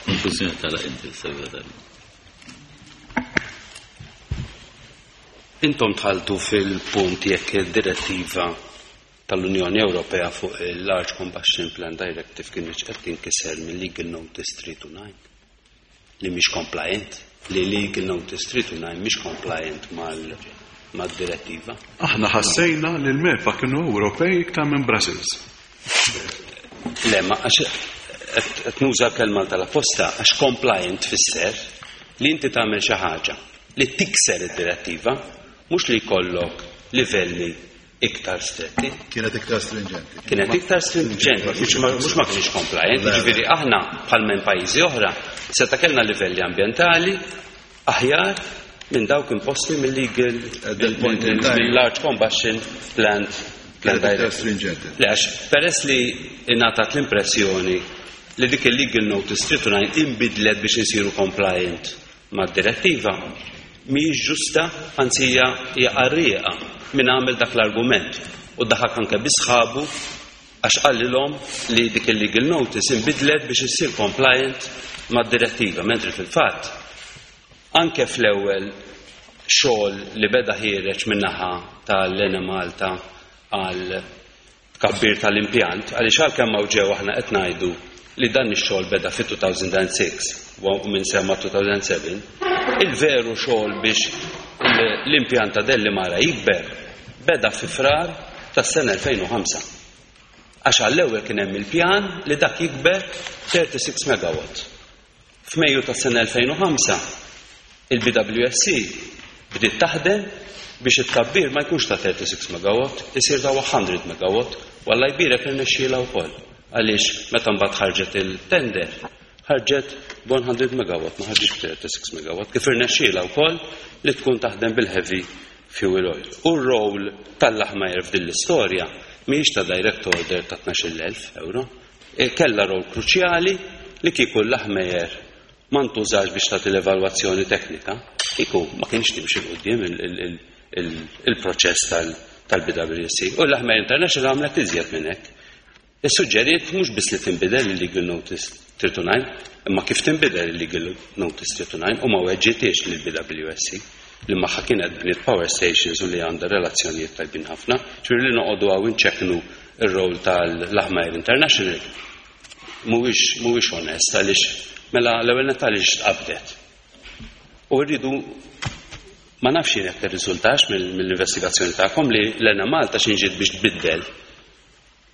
Konklużjoni tal inti segretarju. Intom tħaltu fil-punt jekk id-direttiva tal-Unjoni Ewropea fuq il-Large Combustion Plant Directive kienx qed tinkiser mill-Legal Notice 329 li mhix compliant, li Legal Notice 329 mhix compliant mal-direttiva. Aħna ħassejna li l-MEPA kienu Ewropej iktar minn Brussels. Le, ma għax qed nuża l-kelma tal-apposta għax compliant tfisser li inti tagħmel xi ħaġa li tikser id-direttiva, mhux li jkollok livelli iktar stretti. Kienet iktar stringenti. Kienet iktar stringenti, mhux ma mhux ma kienx compliant, jiġifieri aħna bħal minn pajjiżi oħra seta' kellna livelli ambjentali aħjar minn dawk imposti mill-legal At that point in time. mill-large combustion plant plant Kienet iktar directive. stringenti. Le, għax peress li ingħatat l-impressjoni li dik il-legal notice 329 inbidlet biex insiru compliant mad-direttiva, mhijiex ġusta, anzi hija hija qarrieqa min għamel dak l-argument u daħak anke bi sħabu. Għax qalilhom li dik il-legal notice inbidlet biex issir compliant mad-direttiva, mentri fil-fatt anke fl-ewwel xogħol li beda ħiereġ min-naħa tal-Enemalta għal tkabbir tal-impjant, għaliex għalkemm hawn ġew aħna qed ngħidu li dan ix-xogħol beda fit-2006 u minn sema 2007, il-veru xogħol biex l-impjant ta' Dellimara jikber beda fi Frar tas-sena 2005. Għax għall-ewwel kien hemm il-pjan li dak jikber 36 megawatt. F'Mejju tas-sena 2005, il-BWSC bdiet taħdem biex it-tkabbir ma jkunx ta' 36 megawatt, isir ta' 100 megawatt, u Alla jbierek irnexxielha wkoll, għaliex meta mbagħad ħarġet il-tender, ħarġet b'100 megawatt, ma ħarġitx b'36 megawatt, kif irnexxielha wkoll li tkun taħdem bil-heavy fuel oil. U r-role tal-Lahmeyer f'din l-istorja mhijiex ta' direct order ta' 12,000 euro. Kellha role kruċjali li kieku l-Lahmeyer ma ntużax biex tagħti l-evalwazzjoni teknika, kieku ma kienx timxi 'l quddiem il-proċess tal-BWC. U l-Lahmeyer International għamlet iżjed minn hekk. Issuġġeriet mhux biss li tinbidel il-Legal Notice 329, imma kif tinbidel il-Legal Notice 329 u ma weġġitiex lill-BWSC li magħha kienet bniet power stations u li għandha relazzjonijiet tajbin ħafna. Ġifieri li noqogħdu hawn inċekknu r-role tal-Lahmeyer International mhuwiex mhuwiex onest għaliex mela l-ewwel nett għaliex tqabdet. U rridu ma nafx jien jekk irriżultax mill-investigazzjoni tagħkom li l-Enemalta x'inġiet biex tbiddel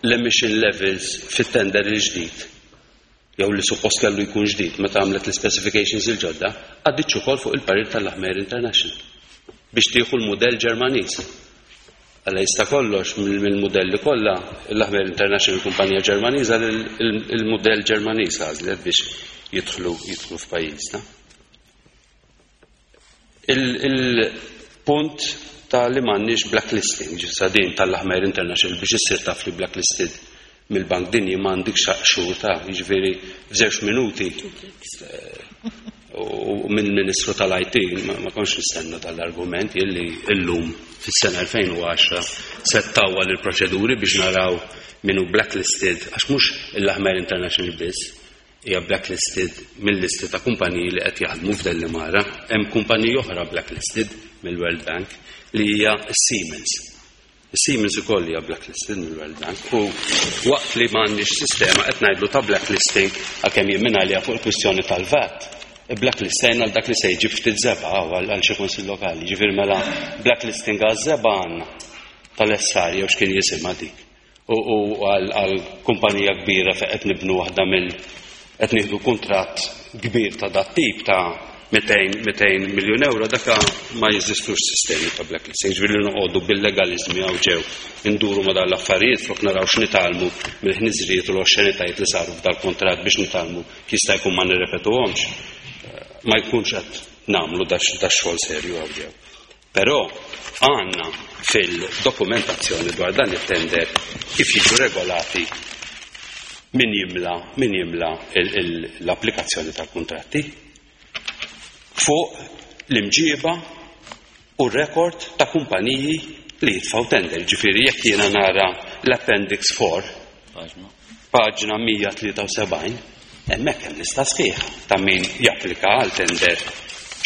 l-emission levels fit-tender il-ġdid, jew li suppost kellu jkun ġdid meta għamlet l-ispecifications il-ġodda, għaddietx ukoll fuq il-parir tal-Lahmeyer International biex tieħu l-mudell Ġermaniż. Alla jista' kollox mill-mudelli kollha, l-Lahmeyer International kumpanija Ġermaniża il-mudell Ġermaniż għażlet biex jidħlu jidħlu f'pajjiżna. Il-punt ta' li m'għandniex blacklisting, ġisa din tal-Lahmeyer International biex issir taf li blacklisted mill-Bank Dinji ma għandikx xhur ta' jiġifieri f'żewġ minuti u minn Ministru tal-IT ma kontx nistenna dal-argument illi illum fis-sena 2010 se ttawwal il-proċeduri biex naraw min hu blacklisted għax mhux il-Lahmeyer International biss hija blacklisted mill-listi ta' kumpaniji li qed jaħdmu f'Dellimara. Hemm kumpaniji oħra blacklisted mill-World Bank li hija Siemens. Siemens ukoll hija blacklisted mill-World Bank u waqt li m'għandniex sistema qed ngħidlu ta' blacklisting għalkemm jien minn għalija fuq il-kwistjoni tal-VAT. Blacklisting għal dak li se jġib ftit żebgħa għal xi kunsill lokali. Ġifieri mela blacklisting għaż-żebgħa għandna tal-SR jew x'kien jisimha dik. U għal kumpanija kbira fejn qed nibnu waħda mill qed nieħdu kuntratt kbir ta' dat tip ta' 200 miljun euro, daka ma jeżistux sistemi ta' blacklisting. Ġifieri li noqogħdu bil-legaliżmi hawn ġew induru ma' dan l-affarijiet flok naraw x'nitgħallmu mill-ħniżrijiet u l-oxxenitajiet li saru f'dal-kuntratt biex nitgħallmu kif jista' jkun ma nirrepetuhomx. Ma jkunx qed nagħmlu dax-xogħol serju hawn ġew. Però għandna fil-dokumentazzjoni dwar dan it-tender kif jiġu regolati min jimla min jimla l-applikazzjoni tal-kuntratti fuq l-imġiba u r-rekord ta' kumpaniji li jitfgħu tender. Ġifieri jekk jiena nara l-Appendix 4, paġna 173, hemmhekk hemm lista sħiħa ta' min japplika għal tender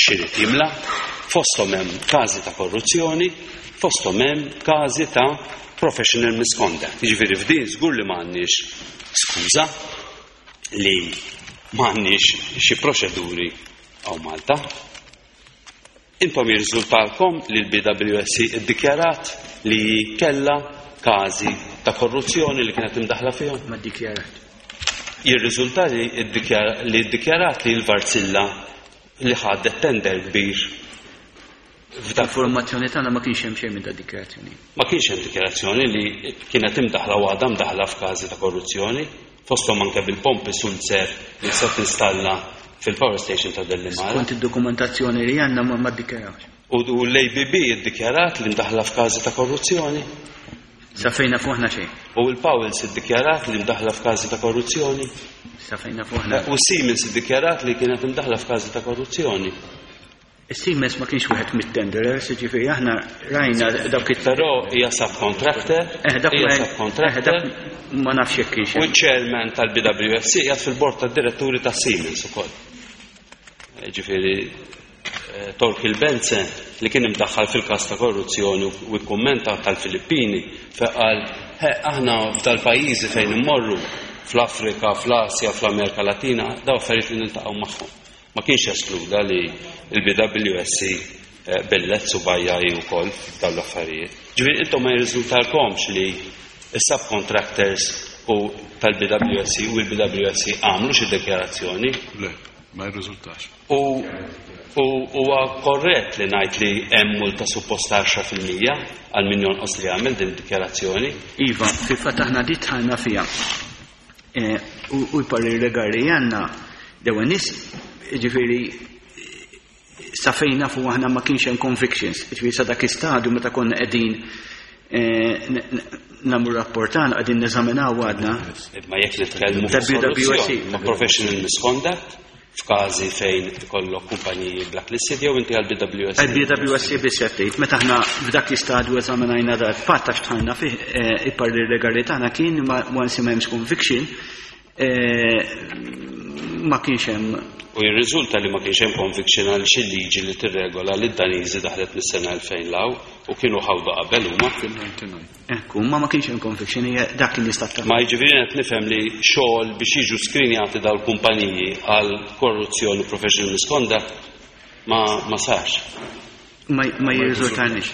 x'irid jimla, fosthom hemm każi ta' korruzzjoni, fosthom hemm każi ta' professional misconduct. Jiġifieri f'din żgur li m'għandniex skuża li m'għandniex xi proċeduri hawn Malta. Intom jirriżultalkom li l-BWSC iddikjarat li kellha każi ta' korruzzjoni li kienet imdaħħla fihom? Ma ddikjarat. Jirriżulta li li ddikjarat li l-Varzilla li ħadet tender kbir f'dak. Informazzjoni tagħna ma kienx hemm xejn minn da dikjarazzjoni. Ma kienx hemm dikjarazzjoni li kienet imdaħħla u għadha mdaħħla f'każi ta' korruzzjoni, fosthom anke bil-pompi Sulzer li se tinstalla fil-power station ta' Dellimara. Skont id-dokumentazzjoni li għandna ma ddikjarawx. U l-ABB iddikjarat li mdaħħla f'każi ta' korruzzjoni? Sa fejn nafu aħna xejn. U l-Powells iddikjarat li mdaħħla f'każi ta' korruzzjoni? Sa fejn nafu aħna. U Siemens iddikjarat li kienet imdaħħla f'każi ta' korruzzjoni? Is-Siemens ma kienx wieħed mit-tenderers, jiġifieri aħna rajna dawk it Però hija subcontractor, Eh, dak hija ma- subcontractor. eh, dak ma nafx jekk kienx U hemm. ċ-chairman tal-BWSC qiegħed fil-bord tad-diretturi ta' Siemens ukoll. Ġifieri Torkil Benze li kien imdaħħal fil-każ ta' korruzzjoni u kkummenta tal-Filippini fejn qal aħna f'dal-pajjiżi fejn immorru fl-Afrika, fl-Asja, fl-Amerika Latina, daw affarijiet li niltaqgħu magħhom. Ma kienx eskluda li l-BWSC bellezz u bajja hi wkoll f'dawn l-affarijiet. Ġifieri intom ma jirriżultalkomx li s-subcontractors u tal-BWSC u l-BWSC għamlu xi dikjarazzjoni? Le, ma jirriżultax. U huwa korrett li ngħid li hemm multa suppost 10% għal min jonqos li jagħmel din id-dikjarazzjoni? Iva, fil-fatt aħna di dħalna fiha. U l-parir legali għandna l-ewwel nies, ġifieri sa fejn nafu aħna ma kienx hemm convictions, ġifieri sa dak istadju meta konna qegħdin nagħmlu rapport tagħna qegħdin neżaminaw għadna. Ma jekk nitkellmu Ta' fuq BWSC. korruzzjoni, ma' professional misconduct, f'każi fejn ikollok kumpaniji blacklisted jew inti għal BWSC. Għal BWSC biss qed tgħid, meta aħna f'dak l-istadju eżaminajna dal fatt għax dħalna fih il-parir legali tagħna kien ma once ma hemmx conviction ma kienx hemm. U jirriżulta li ma kienx hemm conviction għal xi liġi li tirregola li d-Daniżi daħlet mis-sena 2000 law u kienu ħawdu qabel huma. Ekku, ma ma kienx hemm conviction, hija dak li nista' tagħmel. Ma jiġifieri qed nifhem li xogħol biex jiġu skrinjati dawn kumpaniji għal korruzzjoni professional misconduct ma sarx. Ma jirriżultarniex.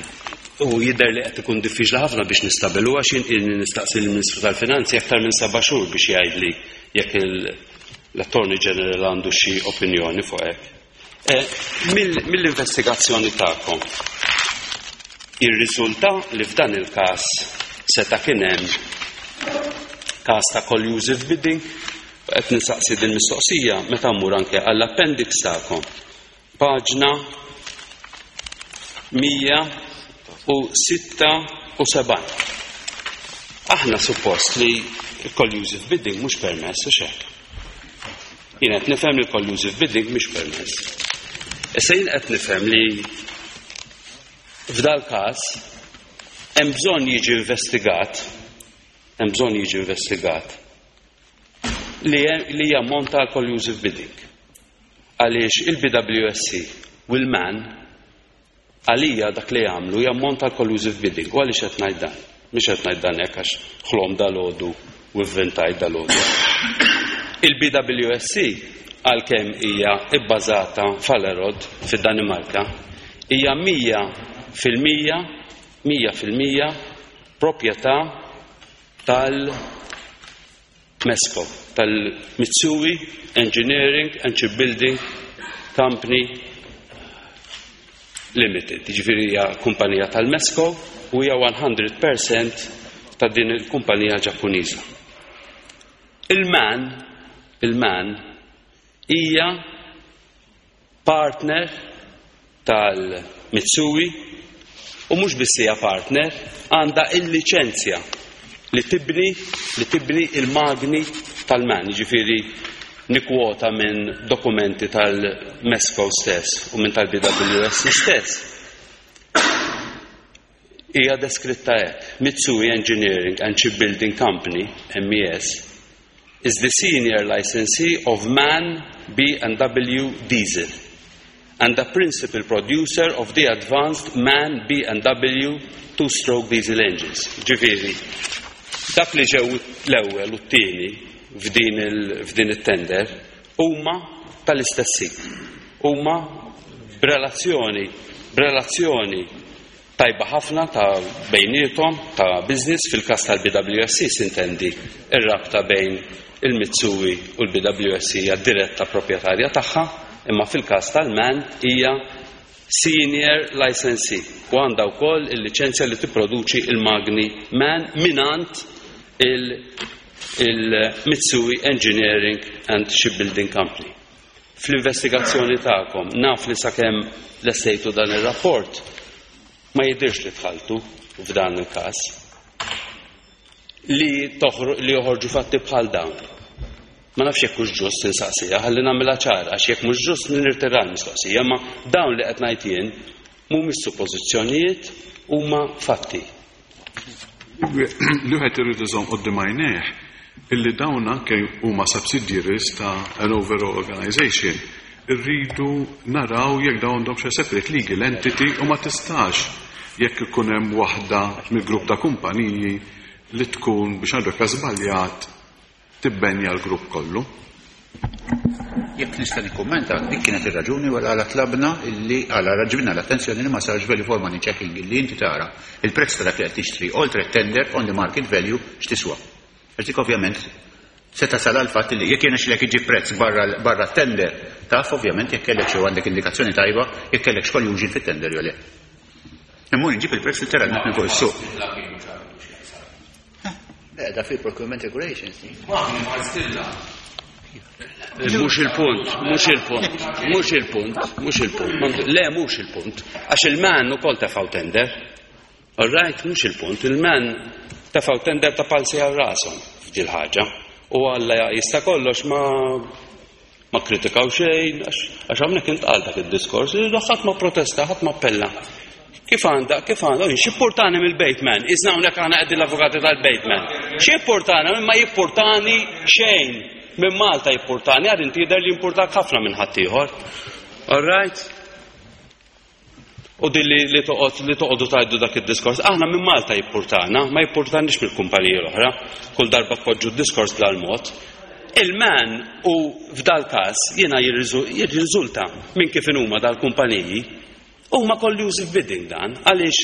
U jidher li qed ikun diffiċli ħafna biex nistabilu għax jien ilni nistaqsi lill-Ministru tal-Finanzi aktar minn 7 xhur biex jgħidli jekk l-Attorney General għandu xi opinjoni fuq hekk. Mill-investigazzjoni tagħkom irriżulta li f'dan il-każ seta' kien hemm każ ta' collusive bidding, u qed nistaqsi din mistoqsija meta mmur anke għall-appendix tagħkom. Paġna 176. Aħna suppost li collusive bidding mhux permess u xek. Jien qed nifhem li collusive bidding mhux permess. Issa jien qed nifhem li f'dal każ hemm bżonn jiġi investigat, hemm bżonn jiġi investigat li jammonta għal collusive bidding. Għaliex il-BWSC u l-MAN għalija dak li jagħmlu jammonta għal collusive bidding. U għaliex qed ngħid dan? Mhux qed ngħid dan hekk għax ħlom dal-għodu u vvintajt dal-għodu. Il-BWSC għalkemm hija bbażata f'Allerod fid-Danimarka hija mija fil-mija proprjetà tal-MESCO, tal-Mitsui Engineering and Shipbuilding Company Limited. Jiġifieri hija kumpanija tal-MESCO u hija 100% ta' din il-kumpanija Ġappuniża. Il-MAN hija partner tal-Mitsui u mhux biss hija partner, għandha il-liċenzja li tibni il-magni tal-MAN, jiġifieri nikwota minn dokumenti tal-MESCO stess u minn tal-BWSC stess. Hija deskritta hekk: Mitsui Engineering and Shipbuilding Company, MES, is the senior licensee of MAN B&W Diesel and the principal producer of the advanced MAN B&W two-stroke diesel engines. Ġifieri, dak li ġew l-ewwel u t-tieni f'din it-tender huma tal-istess sit. Huma b'relazzjoni tajba ħafna ta' bejniethom ta' business. Fil-każ tal-BWSC sintendi ir-rabta bejn il-Mitsui u l-BWSC hija diretta proprjetarja tagħha, imma fil-każ tal-MAN hija senior licensee u għandha wkoll il-liċenzja li tipproduċi il-magni MAN minant il-Mitsui Engineering and Shipbuilding Company. Fl-investigazzjoni tagħkom naf li sakemm lestejtu dan ir-rapport ma jidirx li dħaltu f'dan il-każ li joħorġu fatti bħal dawn. Ma nafx jekk hux ġust insaqsiha, ħalli nagħmilha ċara, għax jekk mhux ġust nirtira l-mistoqsija, imma dawn li qed ngħid jien mhumiex suppożizzjonijiet, huma fatti. Li wieħed irid iżomm quddiem għajnejh illi dawn anke huma subsidiaries ta' an overall organization. Irridu naraw jekk dawn għandhomx a separate legal entity u ma tistax jekk ikun hemm waħda mill-grupp ta' kumpaniji li tkun biex ngħidu hekk żbaljat tibbenja l-grupp kollu. Jekk nista' nikkummenta, dik kienet ir-raġuni wara għala tlabna illi għala ġibna l-attenzjoni li ma sarx value for money checking illi inti tara il-prezz ta' dak li qed tixtri oltre tender on the market value x'tiswa. Għax dik ovvjament se tasal għal fatt li jekk jirnexxilek iġib prezz barra tender, taf ovvjament jekk kellek xi għandek indikazzjoni tajba jekk kellek collusion fit-tender jew le. Imma nġib il-prezz letteralment minn fuq is-suq. Le, da fil-procurement regulations. Mhux il-punt, mhux il-punt, mhux il-punt, mhux il-punt. Le, mhux il-punt. Għax il-MAN ukoll tefgħu tender. All right, mhux il-punt. Il-MAN tefgħu tender ta' palsi għal rashom f'dil ħaġa. U Alla jista' kollox ma kritikaw xejn, għax hawnhekk intqal dak id-diskors, ħadd ma protesta, ħadd ma appella. Kif għandha, kif għandha, x'jimpurtani mill-Bateman? Isna hawnhekk aħna qegħdin l-avukati tal-Bateman. X'jimpurtani? Ma jimpurtani xejn. Minn Malta jimpurtani, għad inti jidher li jimpurtak ħafna minn ħaddieħor. All right? U din li toqgħod li toqgħodu tgħidu dak id-diskors, aħna minn Malta jimpurtana, ma jimpurtanix mill-kumpaniji l-oħra. Kull darba tpoġġu d-diskors bl-mod. Il-MAN u f'dal każ jiena jirriżulta minn kif huma dal-kumpaniji huma collusive bidding dan, għaliex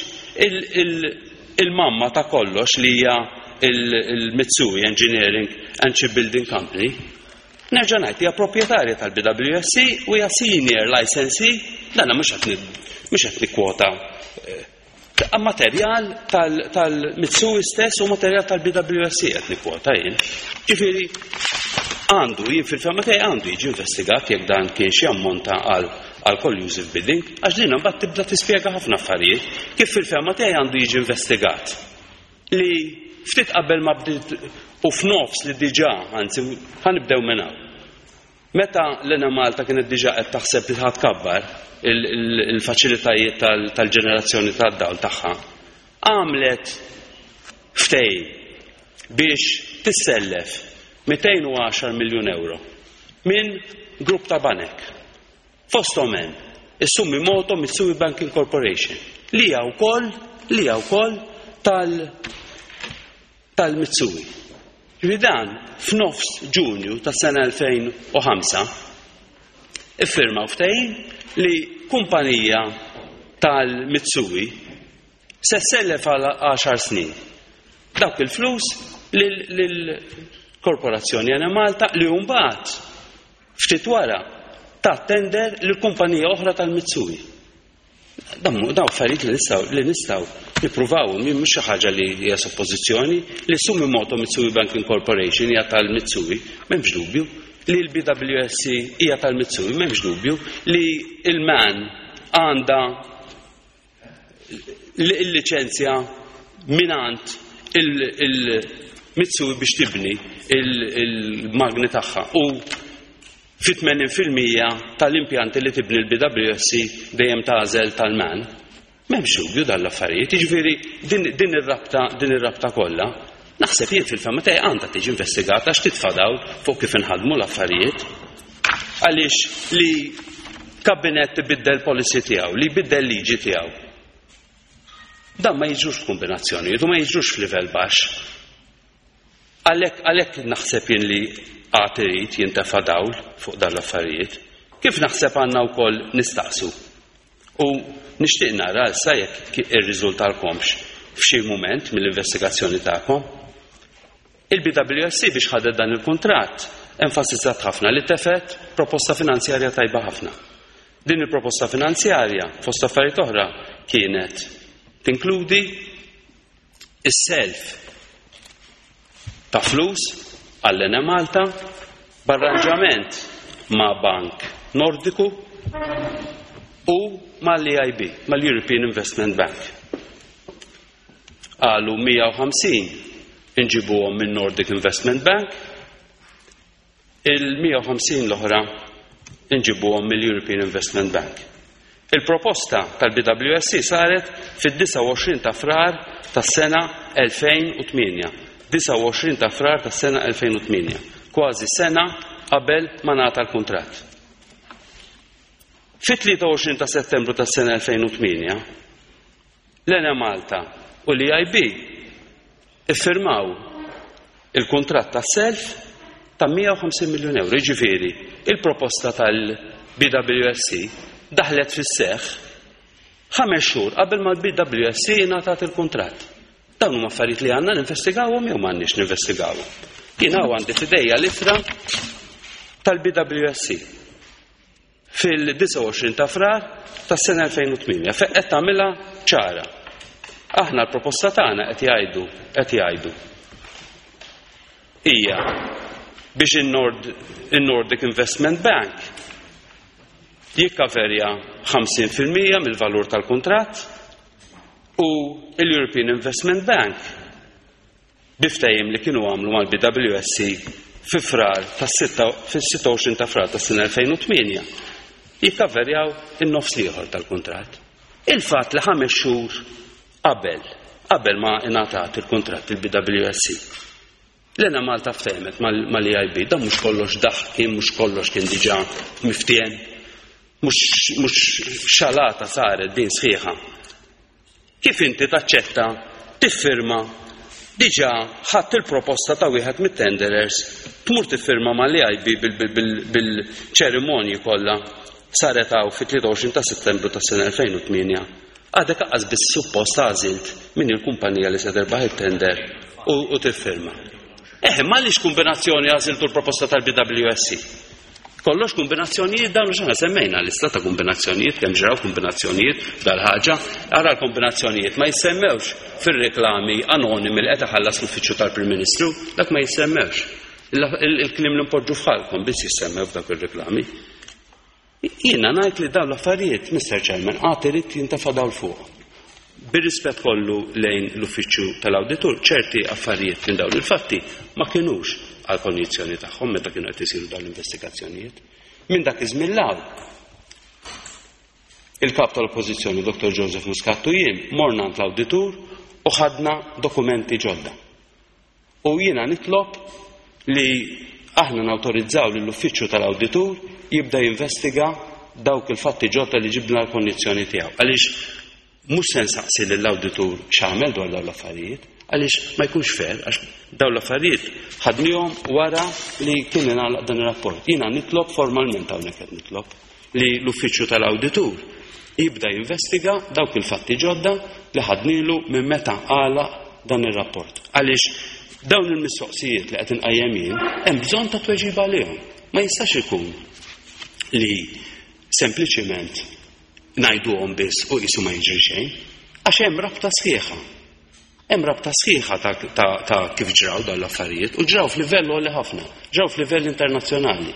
il-mamma ta' kollox li hija il-Mitsui Engineering and Shipbuilding Company, nerġa' ngħid hija proprjetarja tal-BWSC u hija senior licensee, dan mhux qed nikkwota materjal tal-Mitsui stess u materjal tal-BWSC qed nikkwota jien. Ġifieri għandu, jien fil-fehma tiegħi għandu jiġi investigat jekk dan kien xi ammonta għal collusive bidding, għax din mbagħad tibda tispjega ħafna affarijiet kif fil-fehma tiegħi għandu jiġi investigat li ftit qabel ma bdiet u f'nofs li diġà, anzi ħa nibdew minn hawn. Meta l-Enemalta kienet diġà qed taħseb li ħa tkabbar il-faċilitajiet tal-ġenerazzjoni tad-dawl tagħha, għamlet ftehim biex tissellef 210 miljun euro minn grupp ta' banek. Fosthom hemm is-Sumitomo Mitsui Banking Corporation li hija wkoll li hija wkoll tal-Mitsui. Ġifieri dan f'nofs Ġunju tas-sena 2005 iffirmaw ftehim li kumpanija tal-Mitsui se ssellef għal 10 snin dawk il-flus lill-Korporazzjoni Enemalta li mbagħad ftit wara ta' tender lil kumpanija oħra tal-Mitsui. Dawn affarijiet li nistgħu nippruvaw, mhux xi ħaġa li hija suppożizzjoni li Sumitomo Mitsui Banking Corporation hija tal-Mitsui, m'hemmx dubju, li l-BWSC hija tal-Mitsui, m'hemmx dubju, li il-MAN għandha il-liċenzja minant il-Mitsui biex tibni il-magni tagħha u fi 80% tal-impjanti li tibni l-BWSC dejjem tagħżel tal-MAN. M'hemmx dubju dal-affarijiet, jiġifieri din ir-rabta din ir-rabta kollha. Naħseb jien fil-fehma tiegħi għandha tiġi investigata għax titfa' dawl fuq kif inħadmu l-affarijiet. Għaliex li kabinett ibiddel policy tiegħu, li jbiddel liġi tiegħu. Dan ma jiġrux f'kombinazzjonijiet u ma jiġrux f'livell baxx. Għalhekk naħseb jien li għad irid jintefa' dawl fuq dan l-affarijiet. Kif naħseb għandna wkoll nistaqsu. U nixtieq nara issa jekk irriżultalkomx f'xi mument mill-investigazzjoni tagħkom. Il-BWSC biex ħadet dan il-kuntratt enfasizzat ħafna li tefet proposta finanzjarja tajba ħafna. Din il-proposta finanzjarja fost affarijiet oħra kienet tinkludi is-self ta' flus għall-Enemalta b'arranġament ma' Bank Nordiku u mal-EIB, mal-European Investment Bank. Qalu 150 inġibuhom minn Nordic Investment Bank. Il-150 l-oħra nġibuhom mill-European Investment Bank. Il-proposta tal-BWSC saret fid-29 ta' Frar tas-sena 2008. 29 ta' Frar tas-sena 2008, kważi sena qabel ma ngħata l-kuntratt. Fit-23 ta' Settembru tas-sena 2008, l-Enemalta u l-EIB iffirmaw il-kuntratt ta' self ta' 150 miljun euro. Jiġifieri, il-proposta tal-BWSC daħlet fis-seħħ ħames xhur qabel ma l-BWSC ingħatat il-kuntratt. Dawn huma affarijiet li għandna ninvestigawhom jew m'għandniex ninvestigawhom. Jien hawn għandi f'idejja l-ittra tal-BWSC. fil-29 ta' Frar tas-sena 2008 fejn qed tagħmilha ċara. Aħna l-proposta tagħna qed jgħidu qed jgħidu hija biex in-Nordic Investment Bank jikkaverja 50% mill-valur tal-kuntratt u l-European Investment Bank bi ftehim li kienu għamlu mal-BWSC fi Frar fis-26 ta' Frar tas-sena 2008 jikkaverjaw in-nofs l-ieħor tal-kuntratt. Il-fatt li ħames xhur qabel qabel ma ingħatat il-kuntratt il-BWSC. L-Enemalta ftehmet mal-EIB, dan mhux kollox daħk kien, mhux kollox kien diġà miftiehem, mhux xalata saret din sħiħa. Kif inti taċċetta tiffirma diġà ħadt il-proposta ta' wieħed mit-tenderers, tmur tiffirma mal-EIB bil-ċerimonji kollha saret hawn fit-23 ta' Settembru tas-sena 2008, għadek aqqas biss suppost għażilt min hi l-kumpanija li se terbaħ it-tender u tiffirma. Eħe, ma għaliex kombinazzjoni għażiltu l-proposta tal-BWSC? Kollox kombinazzjonijiet dawn x'aħna semmejna lista ta' kombinazzjonijiet kemm ġraw kombinazzjonijiet dal-ħaġa, ara l-kombinazzjonijiet ma jissemmewx fir-reklami anonimi li qed iħallas l-uffiċċju tal-Prim Ministru, dak ma jissemmewx. Il-kliem li npoġġu f'ħalkom biss jissemmew f'dak ir-reklami. Jiena ngħid li dawn l-affarijiet, Mister Chairman, għad irid jintefa' dawl fuqhom. Bir-rispett kollu lejn l-Uffiċċju tal-Awditur, ċerti affarijiet minn dawn il-fatti ma kinux għall-konjizzjoni tagħhom meta kienu qed isiru dawn l-investigazzjonijiet. Minn dak iż-żmien 'l hawn, il-Kap tal-Oppożizzjoni Dr. Joseph Muscat u jien morna għand l-Awditur u ħadna dokumenti ġodda. U jiena nitlob li aħna nawtorizzaw lill-Uffiċċju tal-Awditur jibda jinvestiga dawk il-fatti ġodda li ġibna l-konjizzjoni tiegħu. Għaliex mhux se nsaqsi lill-awditur x'għamel dwar dawn l-affarijiet, għaliex ma jkunx fair, għax dawn l-affarijiet ħadnihom wara li kien ingħalaq dan ir-rapport. Jiena nitlob formalment hawnhekk qed nitlob li l-Uffiċċju tal-Awditur jibda jinvestiga dawk il-fatti ġodda li ħadnilu minn meta għalaq dan ir-rapport. Għaliex dawn il-mistoqsijiet li qed inqajjem jien hemm bżonn ta' tweġiba għalihom. Ma jistax ikun li sempliċiment ngħiduhom biss u qisu ma jiġri xejn, għax hemm rabta sħiħa. Hemm rabta sħiħa ta', ta, ta kif ġraw dawn l-affarijiet u ġraw f'livell għoli ħafna, ġraw f'livell internazzjonali.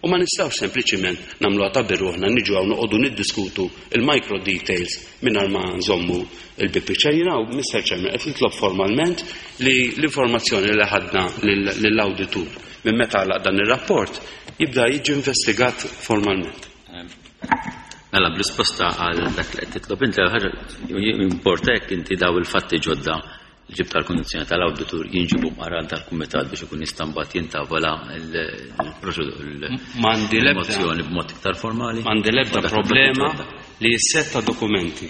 U ma nistgħux sempliċiment nagħmluha ta' biruħna niġu hawn noqogħdu niddiskutu il-micro details mingħajr ma nżommu il-big picture. Jien hawn, Mr. Chairman, qed nitlob formalment li l-informazzjoni li ħadna lill-awditur minn meta għalaq dan ir-rapport jibda jiġi investigat formalment. Mela, b'risposta għal dak li qed titlob inti, ħaġa importa jekk inti daw il-fatti ġodda li ġibt tal-kondizzjoni tal-awditur jinġibu mqara tal-kumitat biex ikun jista' mbagħad jintavola l-mozzjoni b'mod iktar formali. M'għandi l-ebda problema li s-sett ta' dokumenti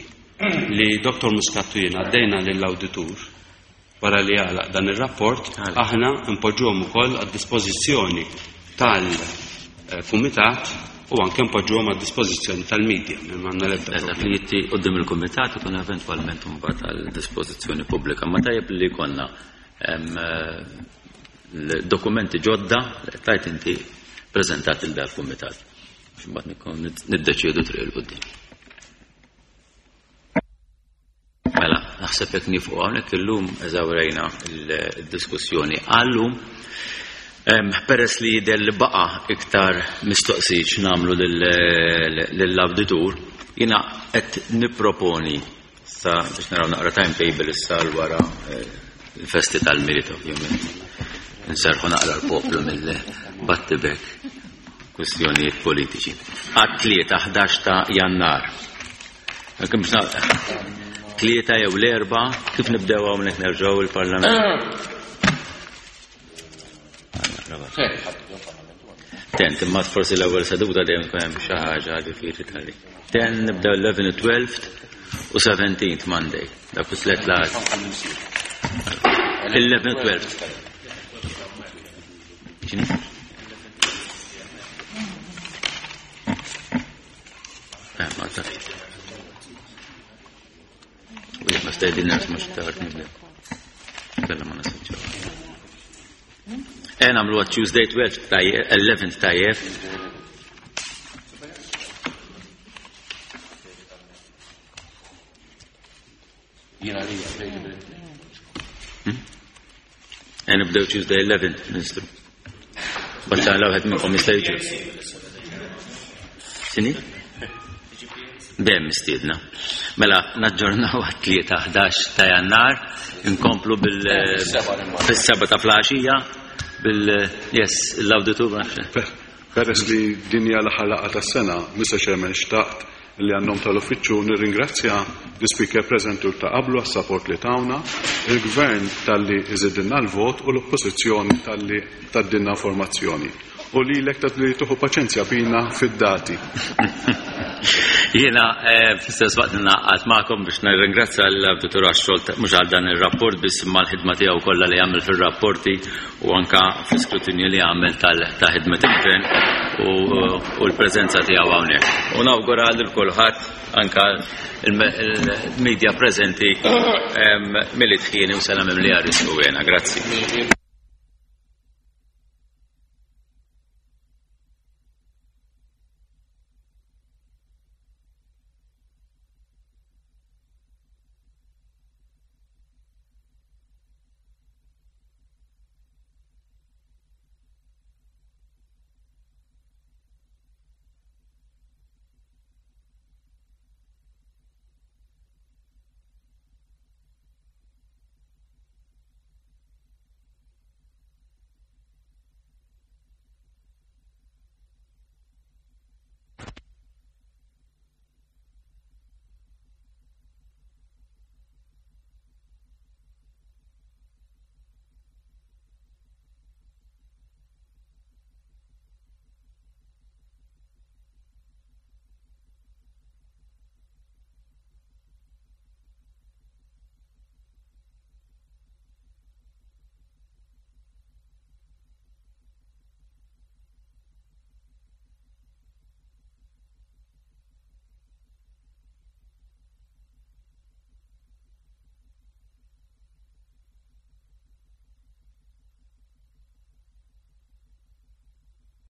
li Dr. Muscat u jien għaddejna lill-awditur Wara li jagħlaq dan ir-rapport, aħna npoġġuhom ukoll għad-dispożizzjoni tal-kumitat u anke npoġġuhom għad-dispożizzjoni tal-media. M'għandna l-ebda Dak li jitti qudiem il-kumitat ikun eventwalment imbagħad għal dispożizzjoni pubblika. Ma tajjeb li jkollna dokumenti ġodda li tajt inti preżentat il dal-kumitat. Biex imbagħad niddeċiedu triq il-qudiem. Mela, naħseb jekk nifqu hawnhekk illum eżawrejna l-diskussjoni għallum. Peress li jidher li baqa' iktar mistoqsijiet x'nagħmlu lill-awditur, jiena qed nipproponi sa biex naraw naqra timetable issa l wara eh, il-festi tal-Milied ovvjament. Nserħu naqra l-poplu mill-battibek kwistjonijiet politiċi. Għat-tlieta 11 ta' Jannar. Kemm biex tlieta jew l-erba' kif nibdew hawnhekk nerġgħu il-Parlament. Ten, imma forsi l-ewwel seduta dejjem tkun hemm xi ħaġa ġifieri tali. Ten nibdew 11, 12 u 17 Monday. Dak u tliet laqgħat. 11, 12. X'inhi? Eh, ma tafx. U jekk ma stedinnax mhux tard nibdew. Kella ma nasibx. Eh, nagħmlu Tuesday 12 tajjeb, 11 tajjeb. Jiena li available. Hmm? Eh, nibdew Tuesday 11, Ministru. Batta l-għed minnkom jista' jiġi. Sini? Dejjem mistiedna. Mela, naġġornaw għat-tlieta 11 ta' Jannar, inkomplu bil fis-seba ta' flaxija bil yes, l-awditur. Peress li din hija l-aħħar laqgħa tas-sena, Mr. Chairman, xtaqt li għan-nom tal-Uffiċċju nirringrazzja l-Ispeaker preżenti u ta' qablu għas-sapport li tawna, il-Gvern talli iżidilna l-vot u l-Oppożizzjoni talli tgħaddilna informazzjoni. U lilek talli tieħu paċenzja bina fid-dati. Jiena eh, fl-istess waqt ningħaqad magħkom biex nirringrazzja l-Awditur għax-xogħol mhux għal dan ir-rapport biss imma l-ħidma tiegħu kollha li jagħmel fir-rapporti u anka fl-iskrutinju li għamel ta' ħidmet il-gvern u l-preżenza tiegħu hawnhekk. U nawgura lil kulħadd anka il-media preżenti milli tħieni u sena mimlija risku għena. Grazzi.